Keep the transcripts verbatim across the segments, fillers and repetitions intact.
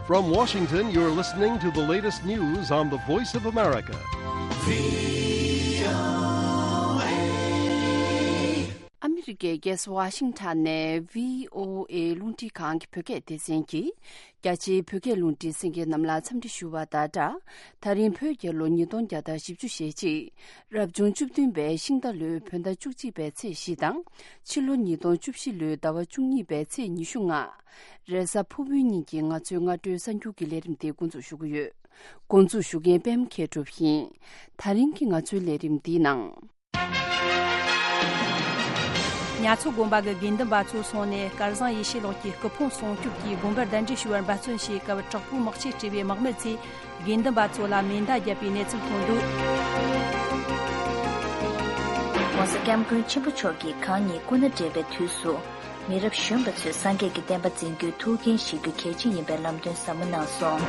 From Washington, you're listening to the latest news on the Voice of America. ཨ་མི་རི་ཀའི་རྒྱལ་ས་ཝ་ཤིང་ཊོན་ནས་བྷི་ཨོ་ཨེ་རླུང་འཕྲིན་ཁང་གི་བོད་སྐད་སྡེ་ཚན་གྱིས། རྒྱ་ཆེའི་བོད་སྐད་རླུང་འཕྲིན་གསན་མཁན་རྣམས་ལ་འཚམས་འདྲི་ཞུ་བ་དང་སྦྲགས། ད་རིང་བོད་རྒྱལ་ལོ་ཉིས་སྟོང་བརྒྱ་དང་བཞི་བཅུ་ཞེ་གཅིག་རབ་བྱུང་བཅུ་བདུན་པའི་ཤིང་རྟ་ལོའི་བོད་ཟླ་བཅུ་གཅིག་པའི་ཚེས་བཞི་དང་། ཕྱི་ལོ་ཉིས་སྟོང་བཅུ་བཞི་ལོའི་ཟླ་བ་བཅུ་གཉིས་པའི་ཚེས་ཉི་ཤུ་ལྔ། རེས་གཟའ་ཕུར་བུའི་ཉིན་གྱི་ང་ཚོའི་སྔ་དྲོའི་གསར་འགྱུར་གྱི་ལས་རིམ་དེ་འགོ་འཛུགས་ཞུ་གི་ཡོད། འགོ་འཛུགས་ཞུ་མཁན་པད་མ་མཁས་གྲུབ་ཡིན། ད་རིང་གི་ང་ཚོའི་ལས་རིམ་འདིའི་ནང་། ཉ་མཚོ་དགོན་པ་གི་དགེ་འདུན་པ་ཚོ་སོང་ནས་སྐལ་བཟང་ཡེ་ཤེས་ལགས་ཀྱི་སྐུ་ཕུང་སྲུང་སྐྱོབ་ཀྱིས་དགོན་པར་གདན་འདྲེན་ཞུ་བར་འབད་བརྩོན་བྱེད་སྐབས། དྲག་པོའི་དམག་ཆས་སྤྲས་པའི་དམག་མི་ཚོས་དགེ་འདུན་པ་ཚོ་ལ་མེ་མདའ་བརྒྱབ་པའི་གནས་ཚུལ་ཐོན་འདུག ྋགོང་ས་ྋསྐྱབས་མགོན་ཆེན་པོ་མཆོག་གིས་གང་ཉིད་སྐུ་ན་བགྲེས་པའི་དུས་སུ། མི་རབས་གཞོན་པ་ཚོས་སངས་རྒྱས་ཀྱི་བསྟན་པ་འཛིན་རྒྱུའི་ཐུགས་འགན་བཞེས་རྒྱུ་གལ་ཆེ་ཡིན་པའི་ལམ་སྟོན་ཟབ་མོ་གནང་སོང་།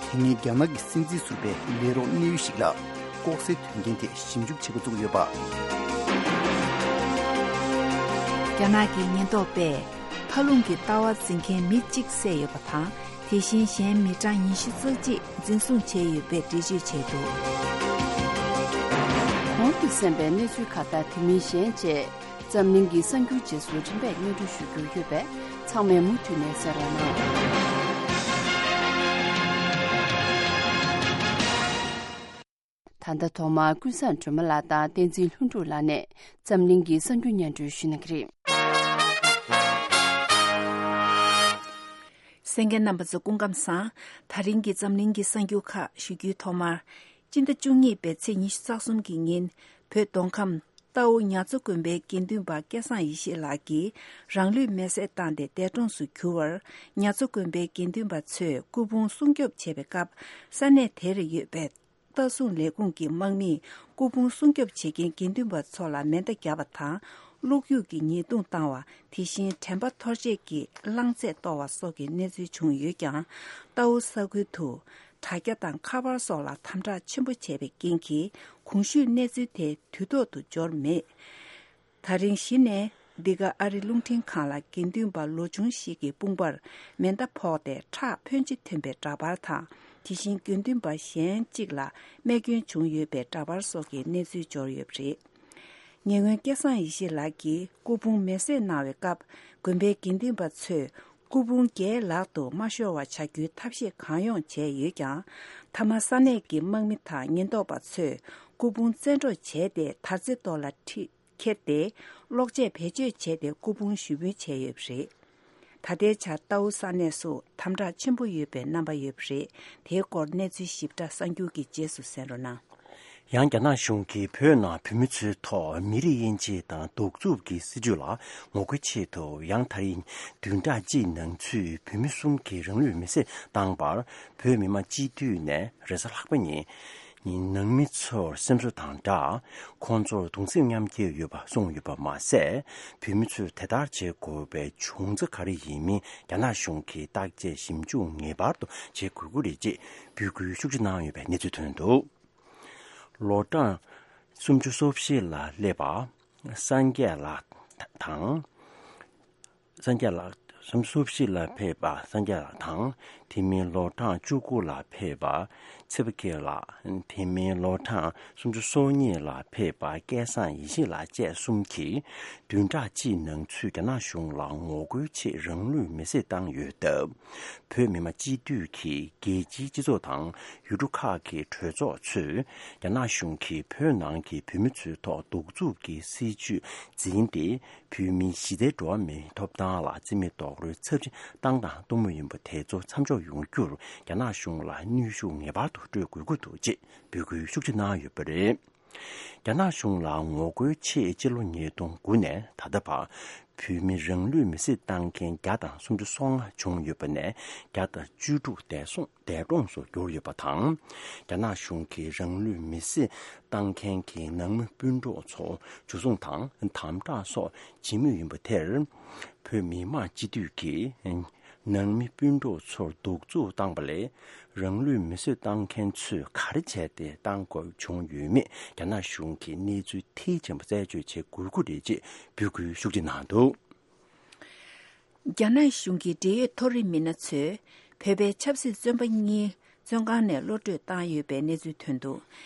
དེ་སྔའི་རྒྱ་ནག་གི་སྲིད་འཛིན་ཟུར་པའི་ལས་རོགས་གནད་ཡོད་ཞིག་ལ་ལྐོག་ཟའི་དོན་རྐྱེན་ཐད་ཞིབ་འཇུག་བྱེད་འགོ་བཙུགས་ཡོད་པ། རྒྱ་ནག་གི་ཉེན་རྟོག་པས་མཐའ་རླུང་གི་ལྟ་བ་འཛིན་མཁན་མི་གཅིག་བསད་ཡོད་པ་དང་། དེ་བཞིན་གཞན་མི་གྲངས་ཉི་ཤུ་རྩ་གཅིག་འཛིན་བཟུང་བྱས་ཡོད་པའི་འགྲེལ་བརྗོད་བྱས་འདུག་གོང་དུ་གསན་པའི་གནས་ཚུལ་ཁག་དང་དེ་མིན་གཞན་བཅས། འཛམ་གླིང་གི་གསར་འགྱུར་རྗེས་སུ་རིམ་པས་སྙན་སྒྲོན་ཞུ་རྒྱུ་ཡོད་པས། ཚང་མས་མུ་མཐུད་ནས་གསན་རོགས་གནང་། ད་ལྟ་ཐོག་མར་ཀུན་བཟང་སྒྲོལ་མ་ལགས་དང་བསྟན་འཛིན་ལྷུན་གྲུབ་ལགས་ནས་འཛམ་གླིང་གི་གསར་འགྱུར་སྙན་སྒྲོན་ཞུ་གནང་གི་རེད། གསན་མཁན་རྣམ་པ་ཚོ་སྐུ་ཁམས་བཟང་། ད་རིང་གི་འཛམ་གླིང་གི་གསར་འགྱུར་ཁག་ཞུ་རྒྱུའི་ཐོག་མར། སྤྱི་ཟླ་བཅུ་གཉིས་པའི་ཚེས་ཉི་ཤུ་རྩ་གསུམ་གྱི་ཉིན། བོད་མདོ་ཁམས་རྟའུ་ཉ་མཚོ་དགོན་པའི་དགེ་འདུན་པ་སྐལ་བཟང་ཡེ་ཤེས་ལགས་ཀྱིས་རང་ལུས་མེར་སྲེག་བཏང་སྟེ་འདས་གྲོངས་སུ་གྱུར་བར། ཉ་མཚོ་དགོན་པའི་དགེ་འདུན་པ་ཚོས་སྐུ་ཕུང་སྲུང་སྐྱོབ་བྱེད་པའི་སྐབས། ས་གནས་དེར་ཡོད་པའི་ལྟ་སྲུང་ལས་ཁུངས་ཀྱི་དམག་མིས་སྐུ་ཕུང་སྲུང་སྐྱོབ་བྱེད་མཁན་དགེ་འདུན་པ་ཚོ་ལ་མེ་མདའ་བརྒྱབ་པ་དང་། བློ་འགྱོད་ཀྱི་ཉེས་རྡུང་བཏང་བ། དེ་བཞིན་དྲན་པ་འཐོར་བྱེད་ཀྱི་རླངས་རྫས་གཏོར་བ་སོགས་ཀྱི་གནས་ཚུལ་བྱུང་ཡོད་ཀྱང་། རྟའུ་ས་ཁུལ་དུ་དྲ་རྒྱ་དང་ཁ་པར་སོགས་ལ་དམ་དྲག་ཆེན་པོ་བྱས་པའི་རྐྱེན་གྱིས། གོང་ཞུས་གནས་ཚུལ་དེ་དུས་ཐོག་ཏུ་འབྱོར་མེད། ད་རིང་གཞི་ནས་འདི་ག་ཨ་རི་རླུང་འཕྲིན་ཁང་ལ་དགེ་འདུན་པ་ལོ་ཆུང་ཞིག་གི་དཔུང་པར་མེ་མདའ་ཕོག་སྟེ་ཁྲག་ཕོན་ཆེ་ཐོན་པའི་འདྲ་པར་དང་། དེ་བཞིན་དགེ་འདུན་པ་གཞན་གཅིག་ལ་རྨས་སྐྱོན་བྱུང་ཡོད་པའི་འདྲ་པར་སོགས་ཀྱི་གནས་ཚུལ་འབྱོར་ཡོད་པ་རེད། ཉེ་སྔོན་སྐལ་བཟང་ཡེ་ཤེས་ལགས་ཀྱིས་སྐུ་ཕུང་མེ་བསྲེགས་གནང་བའི་སྐབས། དགོན་པའི་དགེ་འདུན་པ་ཚོས་སྐུ་ཕུང་རྒྱའི་ལག་ཏུ་མ་ཤོར་བ་བྱ་རྒྱུའི་ཐབས་ཤེས་གང་ཡོང་བྱས་ཡོད་ཀྱང་། མཐའ་མ་ས་གནས་ཀྱི་དམག་མི་དང་ཉེན་རྟོག་པ་ཚོས་སྐུ་ཕུང་བཙན་འཕྲོག་བྱས་ཏེ། དར་རྩེ་ཐོག་ལ་ཁྲིད། ཁྱེར་ཏེ། གློག་ཆས་བེད་སྤྱོད་བྱས་ཏེ་སྐུ་ཕུང་ཞུ་འབུལ་བྱས་ཡོད་པ་རེད། ད་ལྟའི་ཆར་རྟའུ་ས་གནས་སུ་དམ་དྲག་ཆེན་པོ་ཡོད་པའི་རྣམ་པ་ཡོད་པ་རེད། དེའི་སྐོར་གནས་ཚུལ་ཞིབ་ཕྲ་གསར་འགྱུར་གྱི་རྗེས་སུ་གསན་རོགས་གནང་། ཡང་རྒྱ་ནག་གཞུང་གིས་བོད་ནང་བོད་མི་ཚོའི་ཐོག་མི་རིགས་དབྱེ་འབྱེད་དང་གདུག་རྩུབ་ཀྱི་སྲིད་བྱུས་ལ་ངོ་རྒོལ་ཆེད་དུ། ཡང་ད་རིང་བདུན་ཕྲག་གཅིག་ནང་ཚུད་བོད་མི་གསུམ་གྱིས་རང་ལུས་མེར་སྲེག་བཏང་བར། བོད་མི་མང་སྤྱི་འཐུས་ནས་རེས་གཟའ་ལྷག་པ་ཉིན། ནང་མི་ཚོར་སེམས་གསོ་དང་སྦྲགས། ཁོང་ཚོར་གདུང་སེམས་མཉམ་སྐྱེད་ཡོད་པ་གསུངས་ཡོད་པ་མ་ཟད། བོད་མི་ཚོས་དེ་ལྟར་བྱེད་དགོས་པའི་བྱུང་རྩ་ག་རེ་ཡིན་མིན་རྒྱ་ནག་གཞུང་གིས་བརྟག་དཔྱད་ཞིབ་འཇུག་ངེས་པར་དུ་བྱེད་དགོས་ཀྱི་རེད་ཅེས་འབོད་སྐུལ་ཤུགས་ཆེ་གནང་ཡོད་པའི་གནས་ཚུལ་ཐོན་འདུག་ལོ་གྲངས་སུམ་ཅུ་སོ་བཞི་ལ་སླེབས་པ་སངས་རྒྱས་ལགས་དང་། སངས་རྒྱས་ལགས། སུམ་ཅུ་སོ་བཞི་ལ་ཕེབས་པ་སངས་རྒྱས་ལགས་དང་། དེ་མིན་ལོ་གྲངས་བཅུ་དགུ་ལ་ཕེབས་པ་ཚེ་དཔལ་སྐྱིད་ལགས། དེ་མིན་ལོ་གྲངས་སུམ་ཅུ་སོ་གཉིས་ལ་ཕེབས་པ་སྐལ་བཟང་ཡེ་ཤེས་ལགས་བཅས་གསུམ་གྱིས། བདུན་ཕྲག་གཅིག་ནང་ཚུད་རྒྱ་ནག་གཞུང་ལ་ངོ་རྒོལ་ཆེད་རང་ལུས་མེར་སྲེག་བཏང་ཡོད་སྟབས། བོད་མི་མང་སྤྱི་འཐུས་ཀྱིས་རྒྱལ་སྤྱིའི་སྤྱི་ཚོགས་དང་ཡུལ་གྲུ་ཁག་གི་གྲོས་ཚོགས་ཚོས། རྒྱ་ནག་གཞུང་གིས་བོད་ནང་གི་བོད་མི་ཚོའི་ཐོག་གདུག་རྩུབ་ཀྱི་སྲིད་བྱུས་འཛིན་ཏེ། བོད་མིའི་གཞི་རྩའི་འགྲོ་བ་མིའི་ཐོབ་ཐང་ལ་བརྩི་མེད་རྡོག་རོལ་ཚབས་ཆེན་བཏང་དང་གཏོང་མུས་ཡིན་པ་དེ་ཚོ་མཚམས་འཇོག་ཡོང་རྒྱུར་རྒྱ་ནག་གཞུང་ལ་གནོན་ཤུགས་ངེས་པར་དུ་སྤྲོད་དགོས་ཀྱི་འདུག་ཅེས་འབོད་སྐུལ་ཤུགས་ཆེ་གནང་ཡོད་པ་རེད། རྒྱ་ནག་གཞུང་ལ་ངོ་རྒོལ་ཆེད་སྤྱི་ལོ་ཉིས་སྟོང་དགུ་ནས་ད་ལྟ་བར་བོད་མི་རང་ལུས་མེར་སྲེག་བཏང་མཁན་བརྒྱ་དང་སུམ་ཅུ་སོ་ལྔ་བྱུང་ཡོད་པ་ནས་བརྒྱ་དང་བཅུ་དྲུག་འདས་སོང་། འདས་གྲོངས་སུ་གྱུར་ཡོད་པ་དང་། རྒྱ་ནག་གཞུང་གིས་རང་ལུས་མེར་སྲེག་བཏང་མཁན་གྱི་ནང་མི་སྤུན་གྲོགས་ཚོ་འཇུ་བཟུང་དང་དམ་དྲག་སོགས་བྱེད་མུས་ཡིན་པ་དེར། བོད་མི་མང་སྤྱི་འཐུས་ཀྱིས་ནང་མི་སྤུན་གྲོགས་ཚོར་གདུག་རྩུབ་བཏང་པ་ལས། རང་ལུས་མེར་སྲེག་བཏང་མཁན་ཚོས་ག་རེ་བྱས་ཏེ་བཏང་དགོས་བྱུང་ཡོད་མེད་རྒྱ་ནག་གཞུང་གིས་གནས་ཚུལ་མཐིལ་ཕྱིན་པ་རྩད་གཅོད་བྱེད་དགོས་ཀྱི་རེད་ཅེས་འབོད་སྐུལ་ཤུགས་ཆེ་གནང་འདུག་རྒྱ་ནག་གཞུང་གི་འབྲེལ་ཡོད་མཐོ་རིམ་མི་སྣ་ཚོས་བོད་པའི་ཆབ་སྲིད་བཙོན་པ་གཉིས་བཙོན་ཁང་ནས་གློད་བཀྲོལ་བཏང་ཡོད་པའི་གནས་ཚུལ་ཐོན་འདུག་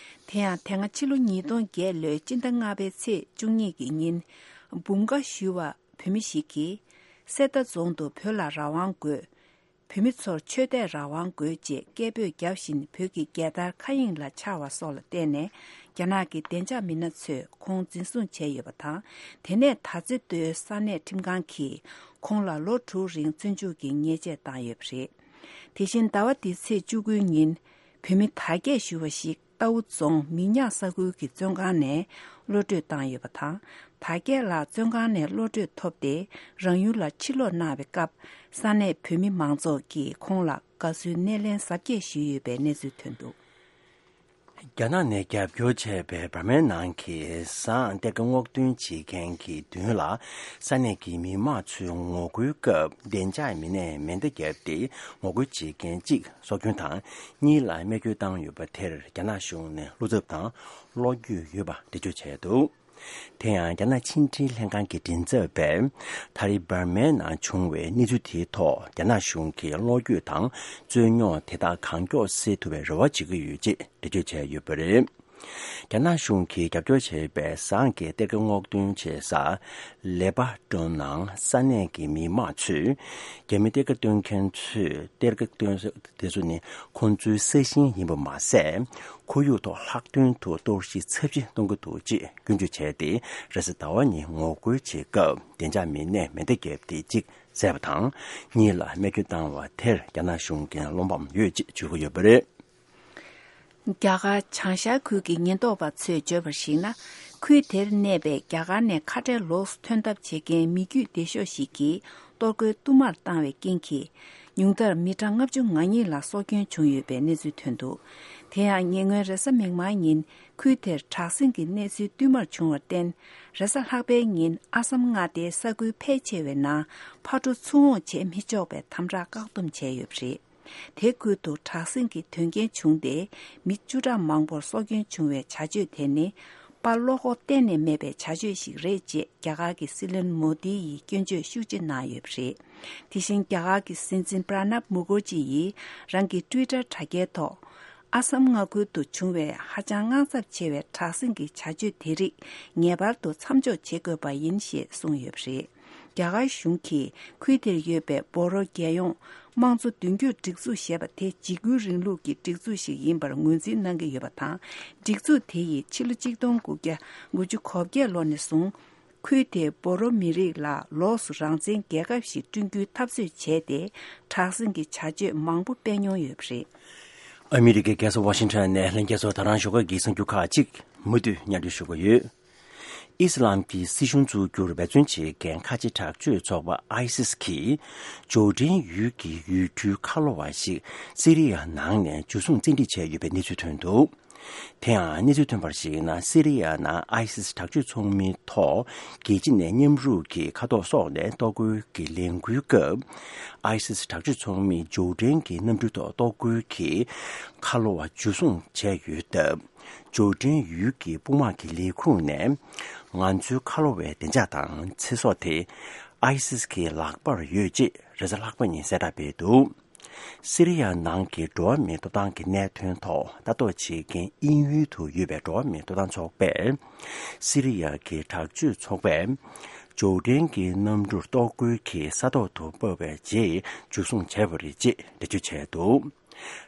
དེ་ཡང་དེ་སྔ་ཕྱི་ལོ་ཉིས་སྟོང་བརྒྱད་ལོའི་སྤྱི་ཟླ་ལྔ་པའི་ཚེས་བཅུ་གཉིས་ཀྱི་ཉིན། འབུམ་དགའ་ཞུ་བ་བོད་མི་ཞིག་གིས། གསེར་རྟ་རྫོང་དུ་བོད་ལ་རང་དབང་དགོས། བོད་མི་ཚོར་ཆོས་དད་རང་དབང་དགོས་ཅེས་སྐད་འབོད་བརྒྱབ་བཞིན་བོད་ཀྱི་རྒྱལ་དར་མཁའ་དབྱིངས་ལ་འཕྱར་བ་སོགས་ལ་བརྟེན་ནས། རྒྱ་ནག་གི་བདེ་འཇགས་མི་སྣ་ཚོས་ཁོང་འཛིན་བཟུང་བྱས་ཡོད་པ་དང་། དེ་ནས་ད་ཚེ་མདོའི་ས་གནས་ཁྲིམས་ཁང་གིས་ཁོང་ལ་ལོ་དྲུག་རིང་བཙོན་འཇུག་གི་ཉེས་ཆད་བཏང་ཡོད་པ་རེད། དེ་བཞིན་ཟླ་བ་འདིའི་ཚེས་བཅུ་དགུའི་ཉིན། བོད་མི་དར་རྒྱས་ཞུ་བ་ཞིག་རྟའུ་རྫོང་མི་ཉག་ས་ཁུལ་གྱི་བཙོན་ཁང་ནས་གློད་བཀྲོལ་བཏང་ཡོད་པ་དང་། དར་རྒྱས་ལགས་བཙོན་ཁང་ནས་གློད་བཀྲོལ་ཐོབ་སྟེ། རང་ཡུལ་ལ་ཕྱིར་ལོག་གནང་བའི་སྐབས། ས་གནས་བོད་མི་མང་ཚོགས་ཀྱིས་ཁོང་ལ་དགའ་བསུའི་སྣེ་ལེན་གཟབ་རྒྱས་ཞུས་ཡོད་པའི་གནས་ཚུལ་ཐོན་འདུག་རྒྱ་ནག་ནས་རྒྱབ་སྐྱོར་བྱས་པའི་འབར་མའི་ནང་གི་ཟ་ཁང་གཏེར་ཁ་སྔོག་འདོན་བྱེད་མཁན་གྱི་མདུན་ལ། ས་གནས་ཀྱི་མི་མང་ཚོས་ངོ་རྒོལ་སྐབས་བདེ་འཇགས་མི་སྣས་མེ་མདའ་བརྒྱབ་སྟེ། ངོ་རྒོལ་བྱེད་མཁན་གཅིག་སྲོག་སྐྱོན་དང་། གཉིས་ལ་རྨས་སྐྱོན་བཏང་ཡོད་པ་དེར། རྒྱ་ནག་གཞུང་ནས་བློ་འཚབ་དང་བློ་འགྱོད་ཡོད་པ་འགྲེལ་བརྗོད་བྱས་འདུག་དེ་ཡང་རྒྱ་ནག་ཕྱི་འབྲེལ་ལྷན་ཁང་གི་མགྲིན་ཚབ་པས། ད་རེས་འབར་མའི་ནང་བྱུང་བའི་གནས་ཚུལ་དེའི་ཐོག་རྒྱ་ནག་གཞུང་གིས་བློ་འགྱོད་དང་རྩོད་རྙོག་དེ་དག་གང་མགྱོགས་སེལ་ཐུབ་པའི་རེ་བ་བྱེད་ཀྱི་ཡོད་ཅེས་འགྲེལ་བརྗོད་བྱས་ཡོད་པ་རེད། རྒྱ་ནག་གཞུང་གིས་རྒྱབ་སྐྱོར་བྱས་པའི་ཟ་ཁང་གི་གཏེར་ཁ་སྔོག་འདོན་བྱེད་ས་ལེ་པ་ཀྲོན་ནང་ས་གནས་ཀྱི་མི་མང་ཚོས། རྒྱ་མི་གཏེར་ཁ་སྟོན་མཁན་ཚོས་གཏེར་ཁ་སྟོན་ས་དེ་ཚོ་ནི་ཁོང་ཚོའི་ས་ཞིང་ཡིན་པ་མ་ཟད། ཁོར་ཡུག་ཐོག་ལྷག་དོན་དུ་གཏོར་བཤིག་ཚབས་ཆེ་གཏོང་གི་འདུག་ཅེས་སྐྱོན་བརྗོད་བྱས་ཏེ། རེས་གཟའ་ཟླ་བ་ཉིན་ངོ་རྒོལ་བྱེད་སྐབས་བདེ་འཇགས་མི་སྣས་མེ་མདའ་བརྒྱབ་སྟེ་གཅིག་བསད་པ་དང་། གཉིས་ལ་རྨས་སྐྱོན་བཏང་བ་དེར་རྒྱ་ནག་གཞུང་གིས་བློ་ཕམ་ཡོད་ཅེས་བརྗོད་ཀྱི་ཡོད་པ་རེད། རྒྱ་གར་བྱང་ཤར་ཁུལ་གྱི་ཉེན་རྟོག་པ་ཚོས་བརྗོད་པར་གཞིགས་ན། ཁུལ་དེར་གནས་པའི་རྒྱ་གར་ནས་ཁ་བྲལ་ལོགས་སུ་ཐོན་ཐབས་བྱེད་མཁན་མི་རྒྱུད་སྡེ་ཤོག་ཞིག་གིས་གཏོར་རྒོལ་བསྟུད་མར་བཏང་བའི་རྐྱེན་གྱིས། ཉུང་མཐར་མི་གྲངས་ལྔ་བཅུ་ང་གཉིས་ལ་སྲོག་སྐྱོན་བྱུང་ཡོད་པའི་གནས་ཚུལ་ཐོན་འདུག་དེ་ཡང་ཉེ་སྔོན་རེས་གཟའ་མིག་དམར་ཉིན། ཁུལ་དེར་དྲག་ཟིང་གི་གནས་ཚུལ་བསྟུད་མར་བྱུང་བར་བརྟེན། རེས་གཟའ་ལྷག་པའི་ཉིན་ཨ་སམ་མངའ་སྡེའི་ས་ཁུལ་ཕལ་ཆེ་བའི་ནང་ཕར་འགྲོ་ཚུར་འོང་བྱེད་མི་ཆོག་པའི་དམ་དྲག་བཀག་སྡོམ་བྱས་ཡོད་པ་རེད། དེ་ཁུལ་དུ་དྲག་ཟིང་གི་དོན་རྐྱེན་བྱུང་སྟེ། མི་བཅུ་ཕྲག་མང་པོར་སྲོག་སྐྱོན་བྱུང་བའི་བྱ་སྤྱོད་དེ་ནི། དཔའ་བློ་ཁོག་གཏན་ནས་མེད་པའི་བྱ་སྤྱོད་ཞིག་རེད་ཅེས་རྒྱ་གར་གྱི་སྲིད་བློན་མོ་དི་ཡིས་སྐྱོན་བརྗོད་ཤུགས་ཆེ་གནང་ཡོད་པ་རེད། དེ་བཞིན་རྒྱ་གར་གྱི་སྲིད་འཛིན་པྲ་ནབ་མུ་ཁར་ཇི་ཡིས་རང་གི་ཊུའི་ཊར་དྲ་རྒྱའི་ཐོག་ཨ་སམ་མངའ་ཁུལ་དུ་བྱུང་བའི་ཧ་ཅང་དངངས་འཚབ་ཆེ་བའི་དྲག་ཟིང་གི་བྱ་སྤྱོད་དེ་རིགས་ངེས་པར་དུ་མཚམས་འཇོག་བྱེད་དགོས་པ་ཡིན་ཞེས་གསུངས་ཡོད་པ་རེད། རྒྱ་གར་གཞུང་གིས་ཁུལ་དེར་ཡོད་པའི་བོ་རོ་རྒྱལ་ཡོངས་དམངས་གཙོ་མདུན་སྐྱོད་སྒྲིག་འཛུགས་ཞེས་པ་དེ་འཇིགས་སྐུལ་རིང་ལུགས་ཀྱི་སྒྲིག་འཛུགས་ཤིག་ཡིན་པར་ངོས་འཛིན་གནང་གི་ཡོད་པ་དང་། སྒྲིག་འཛུགས་དེ་ཡིས་ཕྱི་ལོ་གཅིག་སྟོང་དགུ་བརྒྱ་དགུ་བཅུ་གོ་བརྒྱད་ལོ་ནས་བཟུང་། ཁུལ་དེའི་བོ་རོ་མི་རིགས་ལ་ལོགས་སུ་རང་བཙན་རྒྱལ་ཁབ་ཞིག་བསྐྲུན་རྒྱུའི་འཐབ་རྩོད་བྱས་ཏེ། དྲག་ཟིང་གི་བྱ་སྤྱོད་མང་པོ་སྤེལ་མྱོང་ཡོད་པ་རེད། ཨ་མི་རི་ཀའི་རྒྱལ་ས་ཝ་ཤིང་ཊོན་ནས་ལྷན་རྒྱས་ཚོ་ད་རང་ཞོགས་ཀ་གི་གསར་འགྱུར་ཁག་ཅིག་མུ་མཐུད་སྙན་སྒྲོན་ཞུ་གི་ཡོད། ཨི་སི་ལམ་གྱི་སྲིད་གཞུང་བཙུགས་རྒྱུར་འབད་བརྩོན་བྱེད་མཁན་ཁ་ཆེ་དྲག་སྤྱོད་ཚོགས་པ་ཨའི་སིས་ཀྱིས་ཇོར་ཌན་ཡུལ་གྱི་ཡུལ་གྲུའི་ཁ་ལོ་བ་ཞིག་སི་རི་ཡ་ནང་ནས་འཇུ་བཟུང་བཙན་ཁྲིད་བྱས་ཡོད་པའི་གནས་ཚུལ་ཐོན་འདུག་དེ་ཡང་གནས་ཚུལ་ཐོན་པར་གཞིགས་ན། སི་རི་ཡ་ནང་ཨའི་སིས་དྲག་སྤྱོད་ཚོགས་མིའི་ཐོག་རྒྱལ་སྤྱི་ནས་མཉམ་རུབ་ཀྱིས་མཁའ་ཐོག་སོགས་ནས་གཏོར་རྒོལ་གྱི་ལས་འགུལ་སྐབས། ཨའི་སིས་དྲག་སྤྱོད་ཚོགས་མིས་ཇོར་ཌན་གྱི་གནམ་གྲུའི་ཐོག་གཏོར་རྒོལ་གྱིས་མཁའ་ལོ་བ་འཇུ་བཟུང་བྱས་ཡོད་སྟབས། ཇོར་ཌན་ཡུལ་གྱི་དཔུང་དམག་གི་ལས་ཁུངས་ནས། ང་ཚོའི་ཁ་ལོ་བའི་བདེ་འཇགས་དང་ཚེ་སྲོག་དེ་ཨའི་སིས་ཀྱི་ལག་པར་ཡོད་ཅེས་རེས་གཟའ་ལྷག་པ་ཉིན་གསལ་བསྒྲགས་སྤེལ་འདུག་སི་རི་ཡ་ནང་གི་འགྲོ་བ་མིའི་ཐོབ་ཐང་གི་གནད་དོན་ཐོག་ལྟ་རྟོག་བྱེད་མཁན་དབྱིན་ཡུལ་དུ་ཡོད་པའི་འགྲོ་བ་མིའི་ཐོབ་ཐང་ཚོགས་པས། སི་རི་ཡ་གི་དྲག་སྤྱོད་ཚོགས་པས་ཇོར་ཌན་གྱི་གནམ་གྲུར་གཏོར་རྒོལ་གྱིས་ས་ཐོག་ཏུ་སྤར་བའི་རྗེས་འཇུ་བཟུང་བྱས་པ་རེད་ཅེས་འགྲེལ་བརྗོད་བྱས་འདུག་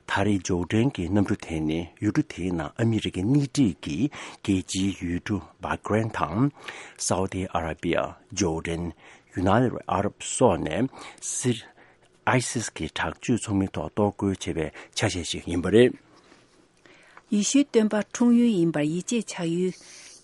ད་རེས་ཇོར་ཌན་གྱི་གནམ་གྲུ་དེ་ནི་ཡུལ་གྲུ་དེའི་ནང་ཨ་མི་རི་ཀའི་སྣེ་ཁྲིད་ཀྱི་རྒྱལ་སྤྱིའི་ཡུལ་གྲུ་བྷ་ཀ་རེན་དང་། སའུ་ཏི་ཨ་ར་པི་ཡ། ཇོར་ཌན། ཡུ་ནའི་ཊེཌ་ཨ་རབ་སོགས་ནས་སི་ཨའི་སིས་ཀྱི་དྲག་སྤྱོད་ཚོགས་མི་ཐོག་གཏོར་རྒོལ་བྱས་པའི་ཆ་ཤས་ཤིག་ཡིན་པ་རེད། ཡེ་ཤུའི་སྟོན་པ་འཁྲུངས་ཡུལ་ཡིན་པར་ཡིད་ཆེས་བྱ་ཡུལ།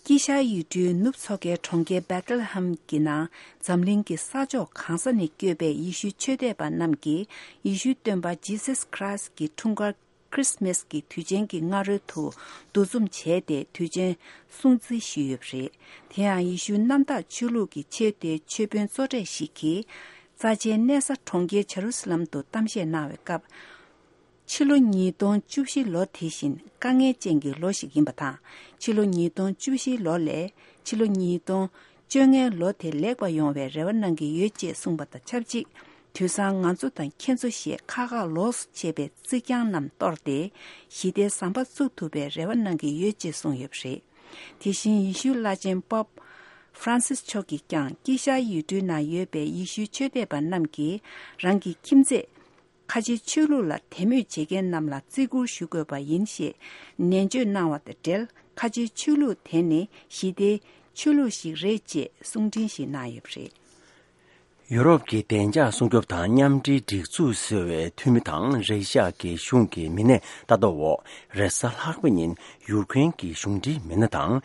དཀྱིལ་ཤར་ཡུལ་གྲུའི་ནུབ་མཚོ་ཁའི་གྲོང་ཁྱེར་བེ་ཏི་ལེ་ཧེམ་གྱི་ནང་འཛམ་གླིང་གི་ས་ཕྱོགས་གང་ས་ནས་བསྐྱོད་པའི་ཡེ་ཤུའི་ཆོས་དད་པ་རྣམས་ཀྱིས་ཡེ་ཤུའི་སྟོན་པ་ཇི་སཱས་ཁྲ་ཡིས་ཀྱི་འཁྲུངས་སྐར་ཁྲི་སི་མཱས་ཀྱི་དུས་ཆེན་གྱི་སྔ་རོལ་དུ་འདུ་འཛོམས་བྱས་ཏེ། དུས་ཆེན་སྲུང་བརྩི་ཞུས་ཡོད་པ་རེད། དེ་ཡང་ཡེ་ཤུའི་གནམ་བདག་ཆོས་ལུགས་ཀྱི་ཆེས་མཐོའི་ཆོས་དཔོན་གཙོ་གྲས་ཤིག་གིས། རྩ་ཆེའི་གནས་ས་གྲོང་ཁྱེར་ཇེ་རུ་སཱ་ལམ་དུ་གཏམ་བཤད་གནང་བའི་སྐབས། ཕྱི་ལོ་ཉིས་སྟོང་བཅུ་བཞི་ལོ་དེ་བཞིན་དཀའ་ངལ་ཅན་གྱི་ལོ་ཞིག་ཡིན་པ་དང་། ཕྱི་ལོ་ཉིས་སྟོང་བཅུ་བཞི་ལོ་ལས་ཕྱི་ལོ་ཉིས་སྟོང་ བཅོ་ལྔའི་ལོ་དེ་ལེགས་པ་ཡོང་བའི་རེ་བ་གནང་གི་ཡོད་ཅེས་གསུངས་པ་དང་ཆབས་ཅིག་དུས་སང་ང་ཚོ་དང་ཁྱེད་ཚོ་ཞེས་ཁག་ཁག་ལོགས་སུ་ཕྱེ་བའི་རྩིག་གྱང་རྣམས་གཏོར་ཏེ་ཞི་བདེའི་ཟམ་པ་བཙུགས་ཐུབ་པའི་རེ་བ་གནང་གི་ཡོད་ཅེས་གསུངས་ཡོད་པ་རེད། དེ་བཞིན་ཡེ་ཤུའི་བླ་ཆེན་པོབ་ཧྥ་རན་སིས་མཆོག་གིས་ཀྱང་དཀྱིལ་ཤར་ཡུལ་གྲུའི་ནང་ཡོད་པའི་ཡེ་ཤུའི་ཆོས་དད་པ་རྣམས་ཀྱིས་རང་གི་ཁྱིམ་མཚེས་ཁ་ཆེའི་ཆོས་ལུགས་ལ་དད་མོས་བྱེད་མཁན་རྣམས་ལ་བརྩི་བཀུར་ཞུ་དགོས་པ་ཡིན་ཞེས་ནན་བརྗོད་གནང་བ་དང་འབྲེལ། ཁ་ཆེའི་ཆོས་ལུགས་དེ་ནི་ཞི་བདེའི་ཆོས་ལུགས་ཤིག་རེད་ཅེས་གསུང་འཕྲིན་ཞིག་གནང་ཡོད་པ་རེད། ཡུ་རོབ་ཀྱི་བདེ་འཇགས་སྲུང་སྐྱོབ་དང་མཉམ་འབྲེལ་སྒྲིག་འཛུགས་ཟེར་བའི་འཐུས་མི་དང་རེ་ཤ་ཡ་གི་གཞུང་གི་མི་སྣས་ལྟ་རྟོག་འོག་རེས་གཟའ་ལྷག་པ་ཉིན་ཡུཀ་རེན་གྱི་གཞུང་འབྲེལ་མི་སྣ་དང་།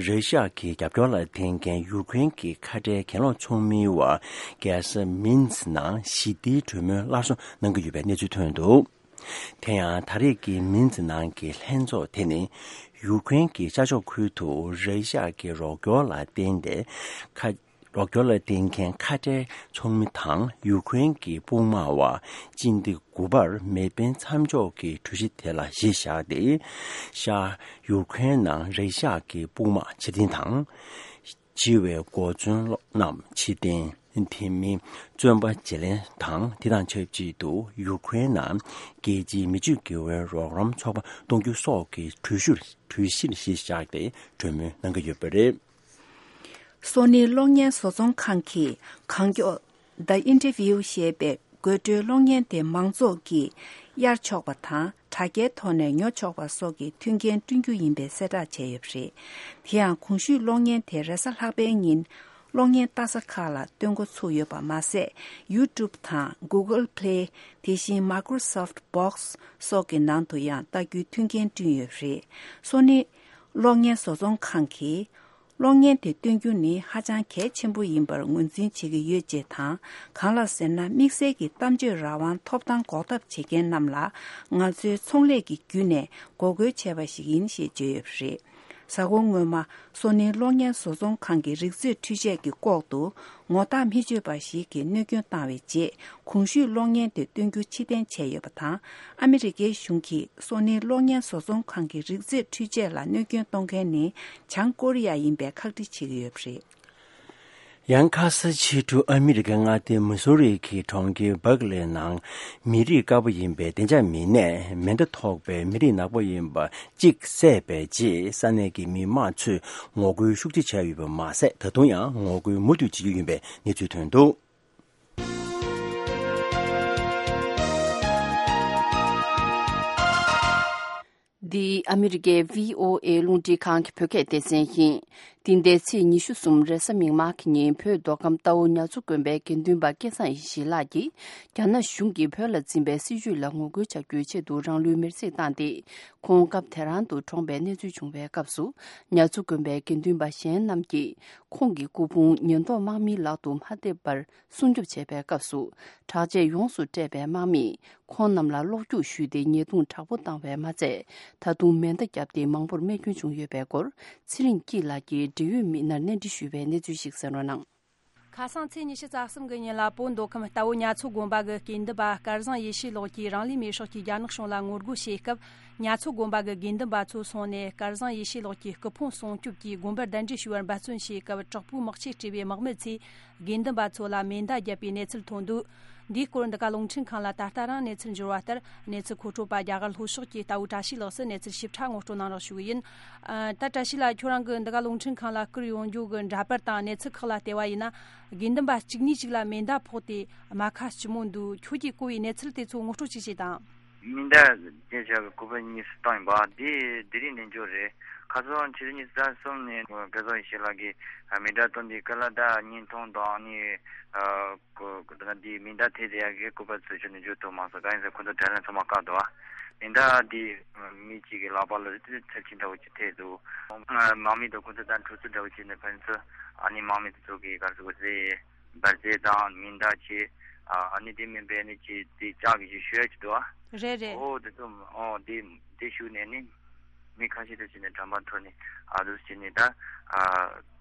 རེ་ཤ་ཡ་གི་རྒྱབ་སྐྱོར་ལ་བརྟེན་མཁན་ཡུཀ་རེན་གྱི་ཁ་བྲལ་གྱེན་ལོག་ཚོགས་མིའི་བར་རྒྱལ་ས་མིན་སི་ནང་ཞི་བདེའི་གྲོས་མོལ་སླར་གསོ་གནང་གི་ཡོད་པའི་གནས་ཚུལ་ཐོན་འདུག་དེ་ཡང་ད་རེས་ཀྱི་མིན་སི་ནང་གི་ལྷན་ཚོགས་དེ་ནི་ཡུཀ་རེན་གྱི་ཤར་ཕྱོགས་ཁུལ་དུ་རེ་ཤ་ཡ་གི་རོགས་སྐྱོར་ལ་བརྟེན་ཏེ་ཁ་རོགས་སྐྱོར་ལ་བརྟེན་མཁན་ཁ་བྲལ་ཚོགས་མི་དང་ཡུཀ་རེན་གྱི་དཔུང་དམག་བར་སྤྱི་ཟླ་དགུ་པར་མེ་འཕེན་མཚམས་འཇོག་གི་གྲོས་གཞི་དེ་ལ་གཞི་བཞག་སྟེ། ཤར་ཡུཀ་རེན་ནང་རེ་ཤ་ཡ་གི་དཔུང་དམག་ཕྱིར་འཐེན་དང་། བྱིས་པའི་གོ་མཚོན་རྣམས་ཕྱིར་འཐེན། དེ་མིན་བཙོན་པ་བརྗེ་ལེན་དང་དེ་དང་ཆབས་ཅིག་ཏུ་ཡུཀ་རེན་ནང་རྒྱལ་སྤྱིའི་མི་སྤྱོད་དགེ་བའི་རོགས་རམ་ཚོགས་པ་གཏོང་རྒྱུ་སོགས་ཀྱི་གྲོས་གཞིར་གྲོས་གཞིར་གཞི་བཞག་སྟེ་གྲོས་མོལ་གནང་གི་ཡོད་པ་རེད། སོ་ནི་གློག་བརྙན་བཟོ་ཚོང་ཁང་གིས་གང་མགྱོགས་The Interview ཞེས་པའི་དགོད་བྲོའི་གློག་བརྙན་དེ་མང་ཚོགས་ཀྱིས་གཡར་ཆོག་པ་དང་དྲ་རྒྱའི་ཐོག་ནས་ཉོ་ཆོག་པ་སོགས་ཀྱི་མཐུན་རྐྱེན་བསྐྲུན་རྒྱུ་ཡིན་པའི་གསལ་བསྒྲགས་བྱས་ཡོད་པ་རེད། དེ་ཡང་གོང་ཞུས་གློག་བརྙན་དེ་རེས་གཟའ་ལྷག་པའི་ཉིན་གློག་བརྙན་ལྟ་ས་ཁག་ལ་སྟོན་འགོ་ཚུགས་ཡོད་པ་མ་ཟད། YouTube དང་Google Play དེ་བཞིན་Microsoft Box སོགས་ཀྱི་ནང་དུ་ཡང་ལྟ་རྒྱུའི་མཐུན་རྐྱེན་བསྐྲུན་ཡོད་པ་རེད། སོ་ནི་གློག་བརྙན་བཟོ་ཚོང་ཁང་གིས། གློག་བརྙན་དེ་སྟོན་རྒྱུ་ནི་ཧ་ཅང་གལ་ཆེན་པོ་ཡིན་པར་ངོས་འཛིན་བྱེད་ཀྱི་ཡོད་ཅེས་དང་། གང་ལགས་ཟེར་ན། དམིགས་བསལ་གྱི་གཏམ་བརྗོད་རང་དབང་ཐོབ་ཐང་འགོག་ཐབས་བྱེད་མཁན་རྣམས་ལ་ང་ཚོའི་ཚོང་ལས་ཀྱི་བརྒྱུད་ནས་འགོག་རྒོལ་བྱས་པ་ཞིག་ཡིན་ཞེས་བརྗོད་ཡོད་པ་རེད། གཟའ་འཁོར་སྔོན་མ། སོ་ནིའི་གློག་བརྙན་བཟོ་ཚོང་ཁང་གི་རིག་རྩེད་འཕྲུལ་ཆས་ཀྱི་ལྐོག་ཏུ་ངོ་རྟགས་མི་ཆོད་པ་ཞིག་གིས་གནོད་སྐྱོན་བཏང་བའི་རྗེས། གོང་ཞུས་གློག་བརྙན་དེ་སྟོན་རྒྱུ་ཕྱིར་འཐེན་བྱས་ཡོད་པ་དང་། ཨ་མི་རི་ཀའི་གཞུང་གིས་སོ་ནིའི་གློག་བརྙན་བཟོ་ཚོང་ཁང་གི་རིག་རྩེད་འཕྲུལ་ཆས་ལ་གནོད་སྐྱོན་གཏོང་མཁན་ནི་བྱང་ཀོ་རི་ཡ་ཡིན་པའི་ཁག་དཀྲི་བྱེད་ཀྱི་ཡོད་པ་རེད། ཡང་ཁ་ས་ཕྱི་དྲོ་ཨ་མི་རི་ཀའི་མངའ་སྡེ་མི་སོ་རི་གི་གྲོང་ཁྱེར་སྦག་ལེ་ནང་མི་རིགས་དཀར་པོ་ཡིན་པའི་བདེ་འཇགས་མི་སྣས་མེ་མདའ་ཐོགས་པའི་མི་རིགས་ནག་པོ་ཡིན་པ་གཅིག་བསད་པའི་རྗེས་ས་གནས་ཀྱི་མི་མང་ཚོས་ངོ་རྒོལ་ཤུགས་ཆེ་བྱས་ཡོད་པ་མ་ཟད། ད་དུང་ཡང་ངོ་རྒོལ་མུ་མཐུད་བྱེད་ཀྱི་ཡོད་པའི་གནས་ཚུལ་ཐོན་འདུག་འདི་ཨ་མི་རི་ཀའི་བྷི་ཨོ་ཨེ་རླུང་འཕྲིན་ཁང་གི་བོད་སྐད་སྡེ་ཚན་ཡིན། འདི་ཟླའི་ཚེས་ཉི་ཤུ་གསུམ་རེས་གཟའ་མིག་དམར་གྱི་ཉིན། བོད་མདོ་ཁམས་རྟའུ་ཉ་མཚོ་དགོན་པའི་དགེ་འདུན་པ་སྐལ་བཟང་ཡེ་ཤེས་ལགས་ཀྱིས་རྒྱ་ནག་གཞུང་གིས་བོད་ལ་འཛིན་པའི་སྲིད་བྱུས་ལ་ངོ་རྒོལ་བྱ་རྒྱུའི་ཆེད་དུ་རང་ལུས་མེར་སྲེག་བཏང་སྟེ། ཁོང་སྐབས་དེ་རང་དུ་གྲོངས་པའི་གནས་ཚུལ་བྱུང་བའི་སྐབས་སུ། ཉ་མཚོ་དགོན་པའི་དགེ་འདུན་པ་གཞན་རྣམས་ཀྱིས་ཁོང་གི་སྐུ་ཕུང་ཉེན་རྟོག་དམག་མིའི་ལག་ཏུ་མ་ཐེབས་པར་སྲུང་སྐྱོབ་བྱས་པའི་སྐབས་སུ། དྲག་ཆས་ཡོངས་སུ་སྤྲས་པའི་དམག་མིས་ཁོང་རྣམས་ལ་གློག་སྐྱུག་གཞུས་ཏེ་ཉེས་རྡུང་དྲག་པོ་བཏང་བས་མ་ཚད། ད་དུང་མེ་མདའ་བརྒྱབ་སྟེ་མང་པོར་རྨས་སྐྱོན་བྱུང་ཡོད་པའི་སྐོར། ཚེ་རིང་སྐྱིད་ལགས་ཀྱིས་འབྲེལ་ཡོད་མི་སྣར་གནས་འདྲི་ཞུས་པའི་གནས་ཚུལ་ཞིག་གསན་རོགས་གནང་། ཁ་སང་ཚེས་ཉི་ཤུ་རྩ་གསུམ་གྱི་ཉིན་ལ་བོད་མདོ་ཁམས་རྟའུ་ཉ་མཚོ་དགོན་པ་གི་དགེ་འདུན་པ་སྐལ་བཟང་ཡེ་ཤེས་ལགས་ཀྱིས་རང་ལུས་མེར་སྲེག་གིས་རྒྱ་ནག་གཞུང་ལ་ངོ་རྒོལ་བྱས་སྐབས། ཉ་མཚོ་དགོན་པ་གི་དགེ་འདུན་པ་ཚོ་སོང་ནས་སྐལ་བཟང་ཡེ་ཤེས་ལགས་ཀྱི་སྐུ་ཕུང་སྲུང་སྐྱོབ་ཀྱིས་དགོན་པར་གདན་འདྲེན་ཞུ་བར་འབད་བརྩོན་བྱས་སྐབས། དྲག་པོའི་དམག་ཆས་སྤྲས་པའི་དམག་མི་ཚོས་དགེ་འདུན་པ་ཚོ་ལ་མེ་མདའ་བརྒྱབ་པའི་གནས་ཚུལ་ཐོན་འདུག་འདིའི་སྐོར་འདི་ག་རླུང་འཕྲིན་ཁང་ལ་ད་ལྟ་རང་གནས་ཚུལ་འབྱོར་བ་ལྟར། གནས་ཚུལ་མཁོ་སྤྲོད་པ་རྒྱ་གར་ལྷོ་ཕྱོགས་ཀྱི་རྟའུ་བཀྲ་ཤིས་ལགས་སུ་གནས་ཚུལ་ཞིབ་ཕྲ་ངོ་སྤྲོད་གནང་རོགས་ཞུ་གི་ཡིན། ཨ། ད་བཀྲ་ཤིས་ལགས། ཁྱོད་རང་གི་འདི་ག་རླུང་འཕྲིན་ཁང་ལ་བསྐུར་ཡོང་རྒྱུ་གི་འདྲ་པར་དང་གནས་ཚུལ་ཁག་ལ་བལྟས་པ་ཡིན་ན། དགེ་འདུན་པ་གཅིག་ནས་གཅིག་ལ་མེ་མདའ་ཕོག་སྟེ་རྨ་ཁ་ལྕི་མོ་འདུག་ཁྱོད་ཀྱིས་གོ་བའི་གནས་ཚུལ་དེ་ཚོ་ངོ་སྤྲོད་ཅིག་བྱེད་དང་། མེ་མདའ་རྒྱབ་བཞག་གི་སྐུད་པ་གཉིས་སུ་བཏང་ཡིན་པ། དེ་དེ་རིང་ནས་འབྱོར་རེད། ཁ་སང་ཕྱི་ཚེས་ཉི་ཤུ་རྩ་གསུམ་ནས་སྐལ་བཟང་ཡེ་ཤེས་ལགས་ཀྱིས་མེ་མདའ་བཏོན་དེ་ཀ་ལ་ད་བརྙན་ཐུང་དང་ནི། ཨ། ཀོ་ཀོ་ད་ང་འདི་མེ་མདའ་ཐེབས་བསྡད་ཡག་གི་སྐུད་པ་ཚོས་ཁྱོན་ནས་འཇུ་ཐུབ་མ་སོང་། གང་ཡིན་ཟེར་ཁོ་ཚོ་དྲ་ལམ་ཚང་མ་བཀག་འདུག་ཨ། མེ་མདའ་འདི་མི་གཅིག་གི་ལག་པ་ལ་ཚབས་ཆེན་འདྲ་བོ་ཅིག་ཐེབས་འདུག་དམག་མི་དང་ཁོ་ཚོ་དང་འཁྲུག་རྩོད་འདྲ་བོ་བྱས་ནས་ཕན་ཚུན་ཨ་ནི་དམག་མི་དེ་ཚོ་གིས་ག་རེ་ཟེར་དགོས་རེད། འབར་རྫས་དང་མེ་མདའ་བྱས། ཨ་ནི་དེ་མིན་པའི་ནི་ཅིག་དེ་ལྕགས་ཀྱི་ཅིག་གཞུ་ཡག་ཅིག་འདུག་ཨ། རེད་རེད། ཨོ་དེ་ཚོ་ཨོ་དེ་དེ་གཞུས་ནས་ནི་མི་ཁ་ཤས་དེ་བྱས་ནས་གྲམ་པ་འཐོར་ནས་ཨ་འདུག་བྱས་ནས་ད་ཨ།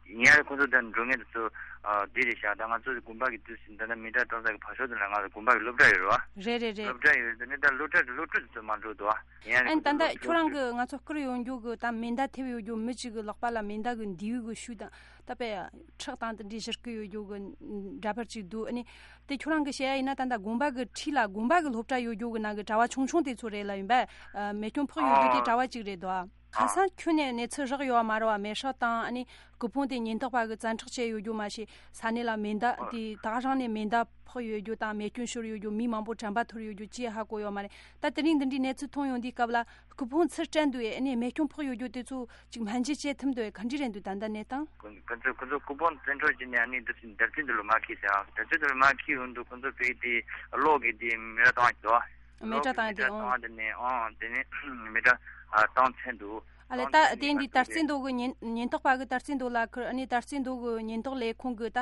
ཡིན་ཡང་ཁོང་ཚོ་ད་འགྲོ་མཁན་དེ་ཚོ་ཨ་འདི་རེད་ཤག་ད་ང་ཚོ་དགོན་པ་གི་དུས་སུ་ད་ལྟ་མེ་མདའ་གཏོང་ས་གི་བར་ཤོག་དེ་ལ་ང་ཚོ་དགོན་པ་གི་སློབ་གྲྭ་ཡོད་རེད་བ། རེད་རེད་རེད། སློབ་གྲྭ་ཡོད་དེ་ནས་ད་སློབ་གྲྭ་གི་སློབ་ཕྲུག་དེ་ཚོ་མ་འགྲོ་འདུག་བ། ཡིན་ཡང་ཨན་ད་ལྟ་ཁྱོད་རང་གི་ང་ཚོ་བསྐུར་ཡོང་རྒྱུ་གི་ད་མེ་མདའ་ཐེབས་ཡོད་རྒྱུ་མི་གཅིག་གི་ལག་པ་ལ་མེ་མདའ་གི་མདེའུ་གི་ཤུགས་དང་ད་པའི་ཁྲག་དང་དེ་འདྲའི་བཞུར་གི་ཡོད་རྒྱུ་གི་འདྲ་པར་གཅིག་འདུག་ཨ་ནི་དེ་ཁྱོད་རང་གི་བཤད་ཡ་ཡིན་ན་ད་ལྟ་དགོན་པ་གི་འཁྲིས་ལ་དགོན་པ་གི་སློབ་གྲྭ་ཡོད་རྒྱུ་གི་ནང་གི་གྲྭ་བ་ཆུང་ཆུང་དེ་ཚོ་རེད་ལ་ཡིན་པས་མེ་སྐྱོན་ཕོག་ཡོད་རྒྱུ་དེ་གྲྭ་བ་གཅིག་རེད་འདུག་ཨ། ཁ་སང་ཁྱོན་ནས་གནས་ཚུལ་རག་ཡོད་མ་རེད་བ། མེ་ཤག་དང་ཨ་ནི་སྐུ་ཕུང་དེ་ཉེན་རྟོག་པ་གི་བཙན་འཕྲོག་བྱས་ཡོད་རྒྱུ་མ་ཤེས། ས་གནས་ལ་མེ་མདའ་དེ་ད་ག་རང་ནས་མེ་མདའ་ཕོག་ཡོད་རྒྱུ་དང་མེ་སྐྱོན་ཤོར་ཡོད་རྒྱུ་མི་མང་པོ་དྲན་པ་ཐོར་ཡོད་རྒྱུ་ཅི་ཧ་གོ་ཡོད་མ་རེད། ད་དེ་རིང་འདི་འདྲའི་གནས་ཚུལ་ཐོན་ཡོང་དུས་སྐབས་ལ་སྐུ་ཕུང་ཚུར་སྤྲད་འདུག་ཨེ་ནས་མེ་སྐྱོན་ཕོག་ཡོད་རྒྱུ་དེ་ཚོ་ཅིག་སྨན་བཅོས་བྱེད་ཐུབ་འདུག་ཨེ་ག་འདྲ་རེད་འདུག་ད་ལྟ་གནས་སྟངས། ཁོ་ཁོ་ཚོ་ཁོ་ཚོ་སྐུ་ཕུང་བཙན་འཕྲོག་བྱས་ནས་ཨ་ནི་འདི་འདབ་ཆགས་འདི་ལ་མ་འཁྱེར་ཟེར་ཨ། འདབ་ཆགས་འདི་ལ་མ་འཁྱེར་ཡོང་དུས་ཁོ་ཚོ་བོད་དེ་གློག་གི་དེ་མེ་ར་བཏང་གི་འདུག་ཨ། མེ་སྲེག་བཏང་ཡ་དེ་ཨང་། མེ་སྲེག་བཏང་དེ་ནས་ཨང་དེ་ནས་མེ་སྲེག་ཨ་བཏང་ཚར་འདུག་ཨ་ལས་ད་བཏང་ཚར་དེ་ནས་འདི་ད་དར་རྩེ་མདོ་གི་ཉེན་ཉེན་རྟོག་པ་གི་དར་རྩེ་མདོ་ལ་ཁུར་ཨ་ནི་དར་རྩེ་མདོ་གི་ཉེན་རྟོག་ལས་ཁུངས་གི་ད་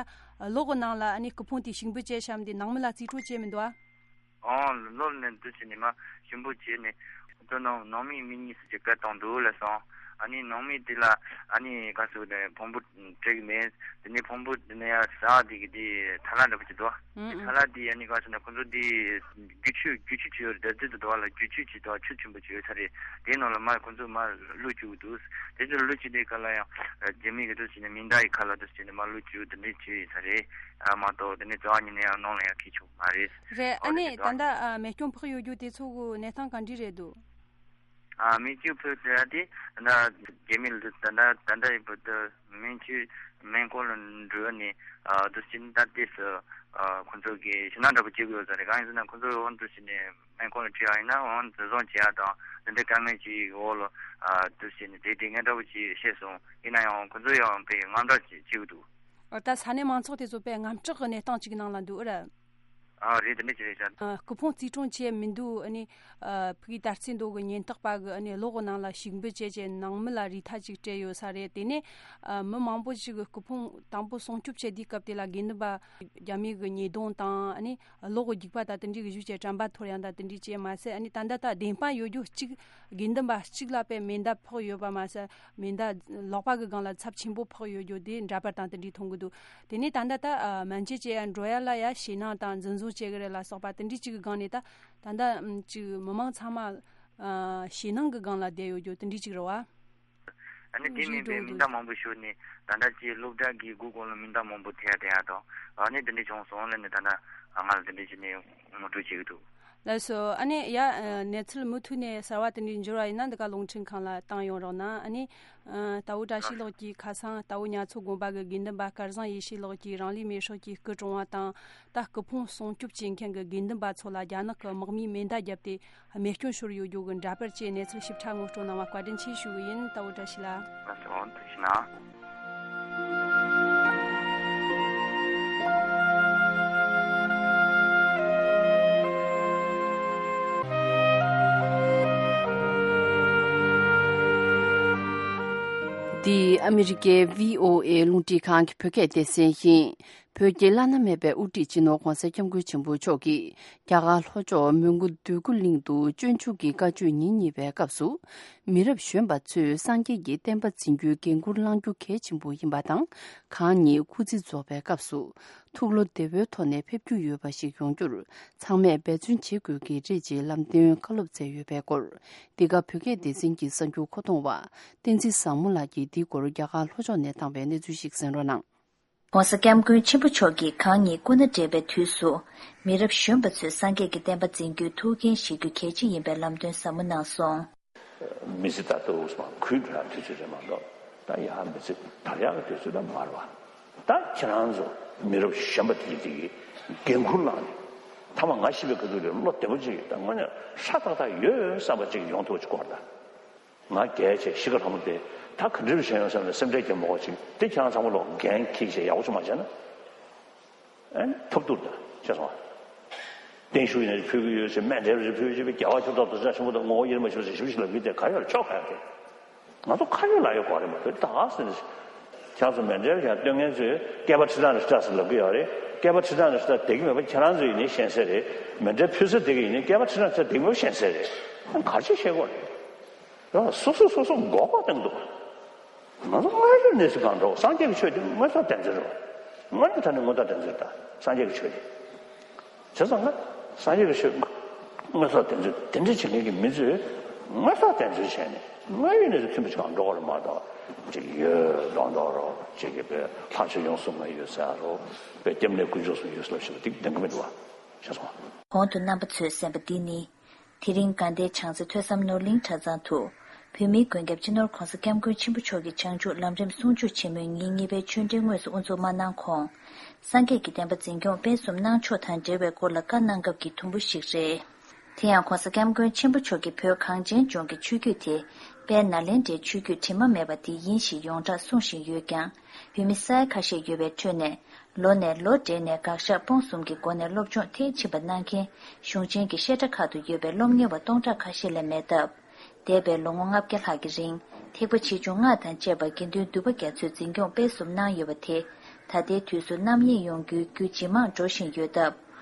གློག་གི་ནང་ལ་ཨ་ནི་སྐུ་ཕུང་དེ་ཞིག་འབུད་བྱས་བཞག་འདི་ནང་མི་ལ་རྩིས་སྤྲོད་བྱས་མི་འདུག་ཨ། ཨང་ལོར་ནས་འདུ་བྱས་ནས་མ་ཞིག་འབུད་བྱས་ནས་ཁོ་ཚོ་ནང་ནང་མི་མི་གཉིས་སུ་ཅིག་བཀལ་བཏང་འདུག་ལབ་སོང་། ཨ་ནི་ནང་མི་དེ་ལ་ཨ་ནི་ག་ཚོད་ཕུང་པོ་སྤྲད་གི་མེད། དེ་ནས་ཕུང་པོ་དེ་ནས་ཡར་ཟ་དེ་གི་དེ་ཐ་ལ་འདྲ་པོ་ཅིག་འདུག་ཨ། དེ་ཨང་ཐ་ལ་དེ་ཨ་ནི་ག་ཟེར་ན་ཁོ་ཚོ་དེ་རྒྱུ་ཆུ་རྒྱུ་ཆུ་ཅིག་ཡོད་རེད། ད་དེ་དུ་འདུག་ཨ་ལ་རྒྱུ་ཆུ་ཅིག་འདུག་ཨ། ཆུ་ཆེན་པོ་ཅིག་ཡོད་ས་རེད། དེ་ནང་ལ་མར་ཁོ་ཚོ་མར་བླུགས་བཅུག་གི་འདུག་དེ་ཚོ་བླུགས་བཅུག་དེ་ག་ལ་ཡང་རྒྱ་མི་གི་དུ་ཟེར་ནས་མེ་མདའ་ཡི་ཁ་ལ་དུ་ཟེར་ནས་མར་བླུགས་བཅུག་དེ་འདྲས་བྱས་ཡོད་ས་རེད། ཨ་མ་གཏོགས་དེ་ནས་རྩ་བ་ཉིད་ནས་ཡང་ནང་ལ་ཡང་འཁྱེར་ཆོག་མ་རེད། རེད། ཨ་ཨོ་རེད་ནི་ད་ལྟ་ཨ་མེ་སྐྱོན་ཕོག་ཡོད་རྒྱུ་དེ་ཚོ་གི་གནས་སྟངས་ག་འདྲ་རེད་འདུག་ཨ་མེ་སྐྱོན་ཕོག་དེ་དེ་ད་རྒྱ་མི་ལ་ད་ད་ད་ད་ཡི་བུ་དུ་མེ་ཆུ་མེ་འཁོར་ལ་འགྲོ་ནས་ཨ་དུ་ཅི་ད་ལྟས་སུ་ཨ་ཁོ་ཚོ་གི་ཞེད་སྣང་འདྲ་པོ་བྱེད་དགོས་ས་རེད། གང་ཡིན་ཟེར་ན་ཁོ་ཚོ་འོང་དུ་ཕྱིན་ནས་སྨན་ཁང་ལ་ཁྲིད་ཡག་ཡིན་ན་འོང་འཛིན་བཟུང་བྱེད་ཡག་དང་འདི་འདྲའི་དཀའ་ངལ་ཅིག་འོག་ལ་ཨ་དུ་ཕྱིན་ནས་བསྡད་བསྡད་མཁན་འདྲ་པོ་ཅིག་བཤད་སོང་། ཡིན་ན་ཡང་ཁོ་ཚོ་ཡང་དཔེ་དངངས་སྐྲག་ཅིག་བྱེད་ཀྱི་འདུག་ཨོ་ད་ས་གནས་མང་ཚོགས་དེ་ཚོ་དཔེ་དངངས་སྐྲག་གི་གནས་སྟངས་ཅིག་ནང་ལ་འདུག་ཨ་ར། ཨ་རེད། དེ་འདྲ་ཅིག་རེད་ཤག་ཨ་སྐུ་ཕུང་རྩིས་སྤྲོད་བྱས་མི་འདུག་ཨ་ནི་ཨ་ཕ་གི་དར་རྩེ་མདོ་གི་ཉེན་རྟོག་པ་གི་ཨ་ནི་གློག་གི་ནང་ལ་ཞིག་འབུད་བྱས་བྱས་ནང་མི་ལ་རིལ་ཐག་ཅིག་སྤྲད་ཡོད་ས་རེད། དེ་ནས་ཨ་མི་མང་པོ་ཞིག་གི་སྐུ་ཕུང་དང་པོ་སྲུང་སྐྱོབ་བྱེད་དུས་སྐབས་དེ་ལ་དགེ་འདུན་པ་རྒྱ་མི་གི་ཉེས་རྡུང་དང་ཨ་ནི། གློག་གི་རྒྱུག་པ་དང་དེ་འདྲའི་གི་གཞུག་བྱས་དྲན་པ་འཐོར་ཡང་དང་དེ་འདྲའི་བྱས་མ་ཟད། ཨ་ནི་ད་ལྟ་ད་བདེན་དཔང་ཡོད་རྒྱུ་གཅིག་དགེ་འདུན་པ་གཅིག་ལ་དཔེ་མེ་མདའ་ཕོག་ཡོད་པ་མ་ཟད། མེ་མདའ་ལག་པ་གི་སྒང་ལ་ཚབས་ཆེན་པོ་ཕོག་ཡོད་རྒྱུ་དེ་འདྲ་པར་དང་དེ་འདྲའི་མཐོང་གི་འདུག་དེ་ནས་ད་ལྟ་ད་སྨན་བཅོས་བྱེད་ཡ་འགྲོ་ཡ་ལ་ཡ་ཞེད་སྣང་དང་འཛིན་བཟུང་བྱེད་གི་རེད་ལ་སོགས་པ་དེ་འདྲའི་གཅིག་གི་སྒང་ནས་ད་ད་ལྟ་གཅིག་མི་མང་ཚང་མ་ཞེད་སྣང་གི་སྒང་ལ་བསྡད་ཡོད་རྒྱུ་དེ་འདྲའི་གཅིག་རེད་བ། ཨ་ནི་དེ་མིན་པའི་མི་འདུག་མི་འདྲ་མང་པོ་ཞུགས་ནས་ད་ལྟ་ཅིག་སློབ་གྲྭ་གི་སྒོ་གོང་ལ་མི་འདྲ་མང་པོ་ཐེ་ཡ་དེ་ཡ་དང་ཨ་ནི་དེ་འདྲ་བྱུང་སོང་ལབ་ནས་ད་ལྟ་ང་ལ་དེ་འདྲ་བྱས་ནས་ངོ་སྤྲོད་བྱེད་ཀྱི་འདུག་ལགས་སོ། ཨ་ནི་ཡ་གནས་ཚུལ་མུ་མཐུད་ནས་གསར་བ་དེ་འདྲའི་འབྱོར་བ་ཡིན་ན་འདི་ག་རླུང་འཕྲིན་ཁང་ལ་བཏང་ཡོང་རོགས་གནང་། ཨ་ནི་ད་འུ་བཀྲ་ཤིས་ལགས་ཀྱིས་ཁ་སང་ད་འུ་ཉ་ཚོ་དགོན་པ་གི་དགེ་འདུན་པ་སྐལ་བཟང་ཡེ་ཤེས་ལགས་ཀྱིས་རང་ལུས་མེ་སྲེག་གི་སྐུ་གྲོངས་བ་དང་། ད་སྐུ་ཕུང་སྲུང་སྐྱོབ་བྱེད་མཁན་གྱི་དགེ་འདུན་པ་ཚོ་ལ་རྒྱ་ནག་གི་དམག་མིས་མེ་མདའ་བརྒྱབ་སྟེ་རྨས་སྐྱོན་ཤོར་ཡོད་རྒྱུ་གི་འདྲ་པར་བཅས་གནས་ཚུལ་ཞིབ་ཕྲ་ངོ་སྤྲོད་གནང་བ་བཀའ་དྲིན་ཆེ་ཞུ་གི་ཡིན། ད་འུ་བཀྲ་ཤིས་ལགས། ལགས་སོ། ཐུགས་རྗེ་གནང་། འདི་ཨ་མི་རི་ཀའི་བྷི་ཨོ་ཨེ་རླུང་འཕྲིན་ཁང་གི་བོད་སྐད་སྡེ་ཚན་ཡིན། བོད་ཀྱི་བླ་ན་མེད་པའི་དབུ་ཁྲིད་སྤྱི་ནོར་༧གོང་ས་༧སྐྱབས་མགོན་ཆེན་པོ་མཆོག་གིས་རྒྱ་གར་ལྷོ་ཕྱོགས་མོན་གྷོ་འདོད་རྒུ་གླིང་དུ་སྤྱོད་འཇུག་གི་བཀའ་ཆོས་ཉིན་གཉིས་པའི་སྐབས་སུ། མི་རབས་གཞོན་པ་ཚོས་སངས་རྒྱས་ཀྱི་བསྟན་པ་འཛིན་རྒྱུའི་འགན་འཁུར་བླང་རྒྱུ་གལ་ཆེན་པོ་ཡིན་པ་དང་། གང་ཉིད་སྐུ་ཚེ་རྫོགས་པའི་སྐབས་སུ། ཐུགས་བློ་བདེ་བོའི་ཐོག་ནས་ཕེབས་རྒྱུ་ཡོད་པ་ཞིག་ཡོང་རྒྱུར། ཚང་མས་འབད་བརྩོན་བྱེད་དགོས་ཀྱི་རེད་ཅེས་ལམ་སྟོན་བཀའ་སློབ་སྩལ་ཡོད་པའི་སྐོར། འདི་ག་བོད་སྐད་སྡེ་ཚན་གྱི་གསར་འགྱུར་མཁོ་གཏོང་བ། བསྟན་འཛིན་བཟང་མོ་ལགས་ཀྱིས་འདིའི་སྐོར་རྒྱ་གར་ལྷོ་ཕྱོགས་ནས་བཏང་བའི་གནས་ཚུལ་ཞིག་གསན་རོགས་གནང་། ༸གོང་ས་༸སྐྱབས་མགོན་ཆེན་པོ་མཆོག་གིས་གང་ཉིད་སྐུ་ན་བགྲེས་པའི་དུས་སུ། མི་རབས་གཞོན་པ་ཚོས་སངས་རྒྱས་ཀྱི་བསྟན་པ་འཛིན་རྒྱུའི་ཐུགས་འགན་བཞེས་རྒྱུ་གལ་ཆེ་ཡིན་པའི་ལམ་སྟོན་ཟབ་མོ་གནང་སོང་། མི་ཚེ་ད་ལྟ་འུ་སུ་མ་ཁུལ་འགྲོ་ཡག་དུས་ཚོད་རེད་མ་གཏོགས། ད་ཡང་མི་ཚེ་དར་ཡག་གི་དུས་ཚོད་ད་མ་རེད་བ། ད་ཁྱེད་རང་ཚོ་མི་རབས་གཞོན་པ་དེ་དེ་གི་འགན་ཁུར་བླངས་ནས། ཐ་མ་ང་ཤི་བའི་སྐབས་དུས་ལ་བློ་བདེ་པོ་ཅིག་ད་དངོས་གནས་ཧྲ་ཐག་ཐག་ཡོད་ཡོད་བསམ་པ་ཅིག་ཡོང་ཐུབ་པ་ཅིག་དགོས་རེད་ད། ང་རྒས་བྱས་ཤི་ཁ་ལྷ་མོ་དེ་ད་ག་འདྲ་བྱས་ཡོང་བསམ་ནས་སེམས་ཁྲལ་རྒྱག་མ་དགོས་ཅིག་དེ་ཁྱེད་རང་ཚང་མ་ལོག་འགན་འཁྱེར་བྱས་ཡག་པོ་ཅིག་མ་བྱས་ན། ཨན་ཐབས་སྡུག་ད་ཤེས་སོང་ཨ། བརྟན་བཞུགས་ཡིན་ན་ཕུལ་གི་ཡོད་ཟེར། སྨན་འབྲས་རེ་ཕུལ་གི་ཡོད་ཟེར། རྒྱལ་བ་མཆོག་སྟོབས་དང་ཆ་ཆེན་པོ་དང་ངོ་བོ་དབྱེར་མ་ཕྱེ་ཟེར་ཞིབ་ཞིབ་ལབ་གི་དེ་ག་ཡོད་ལ་ཆོག་ག་ཡོད་དེ། ང་ཚོ་ཁ་ཡོད་ལག་ཡོད་གོ་རེད་མ་གཏོགས་ད་ག་ཟེར་ནས། ཁྱེད་ཚོ་སྨན་འབྲས་ཀྱང་སྟོན་མཁན་ཚོས་སྐལ་པ་ཁྲི་ཐང་ནས་ཤི་ཐག་ཟེར་ལབ་གི་ཡོད་རེད། སྐལ་པ་ཁྲི་ཐང་ནས་ཤི་ཐག་བསྡད་གི་མེད་པ་ཁྱེད་རང་ཚོ་ཡིན་ནའི་ཤེས་གསལ་རེད། སྨན་འབྲས་ཕུལ་ས་བསྡད་གི་ཡིན་ནའི་སྐལ་པ་ཁྲི་ཐང་ནས་ཤི་ཐག་བསྡད་གི་མེད་པ་ཤེས་གསལ་རེད། ཨ་ག་ཅི་བཤད་གོ་རེད། ཡང་སོ་སོ་སོ་སོ་མགོ་སྐོར་བཏང་འདུག་ང་ ང་ཚོ་དངོས་ཡོད་གནས་ཚུལ་གང་འདྲ། སངས་རྒྱས་ཀྱི་ཆོས་དེ་དངོས་ཟོག་བདེན་འཛིན་རེད་བ། དངོས་གནས་དྲང་གནས་དངོས་ཟོག་བདེན་འཛིན་རེད། ད་སངས་རྒྱས་ཀྱི་ཆོས་དེ། བྱས་ཙང་ང་སངས་རྒྱས་ཀྱི་ཆོས་དངོས་ཟོག་བདེན་འཛིན་དེ་འདྲ་བྱེད་མཁན་གྱི་མི་ཚོས་དངོས་ཟོག་བདེན་འཛིན་བྱས་ནས་དངོས་ཡོད་གནས་ཚུལ་མཐུན་པ་ཞིག་གང་འགྲོ་བ་རེད་མ་གཏོགས། ཅིག་ཡོད་མདོག་མདོག་རོགས། ཅིག་གི་པའི་ལྷག་ཆད་ཡོངས་སུ་མ་ཡོད་ཟེར་རོགས། པའི་སྐྱབས་གནས་དཀོན་མཆོག་གསུམ་ཡོད་ཟེར་ལབ་བཞིན་པ་འདི་བདེན་གི་མི་འདུག་བ། ཤེས་སོང་། གོང་དུ་རྣམ་པ་ཚོས་གསན་པ་འདི་ནི། དེ་རིང་དགའ་ལྡན་བྱང་རྩེ་ཐོས་བསམ་ནོར་གླིང་གྲྭ་ཚང་དུ། བོད་མིའི་མགོན་སྐྱབས་སྤྱི་ནོར་༧གོང་ས་༧སྐྱབས་མགོན་ཆེན་པོ་མཆོག་གི་བྱང་ཆུབ་ལམ་རིམ་གསུང་ཆོས་ཆེན་མོའི་ཉིན་གཉིས་པའི་ཆོས་འབྲེལ་དངོས་སུ་དབུ་འཛུགས་མ་གནང་གོང་། སངས་རྒྱས་ཀྱི་བསྟན་པ་འཛིན་སྐྱོང་སྤེལ་གསུམ་གནང་ཕྱོགས་དང་འབྲེལ་བའི་སྐོར་ལ་བཀའ་གནང་སྐབས་ཀྱི་དུམ་བུ་ཞིག་རེད། དེ་ཡང་༧གོང་ས་༧སྐྱབས་མགོན་ཆེན་པོ་མཆོག་གིས་བོད་གངས་ཅན་ལྗོངས་ཀྱི་ཆོས་བརྒྱུད་དེ། དཔལ་ནཱ་ལེནྡྲའི་ཆོས་བརྒྱུད་དྲི་མ་མེད་པ་དེ་ཡིན་ཞེས་ཡོངས་གྲགས་གསུང་བཞིན་ཡོད་ཀྱང་། བོད་མི་ས་ཡ་ཁ་ཤས་ཡོད་པའི་ཁྲོད་ནས། ལོ་ནས་ལོ་བགྲེས་ནས་དགག་བཞག་སྤོང་གསུམ་གྱི་སྒོ་ནས་སློབ་སྦྱོང་མཐིལ་ཕྱིན་པ་གནང་མཁན་གཞུང་ཆེན་གྱི་བཤད་གྲྭ་ཁག་ཏུ་ཡོད་པའི་སློབ་གཉེར་བ་སྟོང་ཕྲག་ཁ་ཤས་ལས་མེད་སྟབས། འདས་པའི་ལོ་ངོ་ལྔ་བརྒྱ་ལྷག་གི་རིང་ཐེག་པ་ཆེ་ཆུང་སྔགས་དང་བཅས་པ་དགེ་འདུན་འདུས་པ་རྒྱ་མཚོས་འཛིན་སྐྱོང་སྤེལ་གསུམ་གནང་ཡོད་པ་དེ། ད་ལྟའི་དུས་སུ་རྣམ་གཡེང་ཡོང་རྒྱུའི་རྒྱུ་ཇེ་མང་འགྲོ་བཞིན་ཡོད་སྟབས།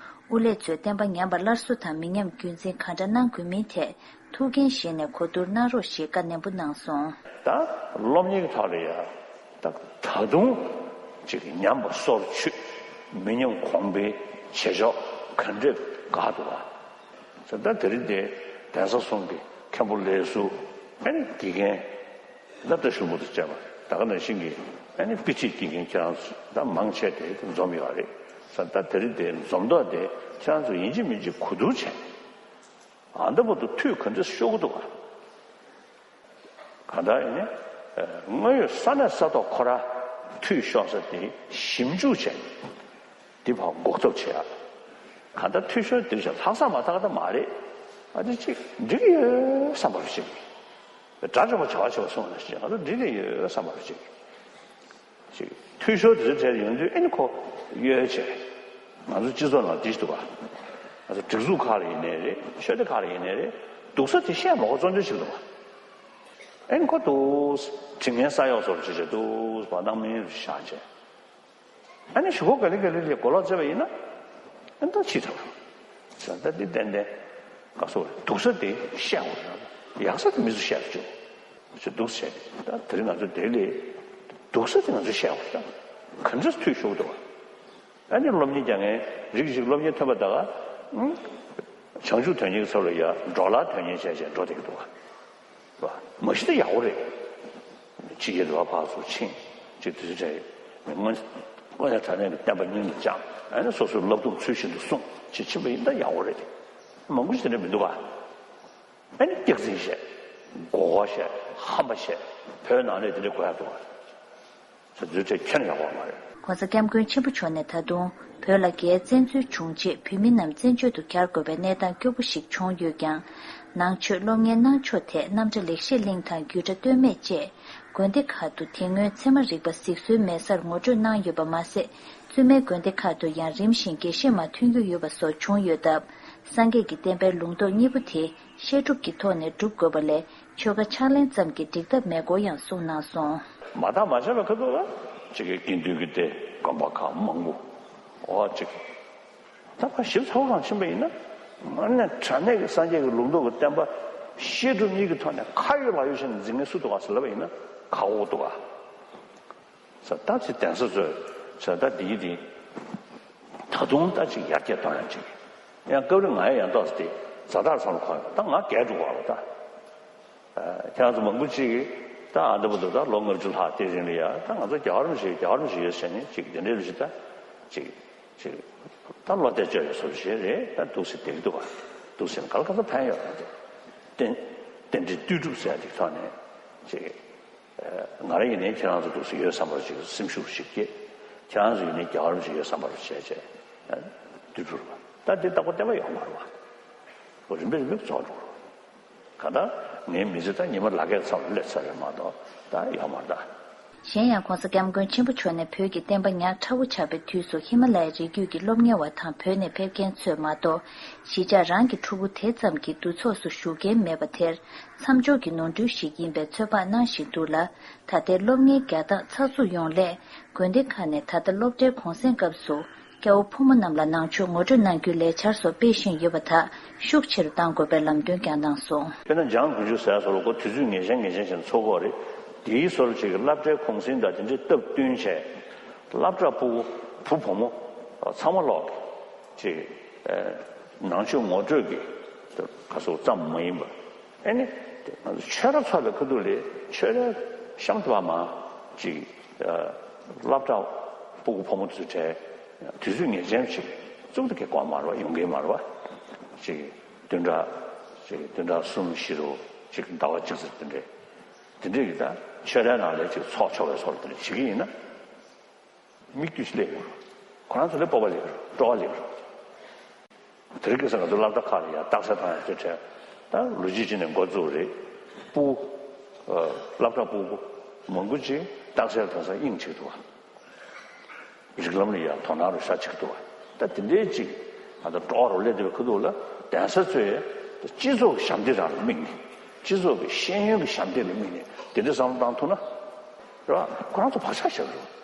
དབུ་ལས་ཚོས་བསྟན་པ་ཉམས་པ་སླར་གསོ་དང་མི་ཉམས་རྒྱུན་འཛིན་གང་འདྲ་གནང་དགོས་མིན་ཐད་ཐུགས་འགན་བཞེས་ནས་གོ་བསྡུར་གནང་རོགས་ཞེས་བཀའ་ནན་པོ་གནང་སོང་། ད་སློབ་གཉེར་གྱི་ཐོག་ལ་ཡང་ད་ད་དུང་ཅིག་ཉམས་པ་སོར་ཆུད། མི་ཉམས་གོང་འཕེལ་བྱེད་ཕྱོགས་ག་འདྲས་དགའ་འདུག་ག་ཟེར། ད་དེ་རིང་འདི་གདན་ས་གསུམ་གྱི་མཁན་པོ་ལས་ཟུར་ཨ་ནི་དགེ་རྒན་ད་ལྟ་ཞུ་མུ་དུ་བྱས་པ་ད་ག་ནང་བཞིན་གྱི་ཨ་ནི་དཔེ་ཁྲིད་དགེ་རྒན་ཁྱེད་རང་ཚོ་ད་མང་ཆེ་དེ་འཛོམས་ཡོད་རེད་ཟེར། ད་དེ་རིང་འདི་འཛོམས་ཐོག་དེ་ཁྱེད་རང་ཚོ་ཡིན་གཅིག་མིན་གཅིག་གོ་བསྡུར་བྱས། ཨ་འདི་བར་དུ་འཐུས་ག་འདྲས་ཤོར་གི་འདུག་ག་གང་ལྟར་ཡིན་ནའི། དངོས་ཡོད་ས་གནས་ས་ཐོག་ཁོ་ར་འཐུས་ཤོར་ས་དེ་ཞིབ་འཇུག་བྱས། འདི་ཕར་འགོག་ཐབས་བྱེད་ཡ། གང་ལྟར་འཐུས་ཤོར་འདིར་བྱས་ལྷག་བསམ་མ་ཐག་ད་མ་རེད། ཨ་འདི་ཅིག་འགྲིག་གི་ཡོད་བསམ་པ་རུ་བྱེད་ཀྱི། དགྲ་བཅོམ་པ་བྱ་བ་བྱེད་པ་སོང་ན་ཞེས་ང་ཚོ་འགྲིག་གི་ཡོད་བསམ་པ་རུ་བྱེད་ཀྱི། ཅིག་འཐུས་ཤོར་དེ་ཚོ་དེར་ཡོང་དུས་ཨེ་ནི་ཁོ་གཡོལ་བྱས། ང་ཚོ་སྤྱི་ཚོགས་ནང་འདི་ཞིག་འདུག་ག་ང་ཚོ་སྒྲིག་འཛུགས་ཁག་ལ་ཡིན་ནའི་རེད། ཆོས་སྡེ་ཁག་ལ་ཡིན་ནའི་རེད། སྡུག་ས་དེ་བཤད་མ་དགོས་བཙོང་རྒྱུ་ཞིག་འདུག་ག་ཨེ་ནི་ཁོ་འདུག་དྲི་ངན་ས་གཡོག་ཚོར་བྱེད་བྱེད་འདུག་བ་སྣང་མེད་རུ་བཞག་བྱས། ཨ་ནི་གཞུག་གུ་ག་ལེ་ག་ལེ་ལས་གོ་ལོག་བཙལ་བ་ཡིན་ན། ཨ་ནི་ད་ཕྱིས་ཐལ། ཟེར་ད་འདི་ཏན་ཏན། ག་སོ་སྡུག་ས་དེ་བཤད་འོ་ཡག་ས་དེ་མི་ཚོ་བཤད་བཅུག་ཅེས་འདུག་ཟེར། ད་དེ་རིང་ང་ཚོ་དེ་ལས་སྡུག་ས་དེ་ང་ཚོ་བཤད་འོ་ཡག་ག་འདྲས་འཐུས་ཤོར་འདུག་ཨ་ནི་སློབ་གཉེར་རྒྱག་མཁན་རིགས་ཤིག་སློབ་གཉེར་ཐོན་པ་ད་ག་བྱང་ཆུབ་དོན་གཉེར་གྱི་ཚབ་ལ་ཡ་འགྲོ་ལ་དོན་གཉེར་བྱས་བྱས་འགྲོ་བསྡད་ཀྱི་འདུག་ག་མ་གཞི་ད་ཡག་པོ་རེད། ཕྱི་རྒྱལ་དུ་བ་ཕར་ཚུར་ཕྱིན་ཅིག་དུས་ཚོད་བྱས་ཡོད། དངོས་དངོས་གནས་དྲང་གནས་ཀྱི་བསྟན་པ་སྙིང་དུ་བཅངས། ཨ་ནི་སོ་སོའི་བསླབ་སྡོམ་ཚུལ་བཞིན་དུ་སྲུང་ཅིག་ཕྱིན་པ་ཡིན་ད་ཡག་པོ་རེད། མང་པོ་ཞིག་དེ་འདྲ་མི་འདུག་ག་ཨ་ནི་སྐྱག་རྫུན་བཤད། མགོ་སྐོར་བཤད། ཧམ་པ་བཤད། བོད་ནང་ལས་དེ་འདྲ་དགོས་ཡག་འདུག་ག་ཚོད་ཚོད་ཁྱོན་ཡག་པོ་མ་རེད། ༸གོང་ས་༸སྐྱབས་མགོན་ཆེན་པོ་མཆོག་ནས་ད་དུང་བོད་ལ་རྒྱའི་བཙན་འཛུལ་བྱུང་རྗེས་བོད་མི་རྣམས་བཙན་བྱོལ་དུ་གྱར་དགོས་པའི་གནས་སྟངས་སྐྱོ་པོ་ཞིག་བྱུང་ཡོད་ཀྱང་། ནང་ཆོས་སློབ་གཉེར་གནང་ཕྱོགས་ཐད་རྣམ་གྲྭ་ལེགས་བཤད་གླིང་དང་རྒྱུད་གྲྭ་སྟོད་སྨད་བཅས་དགོན་སྡེ་ཁག་ཏུ་དེ་སྔོན་ཚད་མ་རིག་པ་གཟིགས་གསོལ་མེད་སར་ངོ་སྤྲོད་གནང་ཡོད་པ་མ་ཟད། བཙུན་མའི་དགོན་སྡེ་ཁག་ཏུ་ཡང་རིམ་བཞིན་དགེ་བཤེས་མ་ཐོན་རྒྱུ་ཡོད་པ་སོགས་བྱུང་ཡོད་སྟབས། སངས་རྒྱས་ཀྱི་བསྟན་པའི་ལུང་རྟོགས་གཉིས་པོ་དེ་བཤད་སྒྲུབ་ཀྱི་ཐོག་ནས་སྒྲུབ་དགོས་པ་ལས། ཆོལ་ཁ་ཕྱག་ལེན་ཙམ་གྱིས་འགྲིག་ཐབས་མེད་སྐོར་ཡང་གསུངས་གནང་སོང་། མ་དག་མ་བྱས་པ་ཁ་ཐུག་ལ་ཅིག་གི་དགེ་འདུན་གྱི་སྡེ་དགོན་པ་ཁག་མང་པོ་འོ་ཅིག་ད་ཕར་ཞིབ་ཚགས་པོ་གང་ཕྱིན་པ་ཡིན་ན་དངོས་གནས་དྲང་གནས་ཀྱི་སངས་རྒྱས་ཀྱི་ལུང་རྟོགས་ཀྱི་བསྟན་པ་བཤད་སྒྲུབ་གཉིས་ཀྱི་ཐོག་ནས་ཁ་ཡོད་ལག་ཡོད་བྱས་ནས་འཛིང་མཁན་སུ་འདུག་ག་ཟེར་ལབ་པ་ཡིན་ན་ཁག་པོ་འདུག་ག་ས་ད་ཚེ་གདན་ས་ཚོས་ས་ད་འདིའི་དེ་ད་དུང་ད་ཅིག་ཡར་རྒྱས་གཏོང་ཡང་ཅིག་ཡང་སྐབས་རེ་ང་ཡང་ཡང་ཏོག་ཙམ་དེ་ཛ་དྲག་ཚང་ལ་གོ་ཡོང་ད་ང་རྒས་འགྲོ་བ་ལ་ད་ཁྱེད་རང་ཚོ་མང་པོ་ཅིག་གིས་ད་ཨ་འདི་བར་དུ་ད་ལོ་ལྔ་བཅུ་ལྷག་དེ་རིང་ལ་ཡ་ད་ང་ཚོ་རྒྱལ་བ་རིན་པོ་ཆེ་རྒྱལ་བ་རིན་པོ་ཆེ་ཡོད་ཟེར་ནས་ཅིག་དེ་འདྲའི་ལུགས་ཤིག་ད་ཅིག་ཅིག་ད་བློ་གཏད་བཅོལ་བའི་བཟོ་ཞིག་རེད། ད་འདུག་སེ་བསྡད་ཀྱི་འདུག་བ། འདུག་སེ་ག་ལ་ག་ཚོད་ཕན་ཡོད་རེད་དེ་རྟེན་རྟེན་འབྲེལ་ལྟོས་གྲུབ་ཟེར་ཡ་དེ་ཐོག་ནས་ཅིག་ང་རང་ཡིན་ནའི་ཁྱེད་རང་ཚོ་འདུག་སེ་ཡོད་བསམ་པར་ཅིག་སེམས་ཤུགས་ཤིག་སྐྱེས། ཁྱེད་རང་ཚོ་ཡིན་ནའི་རྒྱལ་བ་རིན་པོ་ཆེ་ཡོད་བསམ་པར་བྱས་བྱས་ལྟོས་གྲུབ་རེད་བ། ད་འདི་ལྟ་བུ་བསྟན་པ་ཡོད་མ་རེད་བ། རིམ་པས་རིམ་པས་རྫོགས་འགྲོ་རེད། གང་ལྟར་ངའི་མི་ཚེ་ད་ཉི་མ་ལག་ཁྱེར་ཚང་ལ་སླེབས་ཚར་རེད་མ་གཏོགས་ད་ཡོད་མ་རེད་ད། གཞན་ཡང་༸གོང་ས་༸སྐྱབས་མགོན་ཆེན་པོ་མཆོག་ནས་བོད་ཀྱི་བསྟན་པ་ཉག་ཕྲ་བོ་ཆགས་པའི་དུས་སུ་ཧི་མ་ལ་ཡའི་རི་རྒྱུད་ཀྱི་སློབ་གཉེར་བ་དང་བོད་ནས་ཕེབས་མཁན་ཚོས་མ་གཏོགས་གཞིས་ཆགས་རང་གི་ཕྲུ་གུ་དེ་ཙམ་གྱིས་འདུ་ཚོགས་སུ་ཞུགས་མཁན་མེད་པ་དེར་མཚམས་སྦྱོར་གྱི་ནོར་འཁྲུལ་ཞིག་ཡིན་པའི་ཚོད་དཔག་གནང་བཞིན་འདུག་ལ། ད་ལྟའི་སློབ་གཉེར་རྒྱག་སྟངས་ཚགས་ཚུད་ཡོང་སླད་དགོན་སྡེ་ཁག་ནས་ད་ལྟ་སློབ་གྲྭའི་གུང་སེང་སྐབས་སུ་སྐྱ་བོ་ཕོ་མོ་རྣམས་ལ་ནང་ཆོས་ངོ་སྤྲོད་གནང་རྒྱུའི་ལས་འཆར་སོགས་སྤེལ་བཞིན་ཡོད་པ་དག་ཤུགས་ཆེ་རུ་གཏང་དགོས་པའི་ལམ་སྟོན་ཀྱང་གནང་སོང་། དཔེར་ན་འཇང་དགུ་བཅུ་ཟེར་ཡ་སོགས་ལ་ཁོ་དུས་ཚོད་ངེས་ཅན་ངེས་ཅན་བྱས་ནས་འཚོགས་ཀྱི་ཡོད་རེད། དེའི་སོར་ཅིག་སློབ་གྲྭའི་གུང་སེང་དང་དེ་འདྲའི་སྟབས་བསྟུན་བྱས། སློབ་གྲྭ་ཕྲུ་གུ་བུ་བུ་མོ་ཚང་མ་ལོག་གི་ཅིག་ནང་ཆོས་ངོ་སྤྲོད་ཀྱི་ག་སོགས་ཙམ་མ་ཡིན་པར། ཨེ་ནི་ང་ཚོ་ཆོས་ར་ཚོགས་པའི་ཁ་ཐུག་ལས་ཆོས་རའི་གཤམ་དུ་བ་མ་ཅིག་སློབ་གྲྭ་ཕྲུ་གུ་བུ་མོ་ཚོའི་གྲས་དུས་ཚོད་ངེས་ཅན་ཅིག་བཙུགས་ཏེ་གི་གོ་མ་རེད་བ། ཡོང་གི་མ་རེད་བ། ཅིག་བདུན་ཕྲག་ཅིག་བདུན་ཕྲག་གསུམ་བཞི་རུ་ཅིག་ཟླ་བ་གཅིག་ཙམ་དེ་འདྲས། དེ་འདྲས་ཀྱི་ད་ཆོས་རའི་ནང་ལས་ཅིག་ཚོགས་ཆོག་པའི་སོར་དེ་འདྲས་བྱེད་ཀྱི་ཡིན་ན། མིག་ལྟོས་ཤིག་སླེབས་ཡོང་། ཁོ་རང་ཚོ་ལས་སྤོབས་པ་ལེགས་རེད། སྤྲོ་བ་ལེགས་རེད། དེ་རིང་ཁ་སང་ང་ཚོ་སློབ་གྲྭ་ཁག་ལ་ཡང་རྟགས་གསལ་བཏང་ཡག་ཚོད་ཁྲལ་ད་ལོ་རྒྱུས་ཅིག་ནས་འགོ་བཙུགས་རེད། སྤུ་གུ་སློབ་གྲྭ་སྤུ་གུ་མང་པོ་ཅིག་རྟགས་གསལ་བཏང་ས་དབྱིངས་གཅིག་འདུག་བ། རིགས་ལམ་ལ་ཡང་དོ་སྣང་རུ་ཤ་གཅིག་འདུག་བ། ད་དེ་འདྲའི་ཅིག་ང་ཚོ་སྤྲོ་བ་རུ་སླེབས་བསྡད་པའི་ཁ་ཐུག་ལ་གདན་ས་ཚོས་སྤྱི་ཚོགས་ཀྱི་ཞབས་འདེགས་རང་ལ་དམིགས་ནས། སྤྱི་ཚོགས་ཀྱི་ཤེས་ཡོན་གྱི་ཞབས་འདེགས་ལ་དམིགས་ནས་དེ་འདྲའི་བསམ་བློ་བཏང་ཐུབ་ན། རེད་བ། ཁོ་རང་ཚོ་བག་ཆགས་བཞག་གི་རེད།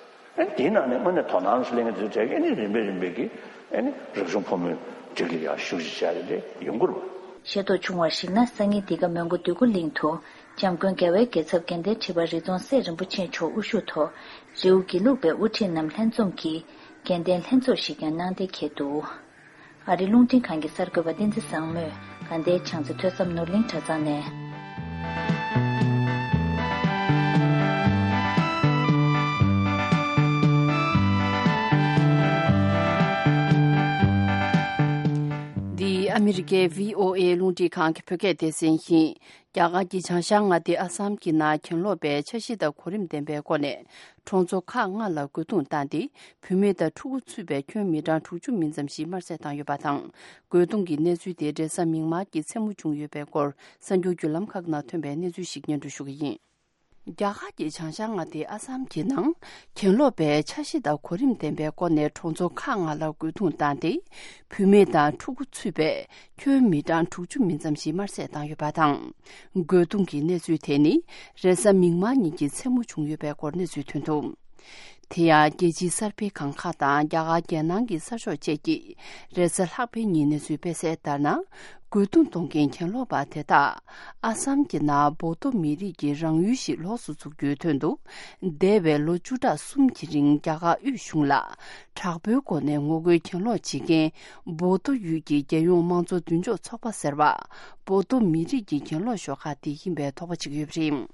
ཨ་ནི་དེའི་ནང་ནས་དངོས་གནས་དོ་སྣང་ཞིག་ལེན་མཁན་དེ་ཚོ་གྲས་ཀྱིས་ཨ་ནི་རིམ་པས་རིམ་པས་ཀྱིས་ཨ་ནི་རིག་གཞུང་ཕོ་མོའི་སྒྲིག་ལ་ཡང་ཞུགས་ཤིག་བྱས་རེད་དེ་ཡོང་གི་རེད་བ། ཤེས་རྟོགས་བྱུང་བར་གཞིགས་ན། སང་ཉིན་འདི་ག་མོན་གྷོ་འདོད་རྒུ་གླིང་དུ་འཇམ་མགོན་རྒྱལ་བའི་རྒྱལ་ཚབ་དགེ་ལྡན་ཁྲི་པ་རི་རྫོང་སྲས་རིན་པོ་ཆེ་མཆོག་དབུ་བཞུགས་ཐོག་རི་བོ་དགེ་ལུགས་པའི་དབུ་ཁྲིད་རྣམས་ལྷན་འཛོམས་ཀྱིས་དགེ་ལྡན་ལྷན་ཚོགས་ཤིག་ཀྱང་གནང་གཏན་འཁེལ་འདུག། ཨ་རིའི་རླུང་འཕྲིན་ཁང་གི་གསར་འགོད་པ་བསྟན་འཛིན་བཟང་མོས་དགའ་ལྡན་བྱང་རྩེ་ཐོས་བསམ་ནོར་གླིང་གྲྭ་ཚང་ནས། འདི་ཨ་མི་རི་ཀའི་བྷི་ཨོ་ཨེ་རླུང་འཕྲིན་ཁང་གི་བོད་སྐད་སྡེ་ཚན་ཡིན། རྒྱ་གར་གྱི་བྱང་ཤར་མངའ་སྡེ་ཨ་སམ་གྱི་ནང་གྱེན་ལོག་པའི་འཆར་གཞི་དང་གོ་རིམ་ལྡན་པའི་སྒོ་ནས་གྲོང་ཚོ་ཁག་ལྔ་ལ་རྒོལ་རྡུང་བཏང་སྟེ། བུད་མེད་དང་ཕྲུ་གུ་ཚུད་པའི་ཁྱོན་མི་གྲངས་དྲུག་ཅུ་མིན་ཙམ་ཞིག་དམར་བསད་བཏང་ཡོད་པ་དང་། རྒོལ་རྡུང་གི་གནས་ཚུལ་དེ་རེས་གཟའ་མིག་དམར་གྱི་མཚན་མོ་བྱུང་ཡོད་པའི་སྐོར་གསར་འགྱུར་བརྒྱུད་ལམ་ཁག་ནང་ཐོན་པའི་གནས་ཚུལ་ཞིག་སྙན་སྒྲོན་ཞུ་གི་ཡིན། རྒྱ་གར་གྱི་བྱང་ཤར་མངའ་སྡེ་ཨ་སམ་གྱི་ནང་གྱེན་ལོག་པའི་འཆར་གཞི་དང་གོ་རིམ་ལྡན་པའི་སྒོ་ནས་གྲོང་ཚོ་ཁག་ལྔ་ལ་རྒོལ་རྡུང་བཏང་སྟེ། བུད་མེད་དང་ཕྲུ་གུ་ཚུད་པའི་ཁྱོན་མི་གྲངས་དྲུག་ཅུ་མིན་ཙམ་ཞིག་དམར་བསད་བཏང་ཡོད་པ་དང་། རྒོལ་རྡུང་གི་གནས་ཚུལ་དེ་ནི་རེས་གཟའ་མིག་དམར་ཉིན་གྱི་མཚན་མོ་བྱུང་ཡོད་པའི་སྐོར་གནས་ཚུལ་ཐོན་འདུག། དེ་ཡང་རྒྱལ་སྤྱིའི་གསར་སྤེལ་ཁང་ཁག་དང་རྒྱ་གར་རྒྱལ་ནང་གི་གསར་ཤོག་བཅས་ཀྱིས་རེས་གཟའ་ལྷག་པའི་ཉིན་གནས་ཚུལ་སྤེལ་གསལ་ལྟར་ན། རྒོལ་རྡུང་གཏོང་མཁན་གྱེན་ལོག་པ་དེ་དག་ཨ་སམ་གྱི་ནང་བོ་ཏོ་མི་རིགས་ཀྱི་རང་ཡུལ་ཞིག་ལོགས་སུ་འཛུགས་རྒྱུའི་དོན་དུ། འདས་པའི་ལོ་བཅུ་ཕྲག་གསུམ་གྱི་རིང་རྒྱ་གར་དབུས་གཞུང་ལ་དྲག་པོའི་སྒོ་ནས་ངོ་རྒོལ་གྱེན་ལོག་བྱེད་མཁན་བོ་ཏོ་ཡུལ་གྱི་རྒྱལ་ཡོངས་དམངས་གཙོ་མདུན་ལྕོག་ཚོགས་པ་ཟེར་བ། བོ་ཏོ་མི་རིགས་ཀྱི་གྱེན་ལོག་ཤོག་ཁག་དེ་ཡིན་པའི་དོགས་པ་བྱེད་ཀྱི་ཡོད་པ་རེད།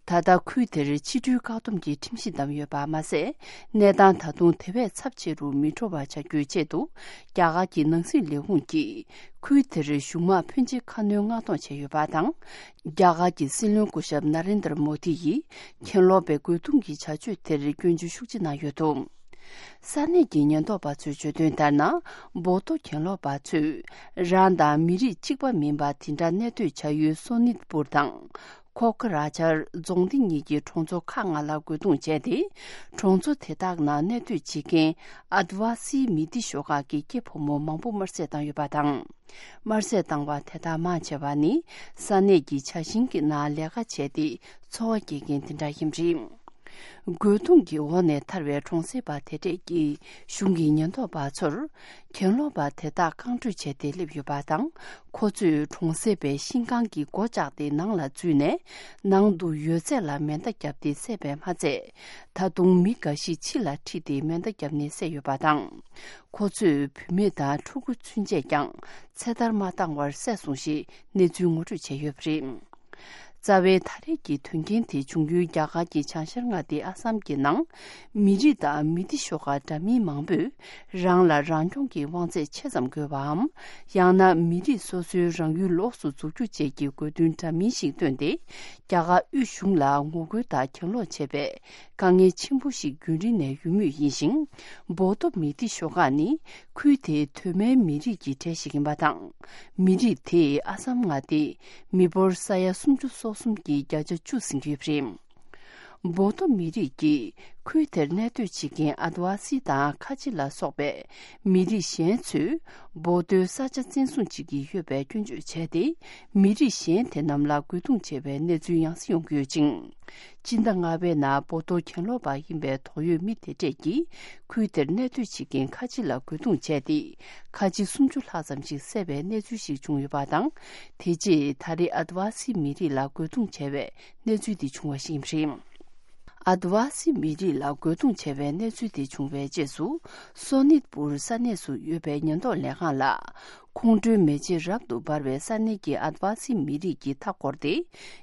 ད་ལྟ་ཁུལ་དེར་ཕྱི་འགྲུལ་བཀག་སྡོམ་གྱི་ཁྲིམས་གཞི་བསྡམས་ཡོད་པ་མ་ཟད། གནས་སྟངས་ད་དུང་དེ་བས་ཚབས་ཆེ་རུ་མི་འགྲོ་བ་བྱ་རྒྱུའི་ཆེད་དུ། རྒྱ་གར་གྱི་ནང་སྲིད་ལས་ཁུངས་ཀྱིས་ཁུལ་དེར་གཞུང་དམག་ཕོན་ཆེ་ཁ་སྣོན་མངགས་གཏོང་བྱས་ཡོད་པ་དང་། རྒྱ་གར་གྱི་སྲིད་བློན་སྐུ་ཞབས་ན་རེན་དར་མོ་དི་ཡིས་གྱེན་ལོག་པའི་རྒོལ་རྡུང་གི་བྱ་སྤྱོད་དེར་སྐྱོན་བརྗོད་ཤུགས་ཆེ་གནང་ཡོད་འདུག། ས་གནས་ཀྱི་ཉེན་རྟོག་པ་ཚོས་བརྗོད་དོན་ལྟར་ན། བོ་ཏོ་གྱེན་ལོག་པ་ཚོས་རང་དང་མི་རིགས་གཅིག་པ་མིན་པ་དེ་འདྲ་གནས་སྡོད་བྱ་ཡུལ་སོ་ནིད་པུར་དང་། ཁོ་ཁ་ར་ཆར་རྫོང་སྡེ་གཉིས་ཀྱི་གྲོང་ཚོ་ཁག་ལྔ་ལ་རྒོལ་རྡུང་བྱས་ཏེ། གྲོང་ཚོ་དེ་དག་ནང་གནས་སྡོད་བྱེད་མཁན་ཨ་དི་ཝ་སི་མི་སྡེ་ཤོག་ཁག་གི་སྐྱེས་ཕོ་མོ་མང་པོ་དམར་བསད་བཏང་ཡོད་པ་དང་། དམར་བསད་བཏང་བ་དེ་དག་མང་ཆེ་བ་ནི་ས་གནས་ཀྱི་ཇ་ཞིང་གི་ནང་ལས་ཀ་བྱས་ཏེ་འཚོ་བ་སྐྱེལ་མཁན་དེ་འདྲ་ཡིན་པ་རེད། རྒོལ་རྡུང་གི་འོག་ནས་ཐར་བའི་གྲོང་གསེབ་པ་དེ་གྲས་ཀྱིས་གཞུང་གི་ཉེན་རྟོག་པ་ཚོར། གྱེན་ལོག་པ་དེ་དག་རྐང་བགྲོད་བྱས་ཏེ་སླེབས་ཡོད་པ་དང་། ཁོ་ཚོས་གྲོང་གསེབ་པའི་ཤིང་ཁང་གི་སྒོ་བཅག་སྟེ་ནང་ལ་འཛུལ་ནས། ནང་དུ་ཡོད་ཚད་ལ་མེ་མདའ་བརྒྱབ་སྟེ་བསད་པས་མ་ཚད། ད་དུང་མི་འགའ་ཞིག་ཕྱི་ལ་ཁྲིད་དེ་མེ་མདའ་བརྒྱབ་ནས་བསད་ཡོད་པ་དང་། ཁོ་ཚོས་བུད་མེད་དང་ཕྲུ་གུ་ཚུན་ཆད་ཀྱང་ཚེ་ཐར་མ་བཏང་བར་བསད་སོང་ཞེས་གནས་ཚུལ་ངོ་སྤྲོད་བྱས་ཡོད་པ་རེད། རྩ་བའི་ད་རེས་ཀྱི་དོན་རྐྱེན་དེ་བྱུང་ཡུལ་རྒྱ་གར་གྱི་བྱང་ཤར་མངའ་སྡེ་ཨ་སམ་གྱི་ནང་། མི་རིགས་དང་མི་སྡེ་ཤོག་ཁག་འདྲ་མིན་མང་པོས་རང་ལ་རང་སྐྱོང་གི་དབང་ཚད་ཆེ་ཙམ་དགོས་པའམ། ཡང་ན་མི་རིགས་སོ་སོའི་རང་ཡུལ་ལོགས་སུ་འཛུགས་རྒྱུ་བཅས་ཀྱི་དགོས་འདུན་འདྲ་མིན་ཞིག་བཏོན་ཏེ། རྒྱ་གར་དབུས་གཞུང་ལ་ངོ་རྒོལ་དང་གྱེན་ལོག་བྱས་པའི་དཀའ་ངལ་ཆེན་པོ་ཞིག་རྒྱུན་རིང་ནས་ཡོད་མུས་ཡིན་ཞིང་། བོ་ཏོ་མི་སྡེ་ཤོག་ཁག་ནི་ཁུལ་དེའི་གདོད་མའི་མི་རིགས་ཀྱི་གྲས་ཤིག་ཡིན་པ་དང་། མི་རིགས་དེས་ཨ་སམ་མངའ་སྡེའི་མི་འབོར་ས་ཡ་སུམ་ཅུ་སོ་གསུམ་གྱི་བརྒྱ་ཆ་བཅུ་ཟིན་གྱི་ཡོད་པ་རེད། བོ་ཏོ་མི་རིགས་ཀྱིས་ཁུལ་དེར་གནས་སྡོད་བྱེད་མཁན་ཨ་དི་ཝ་སི་དང་ཁ་ཆེ་ལ་སོགས་པའི་མི་རིགས་གཞན་ཚོས་བོ་ཏོའི་ས་ཆ་བཙན་བཟུང་བྱེད་ཀྱི་ཡོད་པའི་སྐྱོན་བརྗོད་བྱས་ཏེ། མི་རིགས་གཞན་དེ་རྣམས་ལ་རྒོལ་རྡུང་བྱས་པའི་གནས་ཚུལ་ཡང་སེ་ཡོང་གི་ཡོད་ཅིང་། སྤྱི་ཟླ་ལྔ་པའི་ནང་བོ་ཏོ་གྱེན་ལོག་པ་ཡིན་པའི་དོགས་ཡོད་མི་དེ་གྲས་ཀྱིས་ཁུལ་དེར་གནས་སྡོད་བྱེད་མཁན་ཁ་ཆེ་ལ་རྒོལ་རྡུང་བྱས་ཏེ། ཁ་ཆེ་སུམ་ཅུ་ལྷག་ཙམ་ཞིག་བསད་པའི་གནས་ཚུལ་ཞིག་བྱུང་ཡོད་པ་དང་། དེ་རྗེས་ད་རེས་ཨ་དི་ཝ་སི་མི་རིགས་ལ་རྒོལ་རྡུང་བྱས་པའི་གནས་ཚུལ་འདི་བྱུང་བ་ཞིག་ཡིན་པ་རེད། ཨ་དི་ཝ་སི་མི་རིགས་ལ་རྒོལ་རྡུང་བྱས་པའི་གནས་ཚུལ་དེ་བྱུང་བའི་རྗེས་སུ། སོ་ནིད་པུར་ས་གནས་སུ་ཡོད་པའི་ཉེན་རྟོག་ལས་ཁང་ལ། ཁོང་ཁྲོའི་མེ་ལྕེ་རབ་ཏུ་འབར་བའི་ས་གནས་ཀྱི་ཨ་དི་ཝ་སི་མི་རིགས་ཀྱིས་མཐའ་བསྐོར་ཏེ།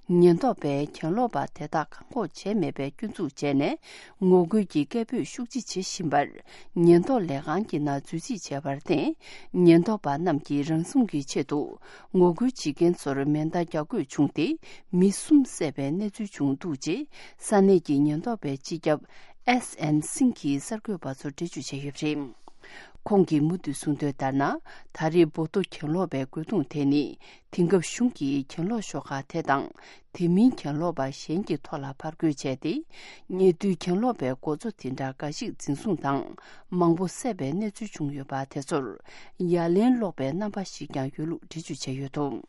ཉེན་རྟོག་པས་གྱེན་ལོག་པ་དེ་དག་བཀག་འགོག་བྱས་མེད་པའི་སྐྱོན་འཛུགས་བྱས་ནས། ངོ་རྒོལ་གྱི་སྐད་འབོད་ཤུགས་ཆེ་བྱེད་བཞིན་པར། ཉེན་རྟོག་ལས་ཁང་གི་ནང་འཛུལ་རྩིས་བྱས་པར་བརྟེན། ཉེན་རྟོག་པ་རྣམས་ཀྱིས་རང་སྲུང་གི་ཆེད་དུ། ངོ་རྒོལ་བྱེད་མཁན་ཚོར་མེ་མདའ་རྒྱག་དགོས་བྱུང་སྟེ། མི་གསུམ་བསད་པའི་གནས་ཚུལ་བྱུང་འདུག་ཅེས། ས་གནས་ཀྱི་ཉེན་རྟོག་པའི་སྤྱི་ཁྱབ་ཨེས་ཨེན་སིང་གིས་གསར་འགོད་པ་ཚོར་འགྲེལ་བརྗོད་བྱས་ཡོད་པ་རེད། ཁོང་གིས་མུ་མཐུད་གསུངས་དོན་ལྟར་ན། ད་རེས་བོ་ཏོ་གྱེན་ལོག་པའི་རྒོལ་རྡུང་དེ་ནི། དེང་སྐབས་གཞུང་གིས་གྱེན་ལོག་ཤོག་ཁག་དེ་དང་། དེ་མིན་གྱེན་ལོག་པ་གཞན་གྱི་ཐོག་ལ་ཕར་རྒོལ་བྱས་ཏེ། ཉེ་དུས་གྱེན་ལོག་པའི་འགོ་གཙོ་དེ་འདྲ་འགའ་ཞིག་འཛིན་བཟུང་དང་། མང་པོ་བསད་པའི་གནས་ཚུལ་བྱུང་ཡོད་པ་དེ་ཚོར། ཡ་ལན་སློག་པའི་རྣམ་པ་ཞིག་ཀྱང་ཡོད་ལུགས་འགྲེལ་བརྗོད་བྱས་ཡོད་འདུག་